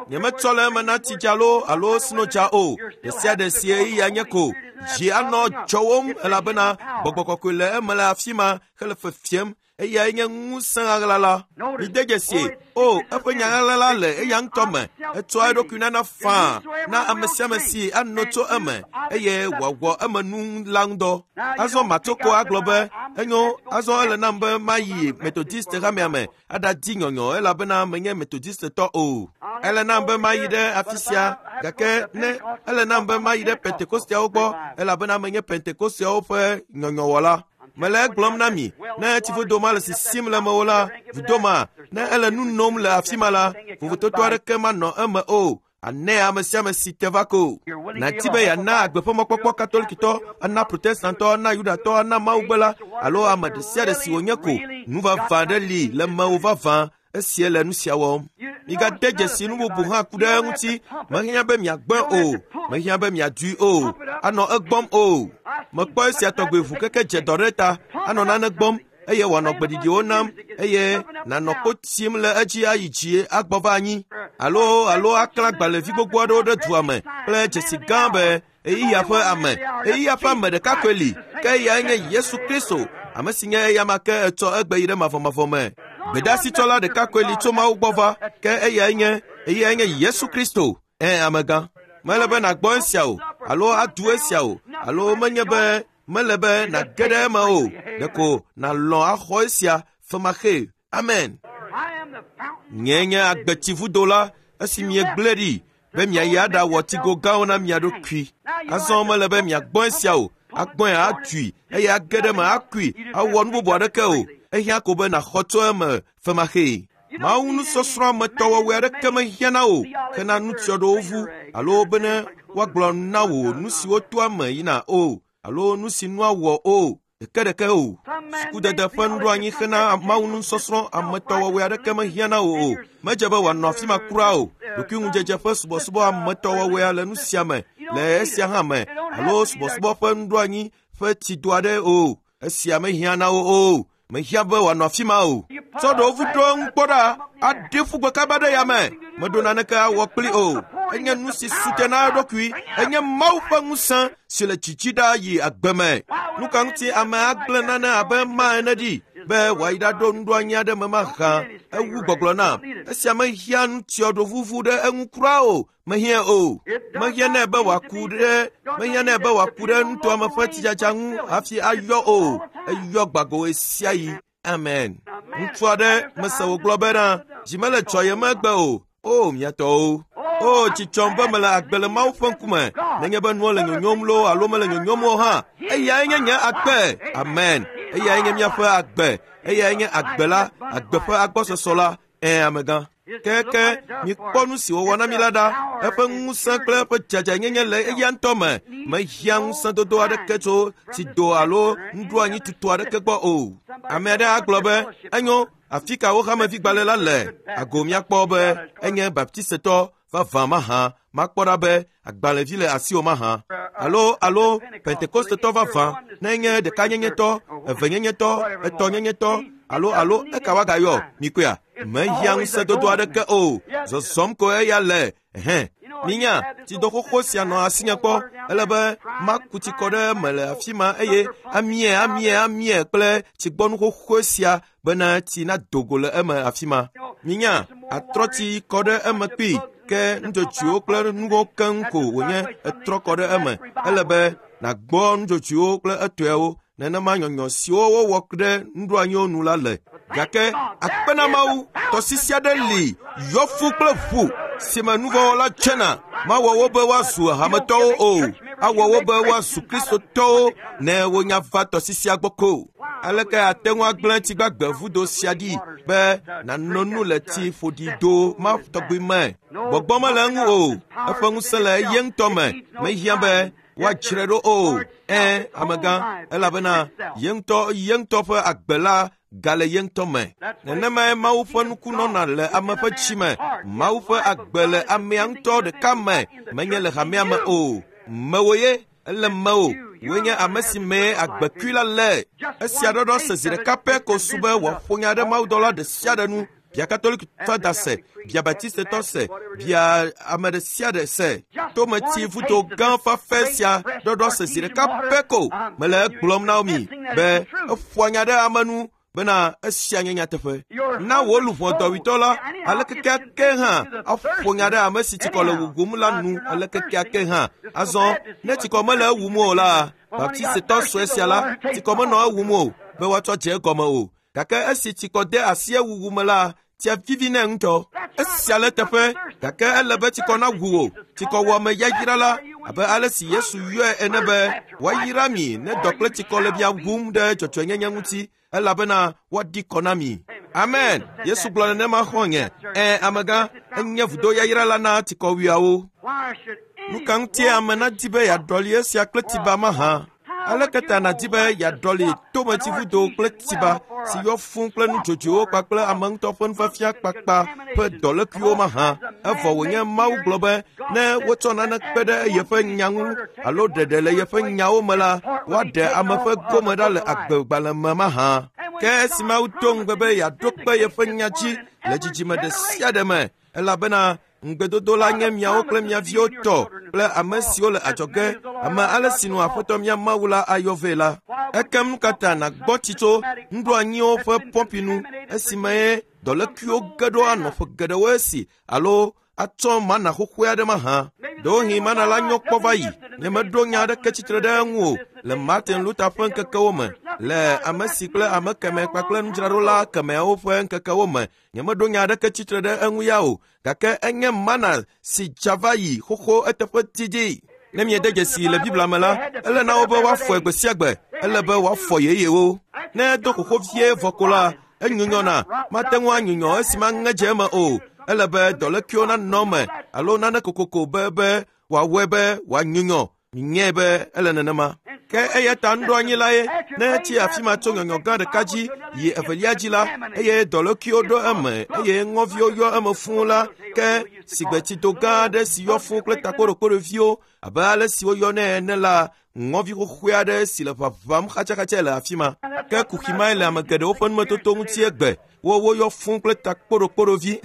Speaker 2: Nyemetsɔ le eme na tsidza loo alo snodza o. Ɖe sia ɖe si ɣeyiɣia nye ko. Dzi anɔ dzɔwom elabena gbɔgbɔ kɔkɔe le eme le afi ma hele fefiem Eyae nye ŋusẽ ɣaɣla la. Mide dzesi, o, eƒe nya ɣaɣla la le eya ŋutɔ me. Etsɔa eɖokui nana faa na ame sia ame si ano tso eme eye wòawɔ eme nu la ŋudɔ. Azɔ Matoko agblɔ be, enyo, azɔ ele nam be mayi Methodist hamea me aɖadi nyɔnyɔ elabena menye Methodistetɔ o. Ele nam be mayi ɖe afi sia, gake ne ele nam be mayi ɖe Pentekosteawo gbɔ elabena menye Pentekosteawo ƒe nyɔnyɔwɔla. Mele egblɔm na mi, ne tsivudo ma le sisim le mewò la, vudo ma, ne ele nu nom le afi ma la, vovototo aɖeke manɔ eme o. Ane ame sia ame si te va ko. Nàti be yeana agbe ƒe mɔkpɔkpɔ katolikitɔ, ana protestantɔ, ana yudatɔ, ana mawugbela alo ame ɖe sia ɖe si wònye ko. Nu vavã ɖe li le mewò vavã esie le nu sia wɔm. Migade dzesi nu bubu hã ku ɖe eŋuti. Mehiã be miagbɔe o, mehiã be miadui o, anɔ egbɔm o. Mekpɔ esia tɔgbe ʋu keke dze dɔ ɖe ta, anɔ nane gbɔm eye wòanɔ gbeɖiɖiwo nam eye nànɔ kpo tim le edzi ayi dzi agbɔ va anyi alo alo aklã agbalẽvi gbogbo aɖewo ɖe dua me kple dzesi gã be ɣeyiɣia ƒe ame, ɣeyiɣia ƒe ame ɖeka koe li, ke eyae nye Yesu Kristo, ame si nye eyama ke etsɔ egbe yi ɖe mavɔmavɔ me. Gbedeasitsɔla ɖeka koe li tso Mawu gbɔ va, ke eyae nye eyae nye Yesu Kristo. Ẽ, amegã. Mele be nàgbɔ esia o, alo adu esia o, alo menye be mele be nàge ɖe eme o. Ɖeko nàlɔ̃ axɔ esia femaxee. Amen. Nye nye agbetsivudo la, esi miegblẽ ɖi be miayi aɖawɔ tsigo gãwo na mia ɖokui. Azɔ mele be miagbɔ esia o, agbɔe atui eye age ɖe eme akui awɔ nu bubu aɖeke o. Ehiã ko be nàxɔ tso eme femaxee. Mawu nusɔsrɔ̃ ametɔwɔwɔe aɖeke mehiã na wò hena nutsyɔɖewo ŋu alo bene woagblɔ na wò nu siwo toa eme yina o alo nu si nua wɔ o ɖekeɖeke o. Sukudede ƒe nuɖoanyi hena Mawu nusɔsrɔ̃ ametɔwɔwɔe aɖeke mehiã na wò o. Medze be wòanɔ afi ma kura o. Ɖokuiŋudzedze ƒe subɔsubɔ ametɔwɔwɔea le nu sia me le esia hã me alo subɔsubɔ ƒe nuɖoanyi ƒe tsido aɖe o. Esia mehiã na wò o. Mehiã be wòanɔ afi ma o. Tsɔ ɖewo vu ɖo eŋu kpɔ ɖa, aɖi ƒu gbe kaba ɖe yame. Meɖo naneke awɔ kpli o. Enye nu si su te na eɖokui. Enye Mawu ƒe ŋusẽ si le tsitsi ɖa yi agbe me. Nu ka ŋuti ame agblẽ nane abe ma ene ɖi be wòayi ɖaɖo nuɖoanyi aɖe me mahã ewu gbɔgblɔ nam. Esia mehiã nutsyɔɖovuvu ɖe eŋu kura o. Mehiã o. Mehiã nɛ be wòaku ɖe mehiã nɛ be wòaku ɖe nutoa me ƒe tsidzadza ŋu hafi ayɔ o. Eyɔ gbago ɣesiaɣi. Amen. Ŋutsu aɖe mese wògblɔ bena dzi mele dzɔyem egbe o. O mia tɔwo. O tsi tsɔm be mele agbe le Mawu ƒe ŋkume. Nenye be nuwo le nyonyom loo alo mele nyonyom o hã, eyae nye nye agbe. Amen. Eyae nye míaƒe agbe. Eyae nye agbe la, agbe ƒe agbɔsɔsɔ la. Ẽ, amegã. Keke mikpɔ nu si wòwɔ na mi la ɖa. Eƒe ŋusẽ kple eƒe dzadzanyenye le eya ŋutɔ me. Mehiã ŋusẽdodo aɖeke tso tsido alo nuɖoanyi tutu aɖeke gbɔ o. Ame aɖe agblɔ be, enyo, afi ka wo hamevigbalẽ la le? Ago miakpɔ be enye baptistetɔ vavã mahã. Makpɔ ɖa be agbalẽvi le asiwò mahã. Alo alo Pentekostetɔ vavã, ne enye ɖekanyenyetɔ, evenyenyetɔ, etɔ̃nyenyetɔ, alo alo eka woagayɔ mikɔea? Mehiã ŋusẽdodo aɖeke o. Zɔzɔm ko eya le. Hẽ. Minya, tsido xoxo sia nɔ asinye kpɔ. Ele be maku tsi kɔ ɖe eme le afi ma eye amie, amie, amie kple tsigbɔnu xoxo sia bena tsi nado go le eme afi ma. Minya, atrɔ tsi kɔ ɖe eme kpii ke nudzodzoewo kple nuwo keŋ ko wònye etrɔ kɔ ɖe eme. Ele be nàgbɔ nudzodzoewo kple etɔewo nenema nyɔnyɔ siwo wowɔ ɖe nuɖoanyiwo nu la le. Gake akpe na Mawu, tɔsisi aɖe li yɔ fũ kple ʋu si me nuvɔ̃wɔla tsena. Mawɔ wo be woazu hametɔwo o, awɔ wo be woazu kristotɔwo ne wonya va tɔsisia gbɔ ko. Aleke ate ŋu agblẽ tsigbagbe vudo sia ɖi be nàno nu le tsi ƒoɖi do ma tɔgbi me? Gbɔgbɔ mele eŋu o. Eƒe ŋusẽ le ye ŋutɔ me. Mehiã be woadzrae ɖo o. Ẽ, amegã, elabena ye ŋutɔ ye ŋutɔ ƒe agbe la gale ye ŋutɔ me. Nenemae Mawu ƒe nuku nɔna le ame ƒe dzi me. Mawu ƒe agbe le amea ŋutɔ ɖeka me, menye le hamea me o. Mewò ye, ele mewò. Wòe nye ame si mee agbekui la le. Esia ɖɔɖɔ se zi ɖeka pɛ ko su be wòaƒo nya ɖe mawudɔla ɖe sia ɖe nu. Bia katolikitɔ da se, bia batistetɔ se, bia ame ɖe sia ɖe se. Tometsi vudo gã fafɛ sia ɖɔɖɔ se zi ɖeka pɛ ko. Mele egblɔm na mi be eƒoa nya ɖe ame nu Bena esia nye nyateƒe. Na wò luʋɔ dɔwuitɔ la, ale kekeake hã aƒo nya ɖe ame si tsikɔ le wugum la nu ale kekeake hã. Azɔ ne tsikɔ mele ewum o la, Baptistetɔ sue sia la, tsikɔ menɔ ewum o be woatsɔ dze egɔme o. Gake esi tsikɔ de asi ewuwu me la, tsia vivi nɛ ŋutɔ. Esia le teƒe, gake ele be tsikɔ nawu wò. Tsikɔwɔame yayra la, abe ale si Yesu yɔe ene be woayra mi ne dɔ kple tsikɔ le mia wum ɖe dzɔdzɔenyenye ŋuti, elabena woaɖi kɔ na mi. Amen. Yesu gblɔ nenema xɔ̃nye. Ẽ, amegã, enye vudo yayra la na tsikɔwuiawo. Nu ka ŋutie ame nadi be yeaɖɔli esia kple tsiba mahã? Aleke ta nàdi be yeaɖɔli tometsivudo kple tsiba si yɔ fũu kple nudzodzoewo kpakple ame ŋutɔ ƒe nufiafia kpakpa ƒe dɔlékuiwo mahã? Evɔ wònye Mawu gblɔ be ne wotsɔ nane kpe ɖe yeƒe nya ŋu alo ɖeɖe le yeƒe nyawo me la, woaɖe ame ƒe gome ɖa le agbegbalẽ me mahã. Ke esi Mawu do ŋugbe be yeaɖo kpe yeƒe nya dzi le dzidzime ɖe sia ɖe me, elabena ŋugbedodo la nye miawo kple mia viwo tɔ kple ame siwo le adzɔge, ame ale si nu Aƒetɔ mía Mawu la ayɔ vɛ la. Ekem nu ka ta nàgbɔ tsi tso nuɖoanyiwo ƒe pɔmpi nu esime ye dɔlékuiwo ge ɖo anɔ ƒe geɖewo esi alo atsɔ mana xoxoe aɖe mahã? Ɖewohĩ mana la nyɔ kpɔ va yi. Nyemeɖo nya aɖeke tsitre ɖe eŋu o le Martin Luther ƒe ŋkekewo me, le ame si kple ame kemɛ kpakple nudzraɖola kemɛawo ƒe ŋkekewo me. Nyemeɖo nya aɖeke tsitre ɖe eŋu ya o, gake enye mana si dza va yi xoxo eteƒe didi. Ne miede dzesi le Biblia me la, ele na wo be woafɔe gbe sia gbe, ele be woafɔ yeyewo. Ne edo xoxo vie vɔ ko la, enyunyɔna, mate ŋu anyunyɔ esime aŋe dze eme o. Ele be dɔlékuiwo nanɔ eme alo nane kokoko be be wòawɔe be wòanyunyɔ. Minyae be ele nenema. Ke eya ta nuɖoanyi la ye, ne etsi afi ma tso nyɔnyɔ gã ɖeka dzi yi evelia dzi la, eye dɔlékuiwo ɖo eme eye ŋɔviwo yɔ eme fũu la, ke sigbetsido gã aɖe si yɔ fũu kple takpoɖokpoɖoviwo abe ale si woyɔnɛ ene la, ŋɔvi xoxoe aɖe si le ʋaʋãm xatsaxatsae le afi ma. Ke kuxi mae le ame geɖewo ƒe numetoto ŋuti egbe. Wo woyɔ fũu kple takpoɖokpoɖovi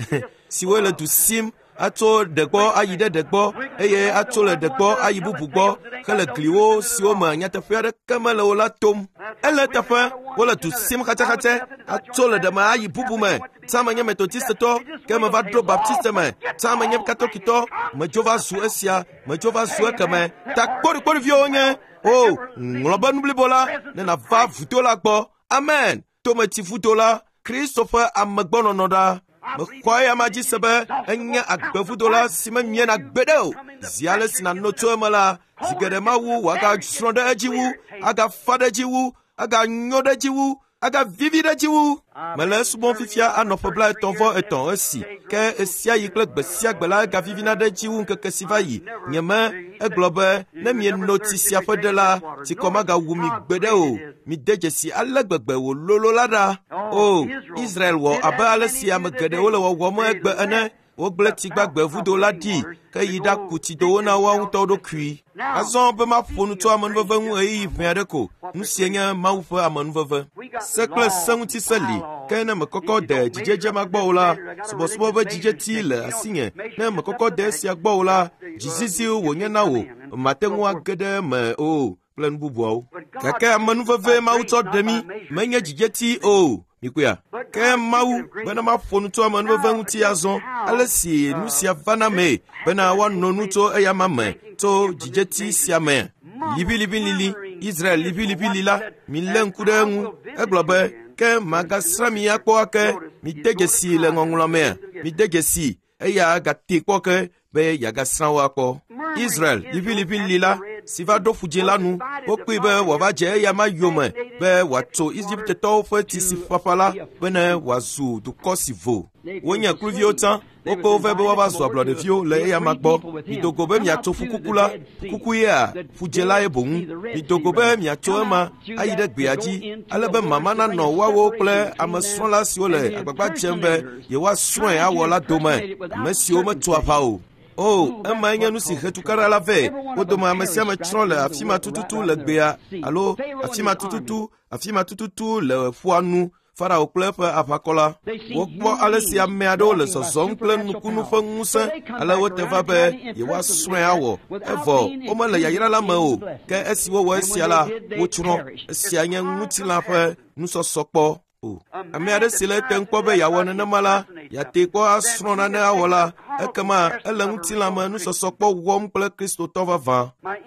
Speaker 2: siwo le du sim atso ɖe gbɔ ayi ɖe ɖe gbɔ eye atso le ɖe gbɔ ayi bubu gbɔ hele gliwo siwo me nyateƒe aɖeke mele o la tom. Ele teƒe wole du sim xatsaxatsae atso le ɖe me ayi bubu me. Tsã menye Metodistetɔ, ke meva ɖo Baptiste me. Tsã menye Katolitɔ, medzo va zu esia, medzo va zu ekeme. Takpoɖokpoɖoviwo nye o ŋlɔ be nu blibo la ne nàva vudo la gbɔ. Amen. Tometsivudo la, Kristo ƒe amegbɔnɔnɔ ɖa. Mexɔ eya ma dzi se be enye agbevudo la si memiena gbeɖe o. Zi ale si nàno tso eme la, zi geɖe Mawu wòagasrɔ̃ ɖe edzi wu, agafa ɖe edzi wu, aganyo ɖe edzi wu, agavivi ɖe edzi wu. Mele esubɔm fifia anɔ ƒe blaetɔ̃ vɔ etɔ̃ esi, ke esia yi kple gbe sia gbe la egavivina ɖe edzi wu ŋkeke si va yi. Nyeme egblɔ be ne mieno tsi sia ƒe ɖe la, tsikɔ magawu mi gbeɖe o. Mide dzesi ale gbegbe wòlolo la ɖa. O, Israel wɔ abe ale si ame geɖewo le wɔwɔm egbe ene. Wogblẽ tsi gbagbe vudo la ɖi ke yi ɖaku tsidowo na woawo ŋutɔ ɖokui. Azɔ be maƒo nu tso amenuveve ŋu ɣeyiɣi ʋɛ aɖe ko. Nu sie nye Mawu ƒe amenuveve. Se kple se ŋuti se li, ke ne mekɔkɔ de dzidzedze ma gbɔ o la, subɔsubɔ ƒe dzidzeti le asinye. Ne mekɔkɔ de esia gbɔ o la, dzizizi wònye na wò, mate ŋu age ɖe eme o kple nu bubuawo. Gake amenuveve Mawu tsɔ ɖe mí menye dzidzeti o. Mikpɔea? Ke Mawu bena maƒo nu tso amenuveve ŋuti azɔ, ale si nu sia vana mee bena woano nu tso eyama me tso dzidzeti sia me. Liʋiliʋilili, Israel liʋiliʋili la, milé ŋku ɖe eŋu. Egblɔ be, ke magasrã mi akpɔ ake, mide dzesi le ŋɔŋlɔ mea, mide dzesi eya gate kpɔ ke be yeagasrã wo akpɔ. Israel liʋiliʋili la si va ɖo ƒudzĩ la nu, wokpɔe be wòava dze eyama yome be wòatso Egiptetɔwo ƒe tsi si ƒaƒã la bene wòazu dukɔ si vo. Wonye kluviwo tsã, wokpe wo vɛ be woava zu ablɔɖeviwo le eyama gbɔ. Mido go be miatso ƒukuku la, ƒukuku yea ƒudzĩ la ye boŋ. Mido go be miatso ema ayi ɖe gbea dzi, ale be mama nanɔ woawo kple amesrɔ̃la siwo le agbagba dzem be yewoasrɔ̃e awɔ la dome, ame siwo metso aʋa o. O, emae nye nu si he tukaɖa la vɛ. Wo dome ame sia ame tsrɔ̃ le afi ma tututu le gbea alo afi ma tututu, afi ma tututu le ƒua nu. Farao kple eƒe aʋakɔ la. Wokpɔ ale si ame aɖewo le zɔzɔm kple nukunu ƒe ŋusẽ, ale wote va be yewoasrɔ̃e awɔ. Evɔ womele yayra la me o. Ke esi wowɔ esia la, wotsrɔ̃. Esia nye ŋutilã ƒe nusɔsɔ kpɔ. O. Ame aɖe si le etem kpɔ be yeawɔ nenema la, yeate kpɔ asrɔ̃ nane awɔ la, ekema ele ŋutilãme nusɔsɔ kpɔ wɔm kple Kristotɔ vavã.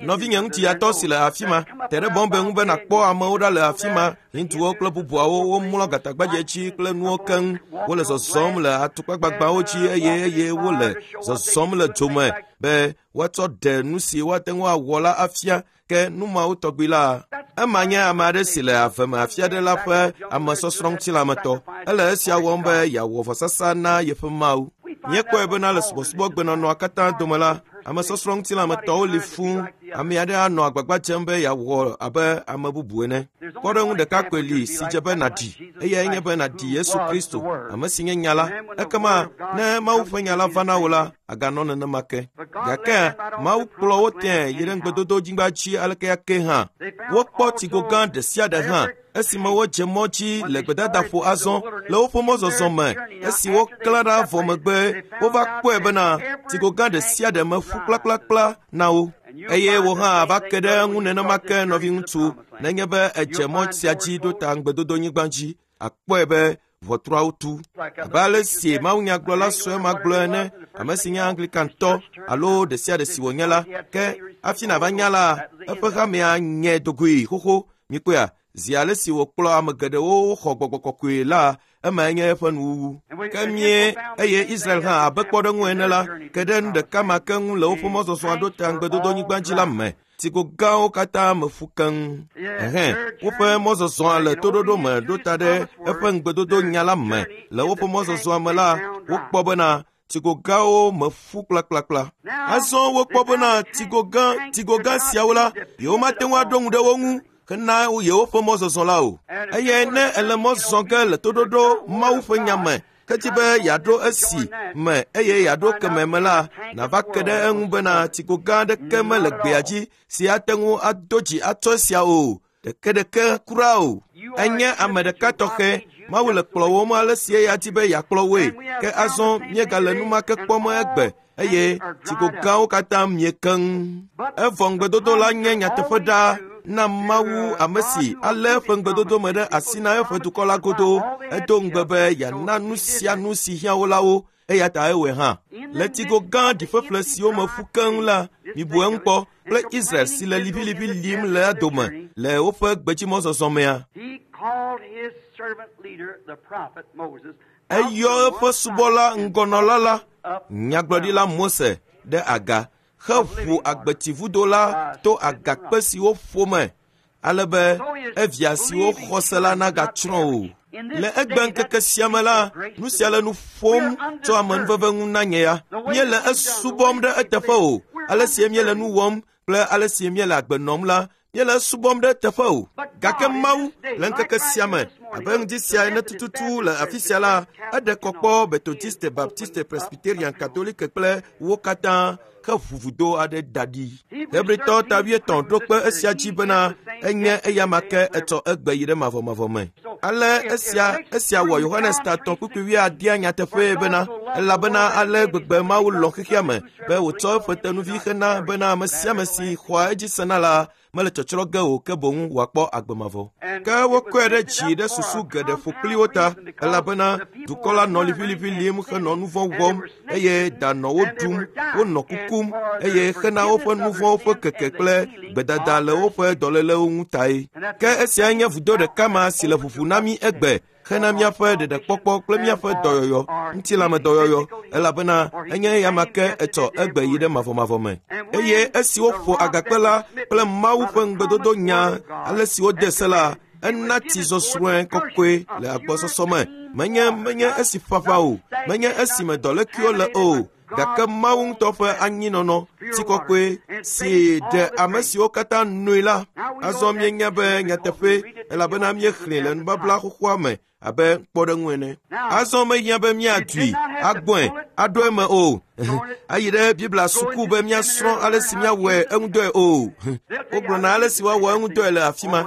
Speaker 2: Nɔvinye ŋutiyatɔ si le afi ma, te ɖe bɔmbe ŋu be nàkpɔ amewo ɖa le afi ma, Hinduwo kple bubuawo womlɔ gatagbadze dzi kple nuwo keŋ. Wole zɔzɔm le atukpagbagbawo dzi eye eye wole zɔzɔm le dzome be woatsɔ ɖe nu si woate ŋu awɔ la afia ke nu mawo tɔgbi la. Ema nye ame aɖe si le ave me afi aɖe la ƒe amesɔsrɔ̃ ŋutilãmetɔ. Ele esia wɔm be yeawɔ vɔsasa na yeƒe Mawu. Míekpɔe bena le subɔsubɔgbenɔnɔa katã dome la, amesɔsrɔ̃ ŋutilãmetɔwo li fũu. Ame aɖe anɔ agbagba dzem be yeawɔ abe ame bubu ene. Kpɔɖeŋu ɖeka koe li si dze be nàɖi, eyae nye be nàɖi Yesu Kristo, ame si nye nya la. Ekema ne Mawu ƒe nya la va na wò la, aganɔ nenema ke. Gake Mawu kplɔ wo tẽe yi ɖe ŋugbedodonyigba dzi aleke ke hã. Wokpɔ tsigo gã ɖe sia ɖe hã esime wodze mɔ dzi le gbedadaƒo azɔ le woƒe mɔzɔzɔ me. Esi woklã ɖa vɔ megbe, wova kpɔe bena tsigo gã ɖe sia ɖe me ƒu kplakplakpla na wo. Eye wò hã ava ke ɖe eŋu nenema ke nɔviŋutsu, nenye be edze mɔ sia dzi ɖo ta ŋugbedodonyigba dzi, akpɔe be ʋɔtruawo tu. Abe ale si mawunyagblɔla sue ma gblɔ ene, ame si nye Anglikantɔ alo ɖe sia ɖe si wònye la, ke hafi nàva nya la, eƒe hamea nye dogoe xoxo. Mikpɔea, zi ale si wòkplɔ ame geɖewo woxɔ gbɔgbɔ kɔkɔe la, emae nye eƒe nuwuwu. Ke mie eye Israel hã abe kpɔɖeŋu ene la, ke ɖe nu ɖeka ma ke ŋu le woƒe mɔzɔzɔa ɖo ta ŋugbedodonyigba dzi la me. Tsigo gãwo katã me ƒu keŋ. Ɛhɛn, woƒe mɔzɔzɔa le toɖoɖo me ɖo ta ɖe eƒe ŋugbedodo nya la me. Le woƒe mɔzɔzɔa me la, wokpɔ bena tsigo gãwo me ƒu kplakplakpla. Azɔ wokpɔ bena tsigo gã, tsigo gã siawo la, yewomate ŋu aɖo ŋu ɖe wo ŋu hena yewoƒe mɔzɔzɔ la o. Eye ne ele mɔ zɔ ge le toɖoɖo Mawu ƒe nya me, kedzi be yeaɖo esi me eye yeaɖo keme me la, nàva ke ɖe eŋu bena tsigo gã aɖeke mele gbea dzi si ate ŋu ado dzi atsɔ esia o. Ɖekeɖeke kura o. Enye ame ɖeka tɔxɛ. Mawu le kplɔwòm ale si eya di be yeakplɔ woe. Ke azɔ míegale nu ma ke kpɔm egbe eye tsigo gãwo katã mie keŋ. Evɔ ŋugbedodo la nye nyateƒe ɖaa na Mawu ame si alé eƒe ŋugbedodo me ɖe asi na eƒe dukɔ la godoo. Edo ŋugbe be yeana nu sia nu si hiã wo la wo, eya ta ewɔe hã. Le tsigo gã ɖiƒeƒle siwo me ƒu keŋ la, mibu eŋu kpɔ kple Israel si le liʋiliʋi lim le dome le woƒe gbedzimɔzɔzɔ mea.
Speaker 3: He called his servant leader, the prophet Moses,
Speaker 2: Eyɔ eƒe subɔla ŋgɔnɔla la, nyagblɔɖila Mose, ɖe aga heʋu agbetsivudo la to agakpe siwo ƒo me, ale be evia siwo xɔ se la nagatsrɔ̃ o. Le egbeŋkeke sia me la, nu sia le nu ƒom tso amenuveve ŋu na nye ya. Míele esubɔm ɖe eteƒe o. Ale si míele nu wɔm kple ale si míele agbe nɔm la, míele esubɔm ɖe eteƒe o. Gake Mawu le ŋkeke sia me, abe ŋdi sia ene tututu le afi sia la, eɖe kɔ kpɔ Methodiste, Baptiste, Presbyterian, Katolike kple wo katã heʋu vudo aɖe da ɖi. Hebritɔ ta wuietɔ̃ ɖo kpe esia dzi bena enye eyama ke etsɔ egbe yi ɖe mavɔmavɔ me. Ale esia esia wɔ Yohanes ta etɔ̃ kpukpui wuiadea nyateƒee bena elabena ale gbegbe Mawu lɔ̃ xexea me be wòtsɔ eƒe tenuvi hena bena ame sia ame si xɔa edzi sena la mele tsɔtsrɔ̃ ge o ke boŋ wòakpɔ agbe mavɔ. Ke wokɔe ɖe dzi ɖe susu geɖe ƒo kpli wo ta elabena dukɔ la nɔ liʋiliʋi lim henɔ nu vɔ̃ wɔm eye da nɔ wo ɖum, wonɔ kukum eye hena woƒe nu vɔ̃wo ƒe keke kple gbedada le woƒe dɔlélewo ŋu tae. Ke esiae nye vudo ɖeka ma si le ʋuʋu na mí egbe hena míaƒe ɖeɖekpɔkpɔ kple míaƒe dɔyɔyɔ, ŋutilãmedɔyɔyɔ, elabena enye eyama ke etsɔ egbe yi ɖe mavɔmavɔ me. Eye esi woƒo agakpe la kple Mawu ƒe ŋugbedodo nya ale si wode se la, ena tsi zɔzrɔ̃e kɔkɔe le agbɔsɔsɔ me. Menye menye esi ƒaƒã o, menye esime dɔlékuiwo le o, gake Mawu ŋutɔ ƒe anyinɔnɔ, tsi kɔkɔe si ɖe ame siwo katã noe la. Azɔ míenya be nyateƒe elabena míexlẽe le nubabla xoxoa me abe kpɔɖeŋu ene. Azɔ mehiã be míadui, agbɔe, aɖo eme o, ayi ɖe Biblia suku be míasrɔ̃ ale si míawɔe eŋudɔe o. Wogblɔna ale si woawɔ eŋudɔe le afi ma.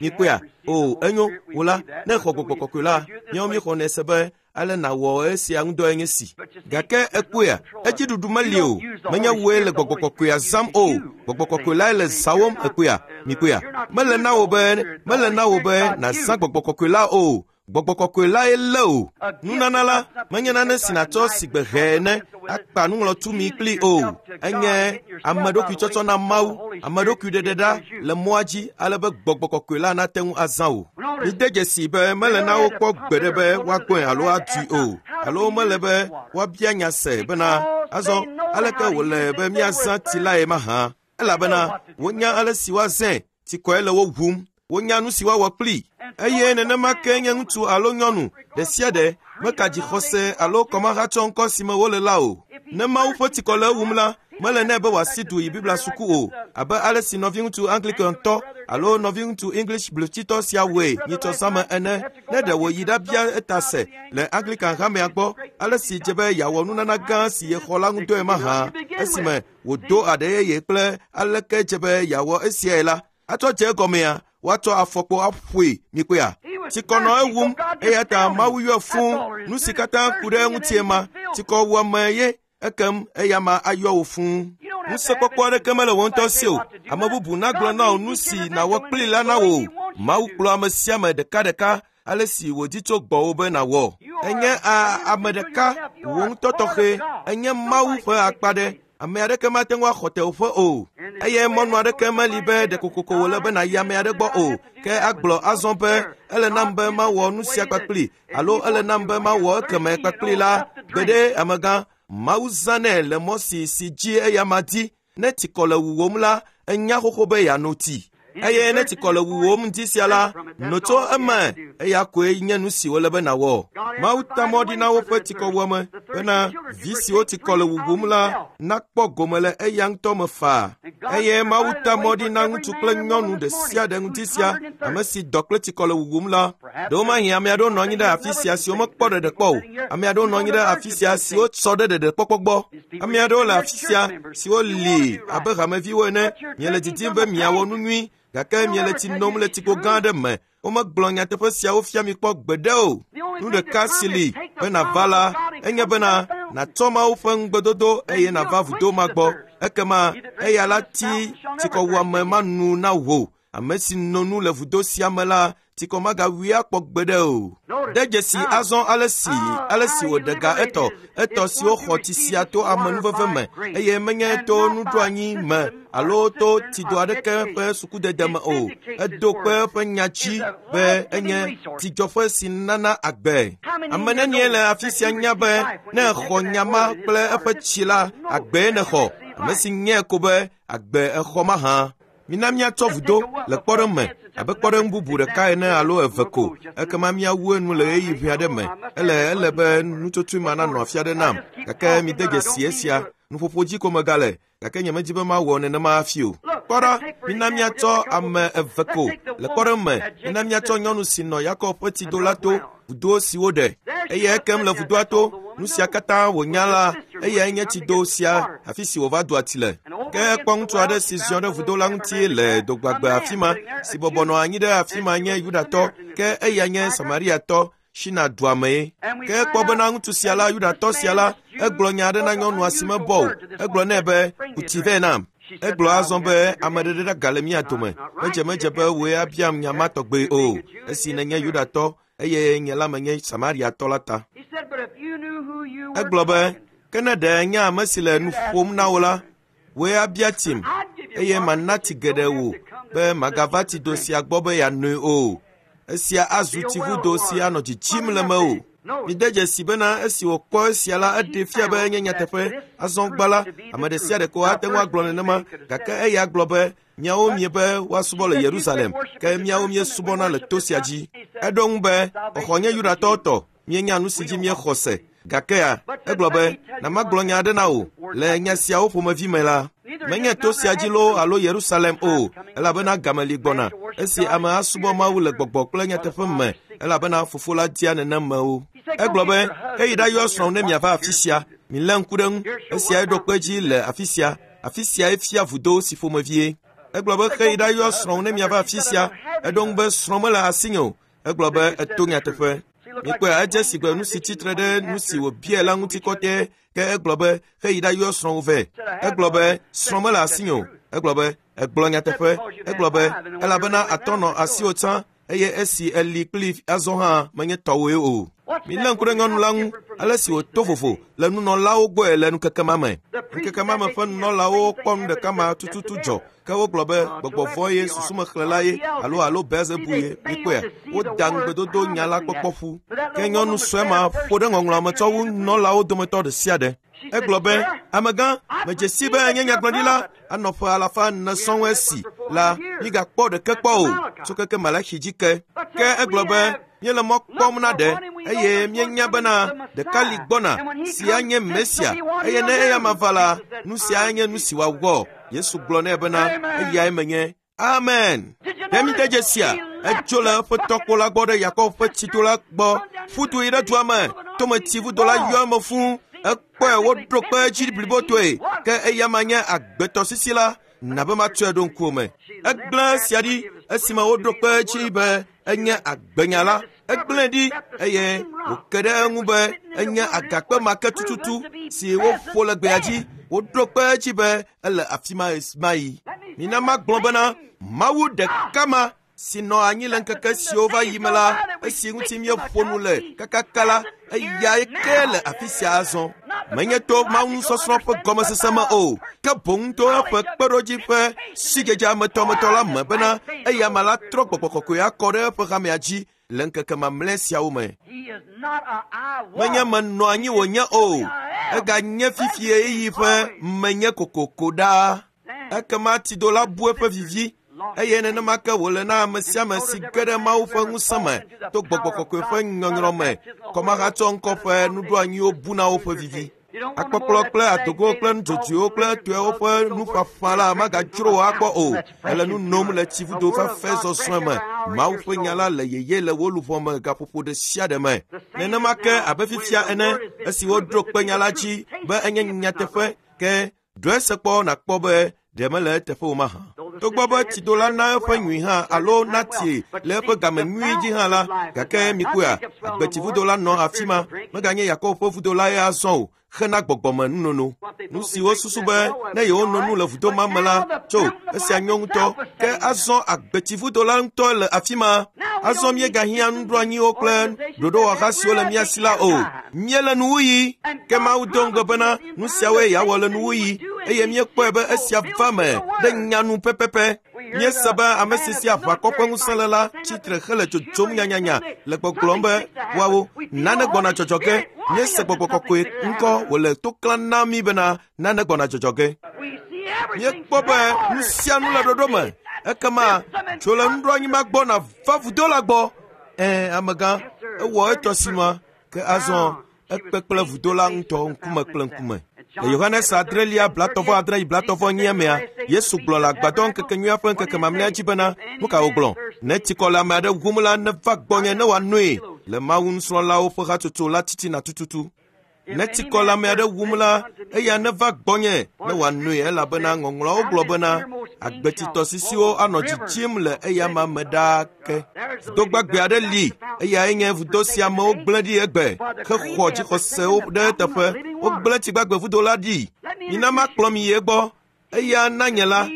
Speaker 2: Mikpɔea? O, enyo, wò la, ne èxɔ gbɔgbɔ kɔkɔe la, míawo míexɔnɛ se be ale nàwɔ esia ŋudɔe nye si. Gake ekpɔea, edziɖuɖu meli o. Menye wòe le gbɔgbɔ kɔkɔea zãm o. Gbɔgbɔ kɔkɔe lae le zãwom ekpɔea. Mikpɔea? Mele na wò be mele na wò be nàzã gbɔgbɔ kɔkɔe la o. Gbɔgbɔ kɔkɔe lae lé o. Nunana la menye nane si nàtsɔ sigbe hɛ ene akpa nuŋlɔtumi kpli o. Enye ame ɖokui tsɔtsɔ na Mawu, ame ɖokui ɖeɖe ɖa le mɔa dzi ale be gbɔgbɔ kɔkɔe la nate ŋu azã o. Mide dzesi be mele na wo kpɔ gbeɖe be woagbɔe alo adui o, alo mele be woabia nya se bena azɔ aleke wòle be míazã tsi lae mahã. Elabena wonya ale si woazãe, tsikɔe le wo ʋum. Wonya nu si woawɔ kplii. Eye nenema ke nye ŋutsu alo nyɔnu ɖe sia ɖe meka dzixɔse alo kɔmahatsɔ ŋkɔ si me wole la o. Ne Mawu ƒe tsikɔ le ewum la, mele nɛ be wòasi du yi Biblia suku o, abe ale si nɔviŋutsu Anglikantɔ alo nɔviŋutsu English blutitɔ sia wɔe nyitsɔ zãme ene. Ne ɖe wòyi ɖabia eta se le Anglican hamea gbɔ ale si dze be yeawɔ nunana gã si yexɔ la ŋudɔe mahã, esime wòdo aɖe yeye kple aleke dze be yeawɔ esiae la, atsɔ dze egɔmea, woatsɔ afɔkpo aƒoe mikpɔea. Tsikɔ nɔ ewum eya ta Mawu yɔe fũu. Nu si katã ku ɖe eŋutie ma, tsikɔ wuame ye ekem eya ma ayɔ wò fũu. Ŋusẽkpɔkpɔ aɖeke mele wò ŋutɔ si o. Ame bubu nagblɔ na wò nu si nàwɔ kplii la na wò. Mawu kplɔ ame sia ame ɖekaɖeka ale si wòdi tso gbɔwò be nàwɔ. Enye a ame ɖeka wò ŋutɔ tɔxɛ. Enye Mawu ƒe akpa ɖe. Ame aɖeke mate ŋu axɔ teƒe o. Eye mɔnu aɖeke meli be ɖekokoko wòle be nàyi ame aɖe gbɔ o. Ke agblɔ azɔ be ele nam be mawɔ nu sia kpakpli alo ele nam be mawɔ ekeme kpakpli la. Gbeɖe amegã, Mawu zãnɛ le mɔ si si dzi eya ma di. Ne tsikɔ le wuwòm la, enya xoxo be yeano tsi. Eye ne tsikɔ le wuwòm ŋdi sia la, no tso eme. Eya koe nye nu si wòle be nàwɔ. Mawu ta mɔ ɖi na woƒe tsikɔwuame bena vi siwo tsikɔ le wuwòm la nakpɔ gome le eya ŋutɔ me faa. Eye Mawu ta mɔ ɖi na ŋutsu kple nyɔnu ɖe sia ɖe ŋdi sia, ame si dɔ kple tsikɔ le wuwòm la. Ɖewomahi ame aɖewo nɔ anyi ɖe afi sia siwo mekpɔ ɖeɖe kpɔ o. Ame aɖewo nɔ anyi ɖe afi sia siwo sɔ ɖe ɖeɖekpɔkpɔ gbɔ. Ame aɖewo le afi sia siwo li abe hameviwo ene. Miele didim be miawɔ nu nyui, gake miele tsi nom le tsikpo gã aɖe me. Womegblɔ nyateƒe siawo fia mi kpɔ gbeɖe o. Nu ɖeka si li be nàva la, enye bena nàtsɔ Mawu ƒe ŋugbedodo eye nàva vudo ma gbɔ. Ekema eya la ti tsikɔwuame ma nu na wò. Ame si no nu le vudo sia me la, tsikɔ magawui akpɔ gbeɖe o. De dzesi azɔ ale si ale si wòɖe ga etɔ etɔ siwo xɔ tsi sia to amenuveve me eye menye to nuɖoanyi me alo to tsido aɖeke ƒe sukudede me o. Edo kpe eƒe nya dzi be enye tsidzɔƒe si nana agbe. Ame nenie le afi sia nya be ne exɔ nya ma kple eƒe tsi la, agbee nexɔ. Ame si nyae ko be agbe exɔ mahã. Mina míatsɔ vudo le kpɔɖeŋu me abe kpɔɖeŋu bubu ɖeka ene alo eve ko, ekema míawu enu le ɣeyiɣi ʋɛ aɖe me. Ele ele be nutsotsoe ma nanɔ afi aɖe nam, gake mide dzesi esia. Nuƒoƒo dzi ko megale, gake nyemedi be mawɔ nenema hafi o. Kpɔ ɖa, mina míatsɔ ame eve ko le kpɔɖeŋu me. Mina míatsɔ nyɔnu si nɔ Yakob ƒe tsido la to, vudo si woɖe. Eye ekem le vudoa to, nu sia katã wònya la, eyae nye tsido sia afi si wòva doa tsi le. Ke ekpɔ ŋutsu aɖe si ziɔ ɖe vudo la ŋuti le dogbagbe afi ma, si bɔbɔ nɔ anyi ɖe afi ma nye Yudatɔ, ke eya nye Samariatɔ, Shina dua mee. Ke ekpɔ bena ŋutsu sia la, Yudatɔ sia la, egblɔ nya aɖe na nyɔnua si mebɔ o. Egblɔ nɛ be, "Ku tsi vɛ nam." Egblɔ azɔ be ame ɖeɖe ɖa gale mía dome. Medze medze be wòe abiam nya ma tɔgbe o, esi nènye Yudatɔ eye nye la menye Samariatɔ la ta. Egblɔ be, ke ne ɖe nye ame si le nu ƒom na wò la, wòe abia tsim, eye mana tsi geɖe wò be magava tsido sia gbɔ be yeanoe o. Esia azu tsivudo si anɔ dzidzim le mewò. Mide dzesi bena esi wòkpɔ esia la, eɖee fia be enye nyateƒe. Azɔ gbã la, ame ɖe sia ɖe ko ate ŋu agblɔ nenema, gake eya gblɔ be, miawo miebe woasubɔ le Yerusalem, ke miawo miesubɔna le to sia dzi. Eɖo ŋu be, xɔxɔ nye Yudatɔwo tɔ, mienya nu si dzi miexɔ se. Gakea, egblɔ be, na magblɔ nya aɖe na wò le nya siawo ƒomevi me la, menye to sia dzi loo alo Yerusalem o, elabena game li gbɔna esi ame asubɔ Mawu le gbɔgbɔ kple nyateƒe me, elabena fofo la dia nenemewo. Egblɔ be, ke yi ɖayɔ srɔ̃ ne miava afi sia. Milé ŋku ɖe ŋu. Esiae ɖo kpe edzi le afi sia. Afi siae fia vudo si ƒomevie. Egblɔ be, ke yi ɖayɔ srɔ̃ ne miava afi sia. Eɖo ŋu be, srɔ̃ mele asinye o. Egblɔ be, eto nyateƒe. Mikpɔe, edze si gbe nu si tsitre ɖe nu si wòbia la ŋuti kɔtɛ. Ke egblɔ be, ke yi ɖayɔ srɔ̃wò vɛ. Egblɔ be, srɔ̃ mele asinye o. Egblɔ be, egblɔ nyateƒe. Egblɔ be, elabena atɔ nɔ asiwò tsã eye esi eli kpli azɔ hã menye tɔwoe o. Milé ŋku ɖe nyɔnu la ŋu ale si wòto vovo le nunɔlawo gbɔe le ŋkeke ma me. Ŋkeke ma me ƒe nunɔlawo kpɔ nu ɖeka ma tututu dzɔ ke wogblɔ be gbɔgbɔ vɔ̃ ye susumexlẽla ye alo alo Belzebu ye mikpɔea woda ŋugbedodo nya la kpɔkpɔ ƒu. Ke nyɔnu sue ma ƒo ɖe ŋɔŋlɔa me tsɔ wu nunɔlawo dometɔ ɖe sia ɖe. Egblɔ be amegã medze si be nye nyagblɔɖila anɔ ƒe alafa ene sɔŋ esi la mígakpɔ ɖeke kpɔ o tso keke Malaxi dzi ke. Ke egblɔ be míele mɔ kpɔm na ɖe eye míenya bena ɖeka li gbɔna si anye Mesia eye ne eya ma va la nu sia anye nu si wòawɔ. Yesu gblɔ nɛ bena eyae menye. Amen. Ɖe mi de dzesia etso le eƒe tɔkpo la gbɔ ɖe Yakob ƒe tsido la gbɔ ƒu du yi ɖe dua me tome tsivudo la yɔ eme fũu ekpɔe woɖo kpe edzi blibotoe ke eya ma nye agbetɔsisi la na be matsɔe ɖo ŋkuwò me. Egblẽ esia ɖi esime woɖo kpe edzi be enye agbenya la egblẽe ɖi eye wòke ɖe eŋu be enye agakpe ma ke tututu si woƒo le gbea dzi woɖo kpe edzi be ele afi ma ɣesiaɣi. Mina magblɔ bena Mawu ɖeka ma si nɔ anyi le ŋkeke siwo va yi me la esi ŋuti míeƒo nu le kakaka la eyae ke le afi sia azɔ. Menye to Mawu nusɔsrɔ̃ ƒe gɔmesese me o ke boŋ to eƒe kpeɖodzi ƒe sidzedze ametɔmetɔ la me bena eya ma la trɔ gbɔgbɔ kɔkɔe akɔ ɖe eƒe hamea dzi le ŋkeke mamlɛ siawo me.
Speaker 3: He is not a I was.
Speaker 2: Menye menɔ anyi wònye o eganye fifi ɣeyiɣi ƒe menye kokoko ɖaa. Ekema tsido la bu eƒe vivi eye nenema ke wòle na ame sia ame si ge ɖe Mawu ƒe ŋusẽ me to gbɔgbɔ kɔkɔe ƒe nyɔnyrɔ me kɔmahatsɔ ŋkɔ ƒe nuɖoanyiwo bu na woƒe vivi. Akpɔkplɔ kple adogo kple nudzodzoewo kple etɔewo ƒe nuƒaƒã la magadzro wò akpɔ o. Ele nu nom le tsivudo fafɛ zɔzrɔ̃e me. Mawu ƒe nya la le yeye le wò luʋɔ me gaƒoƒo ɖe sia ɖe me. Nenema ke abe fifia ene esi woɖo kpe nya la dzi be enye nyateƒe ke ɖoe se kpɔ nàkpɔ be ɖe mele eteƒe o mahã. Togbɔ be tsido la na eƒe nyui hã alo na tsie le eƒe game nyui dzi hã la gake mikpɔea agbetsivudo la nɔ afi ma meganye Yakob ƒe vudo la ye azɔ o hena gbɔgbɔme nunono. Nu si wosusu be ne yewono nu le vudo ma me la tso esia nyɔ ŋutɔ ke azɔ agbetsivudo la ŋutɔ le afi ma. Azɔ míegahiã nuɖoanyiwo kple ɖoɖowɔha siwo le mía si la o. Míele nuwuɣi ke Mawu do ŋugbe bena nu siawoe yeawɔ le nuwuɣi eye míekpɔe be esia va me ɖe nyanu pɛpɛpɛ. Míese be ame si si aʋakɔ ƒe ŋusẽ le la tsitre hele dzodzom nyanyanya le gbɔgblɔm be woawo nane gbɔna dzɔdzɔ ge. Míese gbɔgbɔ kɔkɔe ŋkɔ wòle to klãm na mí bena nane gbɔna dzɔdzɔ ge.
Speaker 3: We see everything
Speaker 2: Míekpɔ be nu sia nu le ɖoɖo me. Ekema tso le nuɖoanyi ma gbɔ nàva vudo la gbɔ. Ɛ̃ amegã ewɔ etɔ sinua ke azɔ ekpe kple vudo la ŋutɔ ŋkume kple ŋkume. Le Yohanes adrelia blatɔvɔ adre yi blatɔvɔ enyi mea, Yesu gblɔ le agbadɔ ŋkekenyuia ƒe ŋkeke mamlɛa dzi bena nu ka wògblɔ? Ne tsikɔ le ame aɖe wum la neva gbɔnye ne wòanoe le Mawu nusrɔ̃lawo ƒe hatsotso la titina tututu. Ne tsikɔ le ame aɖe wum la eya neva gbɔnye ne wòanoe elabena ŋɔŋlɔawo gblɔ bena agbetsitɔsisiwo anɔ dzidzim le eya ma me ɖaa ke. Vudo gbagbe aɖe li eyae nye vudo si amewo gblẽ ɖi egbe hexɔ dzixɔsewo ɖe eteƒe. Wogblẽ tsigbagbe vudo la ɖi. Mina makplɔ mi yi egbɔ. Eya na nye la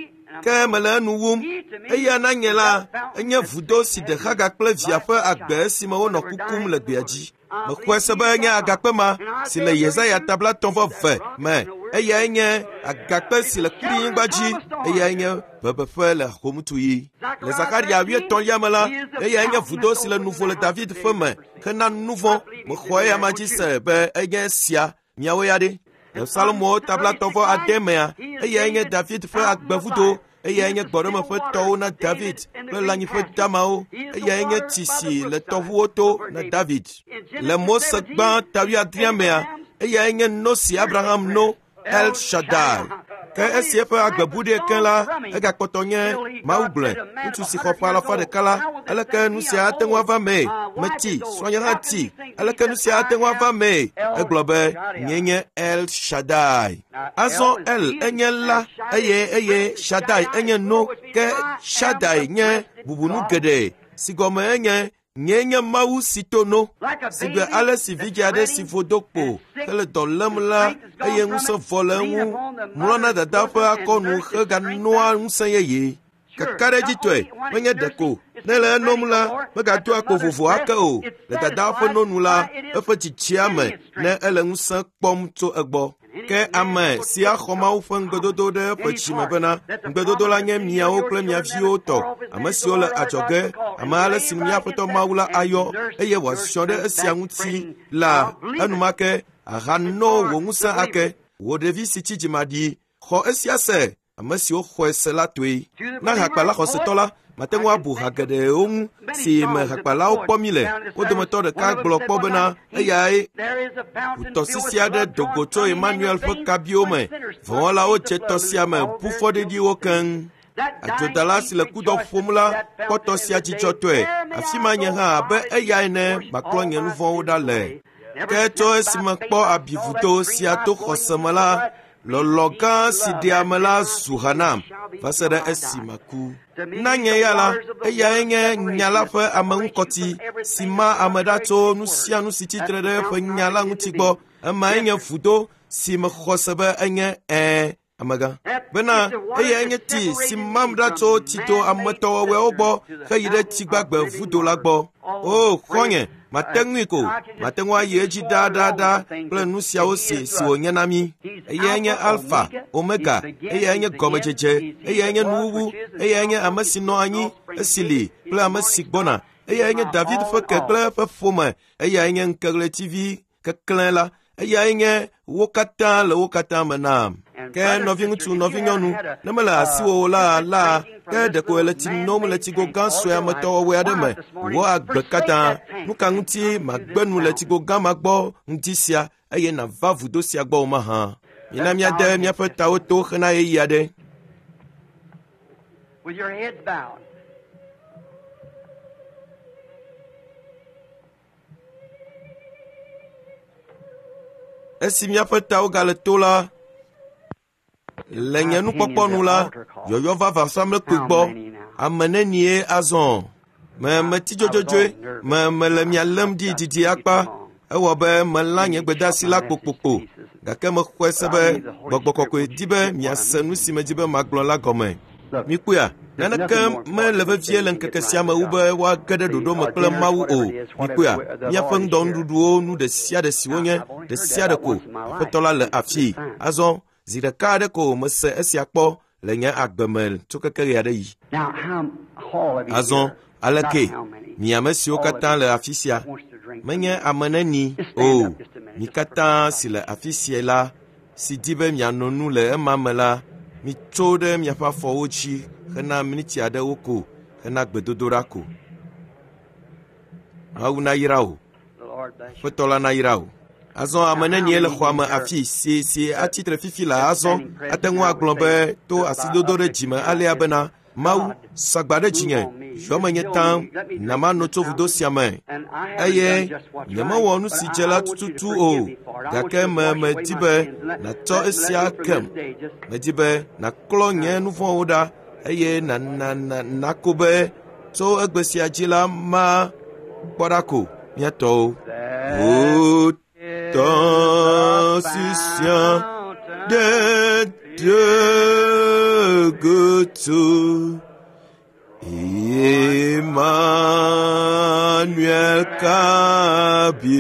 Speaker 2: ke mele enu wum. Eya na nye la enye vudo si ɖe Hagar kple via ƒe agbe esime wonɔ kukum le gbea dzi. Mexɔe se be enye agakpe ma si le Yesaya tablatɔ̃ vɔ ve me. Eyae nye agakpe si le kuɖinyigba dzi. Eyae nye bebeƒe le homutuɣi. Le Zakaria wuietɔ̃lia me la, eyae nye vudo si le nuvo le David ƒe me hena nu vɔ̃. Mexɔ eya ma dzi se be enye esia miawo ya ɖe. Le Salomo tablatɔ̃ vɔ ade mea, eyae nye David ƒe agbevudo. Eyae nye gbɔɖeme ƒe tɔwo na David kple lãnyiƒe damawo. Eyae nye tsi si le tɔʋuwo to na David. Le Mose gbã ta wuiadrea mea, eyae nye no si Abraham no El Shaddai. Ke esi eƒe agbe bu ɖee ke la, egakpɔtɔ nye Mawu gblɔe. Ŋutsu si xɔ ƒe alafa ɖeka la, aleke nu sia ate ŋu ava mee? Metsi, srɔ̃nye hã tsi. Aleke nu sia ate ŋu ava mee? Egblɔ be, nye nye El Shaddai. Azɔ El enye la eye eye Shaddai enye no. Ke Shaddai nye bubunu geɖe si gɔme enye nye nye Mawu si to no. Si gbe ale si vidzi aɖe si vo do kpo hele dɔ lém la eye ŋusẽ vɔ le eŋu mlɔna dada ƒe akɔnu heganoa ŋusẽ yeye. Kakaɖedzitɔe menye ɖeko ne le enom la megadoa kpo vovo ake o le dadaa ƒe nonu la eƒe tsitsia me ne ele ŋusẽ kpɔm tso egbɔ. Ke ame si axɔ Mawu ƒe ŋugbedodo ɖe eƒe dzime bena ŋugbedodo la nye miawo kple mia viwo tɔ, ame siwo le adzɔge, ame ale si mía Aƒetɔ Mawu la ayɔ eye wòaziɔ ɖe esia ŋuti la enumake ahano wò ŋusẽ ake. Wò ɖevi si tsi dzimaɖi, xɔ esia se, ame siwo xɔe se la toe. Na hakpala xɔsetɔ la, mate ŋu abu ha geɖewo ŋu si me hakpalawo kpɔ mí le. Wo dometɔ ɖeka gblɔ kpɔ bena eyae ʋutɔsisi aɖe do go tso Emmanuel ƒe kabiwo me. Vɔ̃wɔlawo dze tɔ sia me ʋu fɔɖiɖiwo keŋ. Adzodala si le kudɔ ƒom la kpɔ tɔ sia dzidzɔtɔe. Afi ma nye hã abe eya ene maklɔ nye nu vɔ̃wo ɖa le. Ke tso esime kpɔ abivudo sia to xɔse me la, lɔlɔ̃ gã si ɖea ame la zu ha nam va se ɖe esi maku. Na nye ya la, eyae nye nya la ƒe ameŋukɔti si ma ame ɖa tso nu sia nu si tsitre ɖe eƒe nya la ŋuti gbɔ. Emae nye vudo si mexɔ se be enye ɛ̃ amegã. Bena eyae nye tsi si mam ɖa tso tsito ametɔwɔwɔewo gbɔ heyi ɖe tsigbagbe vudo la gbɔ. O xɔ̃nye, mate ŋui ko, mate ŋu ayi edzi ɖaɖaɖa kple nu siawo si si wònye na mí. Eyae nye Alfa, Omega, eyae nye gɔmedzedze, eyae nye nuwuwu, eyae nye ame si nɔ anyi, esi li kple ame si gbɔna. Eyae nye David ƒe ke kple eƒe ƒome, eyae nye ŋkeɣletivi keklẽ la, eyae nye wo katã le wo katã me nam. Ke nɔviŋutsu, nɔvinyɔnu, ne mele asiwò o la la, ke ɖeko ele tsi nom le tsigo gã sue ametɔwɔwɔe aɖe me wò agbe katã. Nu ka ŋuti magbe nu le tsigo gã ma gbɔ ŋdi sia eye nàva vudo sia gbɔ o mahã? Mina míade míaƒe tawo to hena ɣeyiɣi aɖe.
Speaker 3: With your heads bowed.
Speaker 2: Esi míaƒe tawo gale to la, le nye nukpɔkpɔ nu la, yɔyɔ va vɔsamlekpui gbɔ. Ame nenie azɔ? Me metsi dzodzodzoe, me mele mia lém ɖi didi akpa. Ewɔ be melã nye gbedeasi la kpokpokpo, gake mexɔe se be Gbɔgbɔ Kɔkɔe di be miase nu si medi be magblɔ la gɔme. Mikpɔea, naneke mele vevie le ŋkeke sia me wu be woage ɖe ɖoɖo me kple Mawu o. Mikpɔea, míaƒe ŋdɔnuɖuɖuwo nu ɖe sia ɖe si wonye ɖe sia ɖe ko. Aƒetɔ la le afii. Azɔ zi ɖeka aɖe ko mese esia kpɔ le nye agbe me tso keke ɣe aɖe yi.
Speaker 3: Now, how all of you
Speaker 2: Azɔ
Speaker 3: here,
Speaker 2: aleke
Speaker 3: not how many,
Speaker 2: mi ame siwo katã le afi sia
Speaker 3: wants to drink
Speaker 2: menye ame neni o mi katã si le afi sia la si di be miano nu le ema me la mitso ɖe miaƒe afɔwo dzi hena miniti aɖewo ko hena gbedodoɖa ko. Mawu nayra wò.
Speaker 3: The Lord bless you.
Speaker 2: Aƒetɔ la nayra wò. Azɔ ame nenie le xɔa me afi si si atsitre fifi la azɔ ate ŋu agblɔ be to asidodo ɖe dzime alea bena Mawu sagba ɖe dzinye yɔ menye taŋ na mano tso vudo sia me
Speaker 3: And I haven't
Speaker 2: eye
Speaker 3: done just what's
Speaker 2: nyemewɔ
Speaker 3: right,
Speaker 2: nu si
Speaker 3: but
Speaker 2: dze
Speaker 3: I,
Speaker 2: la
Speaker 3: I want you to
Speaker 2: tututu o
Speaker 3: forgive me for it. I want
Speaker 2: gake
Speaker 3: you to
Speaker 2: me
Speaker 3: wash away
Speaker 2: medi
Speaker 3: my
Speaker 2: be
Speaker 3: sins. Let,
Speaker 2: nàtsɔ
Speaker 3: let, let
Speaker 2: esia
Speaker 3: me from
Speaker 2: kem.
Speaker 3: this day just
Speaker 2: Medi be nàklɔ nye nu vɔ̃wo ɖa eye na na na nako be tso egbe sia dzi la ma kpɔ ɖa ko mía tɔwo.
Speaker 3: There
Speaker 2: Wò
Speaker 3: is
Speaker 2: tɔsisia
Speaker 3: a fountain
Speaker 2: ɖe de goto. Emmanuel kabiumi.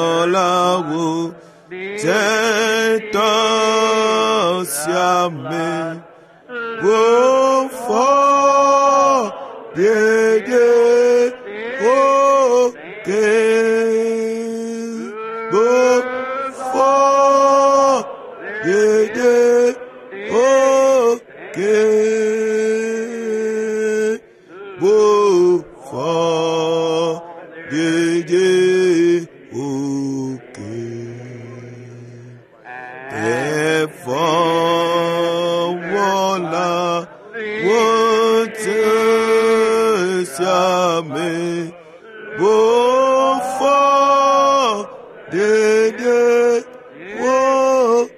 Speaker 2: Vɔwɔlawo dze tɔ sia me. Wofɔ ɖeɖe woke. Wofɔ ɖeɖe woke. Wofɔ ɖeɖe woke. Evɔwɔla wotse sia me. Wofɔ ɖeɖe woke.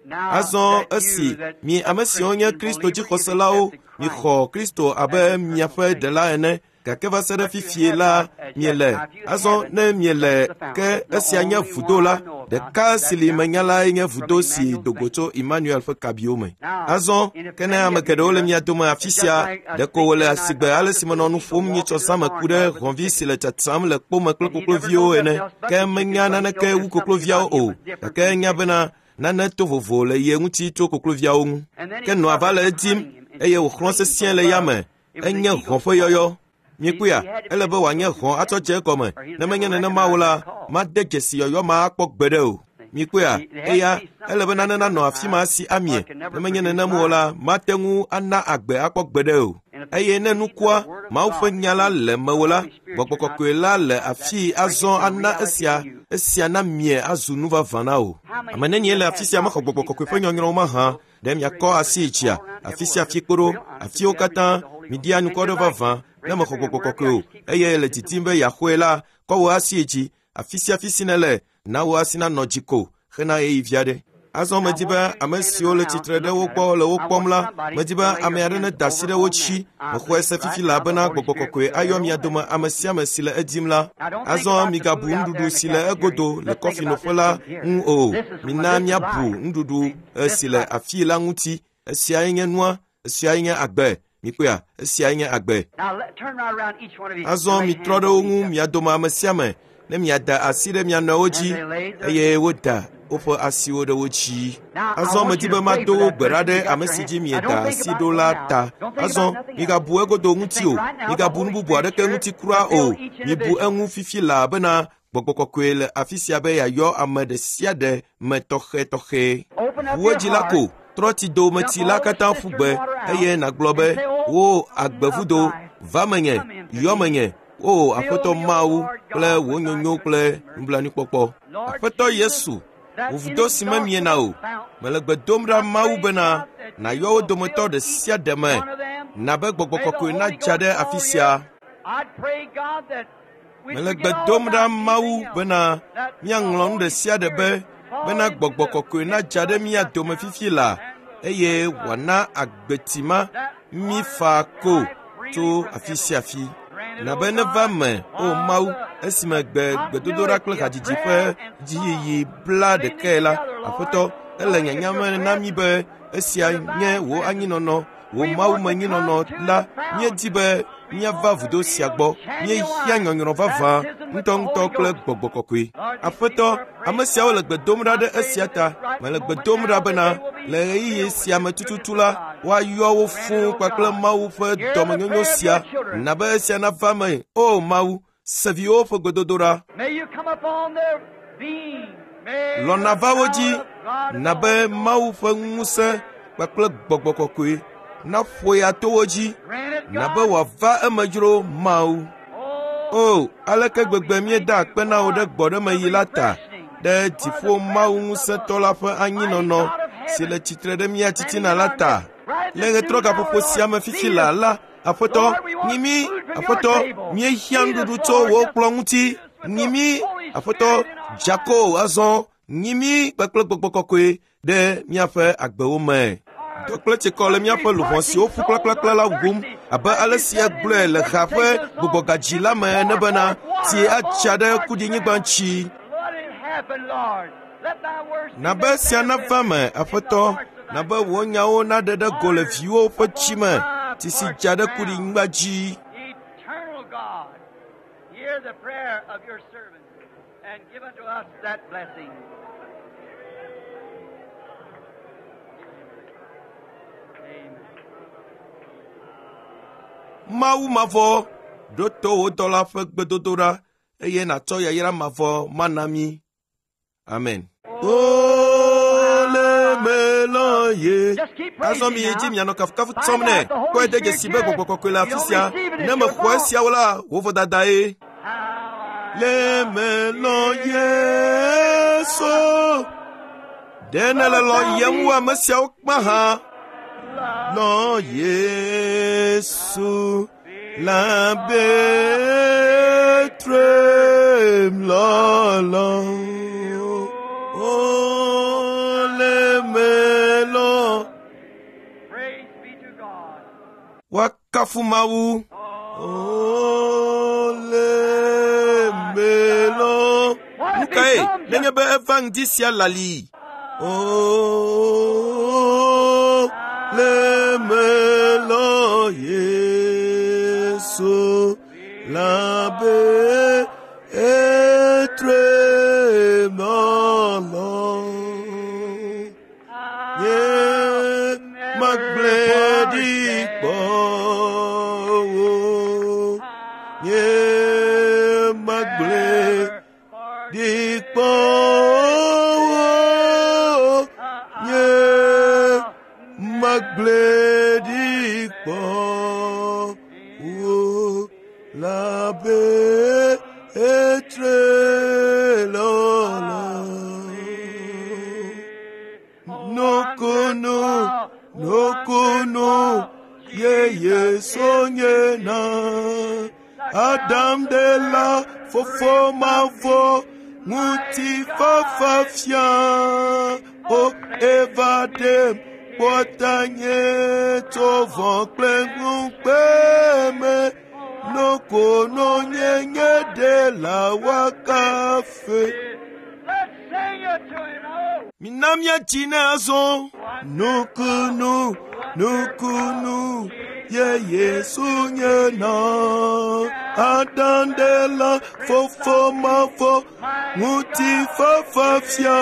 Speaker 3: Now
Speaker 2: Azɔ
Speaker 3: that
Speaker 2: esi
Speaker 3: you, that
Speaker 2: mi ame siwo nye
Speaker 3: Christian
Speaker 2: Kristo
Speaker 3: believer,
Speaker 2: dzixɔselawo
Speaker 3: you've accepted
Speaker 2: mixɔ Kristo abe miaƒe ɖela ene Gake va se ɖe fifie la miele. Azɔ ne miele ke esia nye vudo la, ɖeka si li menya lae nye vudo si do go tso Emmanuel ƒe kabiwo me. Azɔ ke ne ame geɖewo le mia dome afi sia, ɖeko wòle asigbe ale si menɔ nu ƒom nyitsɔ zãme ku ɖe hɔ̃vi si le tsatsam le kpome kple kokloviwo ene. Ke menya naneke wu kokloviawo o, gake enya bena nane to vovo le ye ŋuti tso kokloviawo ŋu. Ke nɔa va le edim eye wòxlɔ̃ sesĩe le yame. Enye hɔ̃ ƒe yɔyɔ. Miekpɔea, ele be wòanye hɔ̃ atsɔ dze egɔme. Ne menye nenema o la, made dzesi yɔyɔ ma akpɔ gbeɖe o. Miekpɔea, eya ele be nane nanɔ afi ma si amie. Ne menye nenem o la, mate ŋu ana agbe akpɔ gbeɖe o. Eye ne nukua, Mawu ƒe nya la le mewò la, Gbɔgbɔ Kɔkɔe la le afii azɔ ana esia, esia na mie azu nu vavã na wò. Ame nenie le afi sia mexɔ Gbɔgbɔ Kɔkɔe ƒe nyɔnyrɔwo mahã? Ɖe miakɔ asi yi dzia, afi sia afi kpo ɖo, afiwo katã, miɖi anukɔ ɖe vavã, ne mexɔ Gbɔgbɔ Kɔkɔe o, eye le didim be yeaxɔe la, kɔ wò asi yi dzi, afi sia afi si nèle, na wò asi nanɔ dzi ko hena ɣeyiɣi vi aɖe. Azɔ medi be ame siwo le tsitre ɖe wo gbɔ le wo kpɔm la, medi be ame aɖe neda asi ɖe wo dzi. Mexɔe se fifi elabena Gbɔgbɔ Kɔkɔe ayɔ mia dome ame sia ame si le edim la. Azɔ migabu nuɖuɖu si le egodo le kɔfinoƒe la ŋu o. Mina míabu nuɖuɖu si le afii la ŋuti. Esiae nye nua, esiae nye agbe. Mikpɔea, esiae nye agbe. Azɔ mitrɔ ɖe wo ŋu mia dome ame sia ame ne miada asi ɖe mia nɔewo dzi eye woda woƒe asiwo ɖe wo dzi. Azɔ medi be mado wo gbe ɖa ɖe ame si dzi mieda asi ɖo la ta. Azɔ migabu egodo ŋuti o, migabu nu bubu aɖeke ŋuti kura o. Mibu eŋu fifi laa bena Gbɔgbɔ Kɔkɔe le afi sia be yeayɔ ame ɖe sia ɖe me tɔxɛtɔxɛ. Ʋu edzi la ko, trɔ tsidometsi la katã ƒu gbe eye nàgblɔ be, wò agbevudo, va menye, yɔ menye, o Aƒetɔ Mawu kple wò nyonyo kple nublanuikpɔkpɔ. Aƒetɔ Yesu, wò vudo si memiena o, mele gbe dom ɖa Mawu bena nàyɔ wo dometɔ ɖe sia ɖe me, na be Gbɔgbɔ Kɔkɔe nadza ɖe afi sia. Mele gbe dom ɖa Mawu bena míaŋlɔ nu ɖe sia ɖe be bena Gbɔgbɔ Kɔkɔe nadza ɖe mía dome fifi la eye wòana agbeti ma mí faa ko tso afi sia afi. Na be neva me, o Mawu, esime gbe gbedodoɖa kple hadzidzi ƒe dziyiyi bla ɖekae la, Aƒetɔ, ele nyanya me na mí be esia nye wò anyinɔnɔ, wò mawumenyinɔnɔ la, míedi be míava vudo sia gbɔ. Míehiã nyɔnyrɔ vavã ŋutɔŋutɔ kple Gbɔgbɔ Kɔkɔe. Aƒetɔ, ame siawo le gbe dom ɖa ɖe esia ta. Mele gbe dom ɖa bena le ɣeyiɣi sia me tututu la, woayɔ wo fũu kpakple Mawu ƒe dɔmenyonyo sia. Na be esia nava me. O Mawu, se viwòwo ƒe gbedodoɖa. Lɔ̃ nava wo dzi, na be Mawu ƒe ŋusẽ kpakple Gbɔgbɔ Kɔkɔe naƒo ya to wo dzi, na be wòava eme dzro Mawu. O, aleke gbegbe míeda akpe na wò ɖe gbɔɖemeɣi la ta, ɖe dziƒo Mawu ŋusẽtɔ la ƒe anyinɔnɔ si le tsitre ɖe mía titina la ta. Le ɣetrɔ gaƒoƒo sia me fifi la la, Aƒetɔ, nyi mí, Aƒetɔ, míehiã nuɖuɖu tso wò kplɔ̃ ŋuti. Nyi mí, Aƒetɔ, dzako azɔ, nyi mí kpakple Gbɔgbɔ Kɔkɔe ɖe míaƒe agbewo me. Dɔ kple tsikɔ le míaƒe luʋɔ siwo ƒu kplakplakpla la wum abe ale si egblɔe le ha ƒe gbugbɔgadzi la me ene bena tsi atsa ɖe kuɖinyigba ŋuti. Na be esia nava me, Aƒetɔ, na be wò nyawo naɖe ɖe go le viwòwo ƒe tsi me, tsi si dza ɖe kuɖinyigba dzi. Mawu mavɔ, ɖo to wò dɔla ƒe gbedodoɖa eye nàtsɔ yayra mavɔ mana mí. Amen. Azɔ mi yi dzi mianɔ kafukafu tsɔm nɛ. Kpɔe de dzesi be Gbɔgbɔ Kɔkɔe le afi sia. Ne mexɔ esiawo la, wò vodadae. Le melɔ Yesu. Ɖe nèle lɔ̃yem wu ame siawo kpã hã? Lɔ Yesu la betrem lɔlɔ. O le melɔ. Woakafu Mawu. O kae nenye be eva ŋdi sia lali.
Speaker 1: O le melɔ Yesu labe etre mɔlɔ. Nye magblẽ ɖi kpɔ o. Nye magblẽ ɖi kpɔ o. Nye magblẽ ɖi kpɔ o. Labe etre lɔlɔ. Nukunu, nukunu, ye Yesu nye na. Adam de la fofo mavɔ, ŋutifafa fia. O Eva ɖem kpɔta nye tso vɔ̃ kple ŋukpe me. Nukunu nye nye ɖe la wakafe.
Speaker 3: Let's sing it to him. Oh.
Speaker 2: Mina míatsi ne azɔ.
Speaker 1: Nukunu, nukunu, ye Yesu nye na. Adam de la fofo mavɔ, ŋutifafa fia.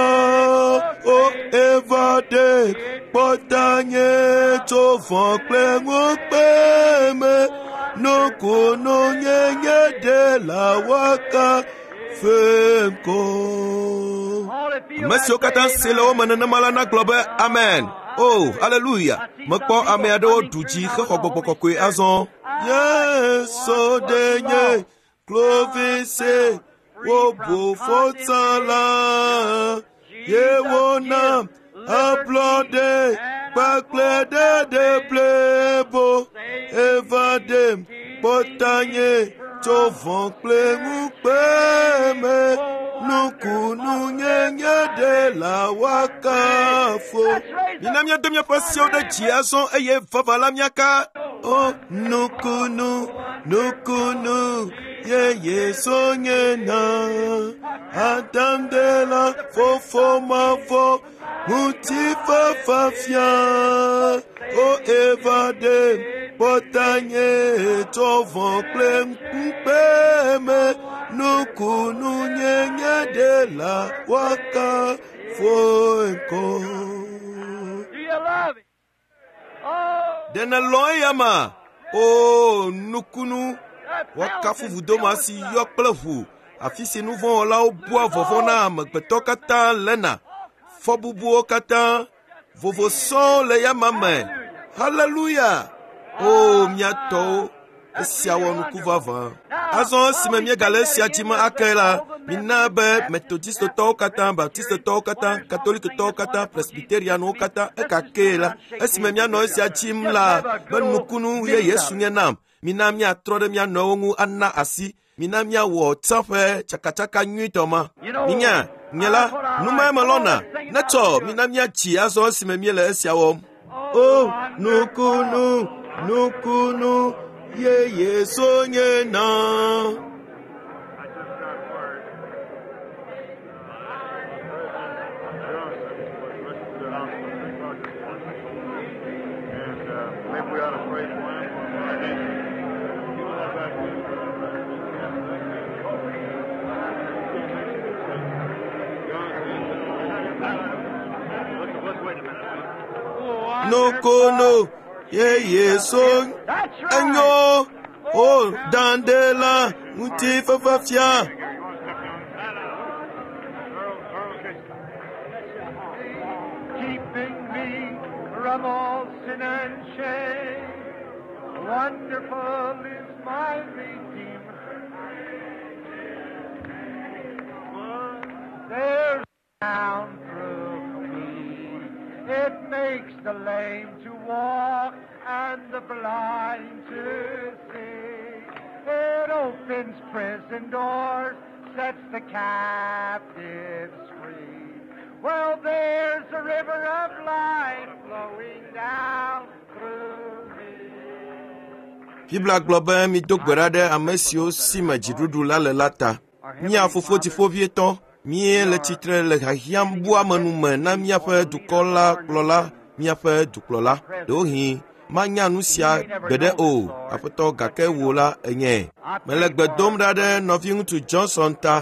Speaker 1: O Eva ɖe kpɔta nye tso vɔ̃ kple ŋukpe me. Nukunu nye nye ɖe la wakafe ŋkɔ.
Speaker 3: All if you
Speaker 2: Ame siwo katã se le wo me nenema la nagblɔ be amen. O, aleluya. Mekpɔ ame aɖewo ɖu dzi hexɔ gbɔgbɔ kɔkɔe azɔ.
Speaker 1: Yesu ɖe nye klovise wobu fɔta la ye wona ablɔɖe kpakple ɖeɖe blibo eva ɖem kpɔta nye tso vɔ̃ kple ŋukpe me nukunu nye nye ɖe la wakafo.
Speaker 2: Mina míado míaƒe asiwo ɖe dzi azɔ eye vava la míaka.
Speaker 1: O nukunu, nukunu, ye Yesu nye na. Adam de la fofo mavɔ, ŋutifafa fia. O Eva ɖe kpɔta nye tso vɔ̃ kple ŋukpe me. Nukunu nye nye ɖe la wakafo ŋkɔ.
Speaker 3: Do you love him? Oh,
Speaker 2: Ɖe nèlɔ̃ eya ma? O, nukunu.
Speaker 3: that
Speaker 2: Woakafu
Speaker 3: fountain
Speaker 2: vudoma
Speaker 3: filled
Speaker 2: si
Speaker 3: with
Speaker 2: yɔ kple ʋu, afi si nu vɔ̃ wɔlawo bua vɔvɔ̃ na amegbetɔ katã lena. Fɔbubuwo katã, vovo sɔŋ le yama me. Haleluya! O, mía tɔwo, esia wɔ nuku vavã. Azɔ esime míegale esia dzi me ake la, mina be metodistotɔwo katã, baptistotɔwo katã, katolikotɔwo katã, presbyterianwo katã, ekakee la, esime míanɔ esia dzim la, be nukunu ye Yesu nye nam. Mina míatrɔ ɖe mía nɔewo ŋu ana asi. Mina míawɔ tsã ƒe tsakatsaka nyuitɔ ma. Minya, nye la, nu mae melɔ̃na. Netsɔ, mina míatsi azɔ esime míele esia wɔm.
Speaker 1: O nukunu, nukunu, ye Yesu nye na.
Speaker 4: I just got word. President Johnson was rushed to the hospital at three o'clock this morning. And uh, maybe we ought to pray for him or for our nation. You don't have that news, Let's, let's wait a minute.
Speaker 1: Nukunu, ye Yesu
Speaker 3: That's right.
Speaker 1: enyo. O dande la ŋutifafa fia.
Speaker 4: You want to step down? Earl, Earl Casey.
Speaker 5: Keeping me from all sin and shame. Wonderful is my Redeemer. There's down through me. It makes the lame to walk and the blind to see. It opens prison doors, sets the captives free. Well, there's a river of life flowing down through me.
Speaker 2: Biblia gblɔ be mido gbe ɖa ɖe ame siwo si me dziɖuɖu la le la ta. Mía fofo dziƒovietɔ, Míele tsitre le hiahiãm buamenu me na míaƒe dukɔ la kplɔla, míaƒe dukplɔla. Ɖewohĩ manya nu sia gbeɖe o, Aƒetɔ, gake wò la ènyae. Mele gbe dom ɖa ɖe nɔviŋutsu Johnson ta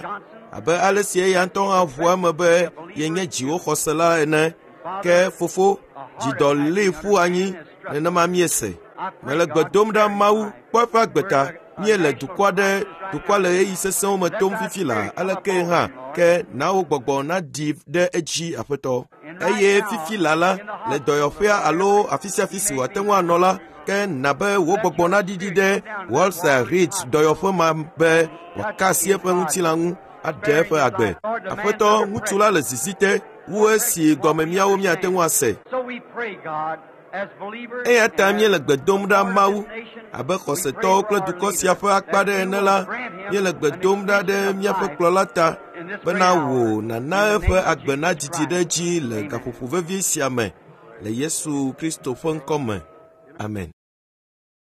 Speaker 2: abe ale si eya ŋutɔ hã ʋua eme be yenye dziwòxɔsela ene. Ke fofo, dzidɔ lée ƒu anyi nenema míese. Mele gbe dom ɖa Mawu kpɔ eƒe agbe ta. Míele dukɔ aɖe dukɔa le ɣeyiɣi sesẽwo me tom fifi laa aleke hã ke na wò gbɔgbɔ naɖi ɖe edzi Aƒetɔ. Eye fifi laa la, le dɔyɔƒea alo afi sia afi si wòate ŋu anɔ la, ke na be wò gbɔgbɔ naɖiɖi ɖe Walter Reed dɔyɔƒe ma be wòaka asi eƒe ŋutilã ŋu aɖe eƒe agbe. Aƒetɔ, ŋutsu la le zizi te wu esi gɔme míawo míate ŋu ase.
Speaker 3: So we pray, God, as believers
Speaker 2: Eya ta míele gbe dom ɖa Mawu abe xɔsetɔwo kple dukɔ sia ƒe akpa ɖe ene la, míele gbe dom ɖa ɖe míaƒe kplɔla ta bena wò nàna eƒe agbe nadidi ɖe edzi le gaƒoƒo vevi sia me le Yesu Kristo ƒe ŋkɔ me. Amen.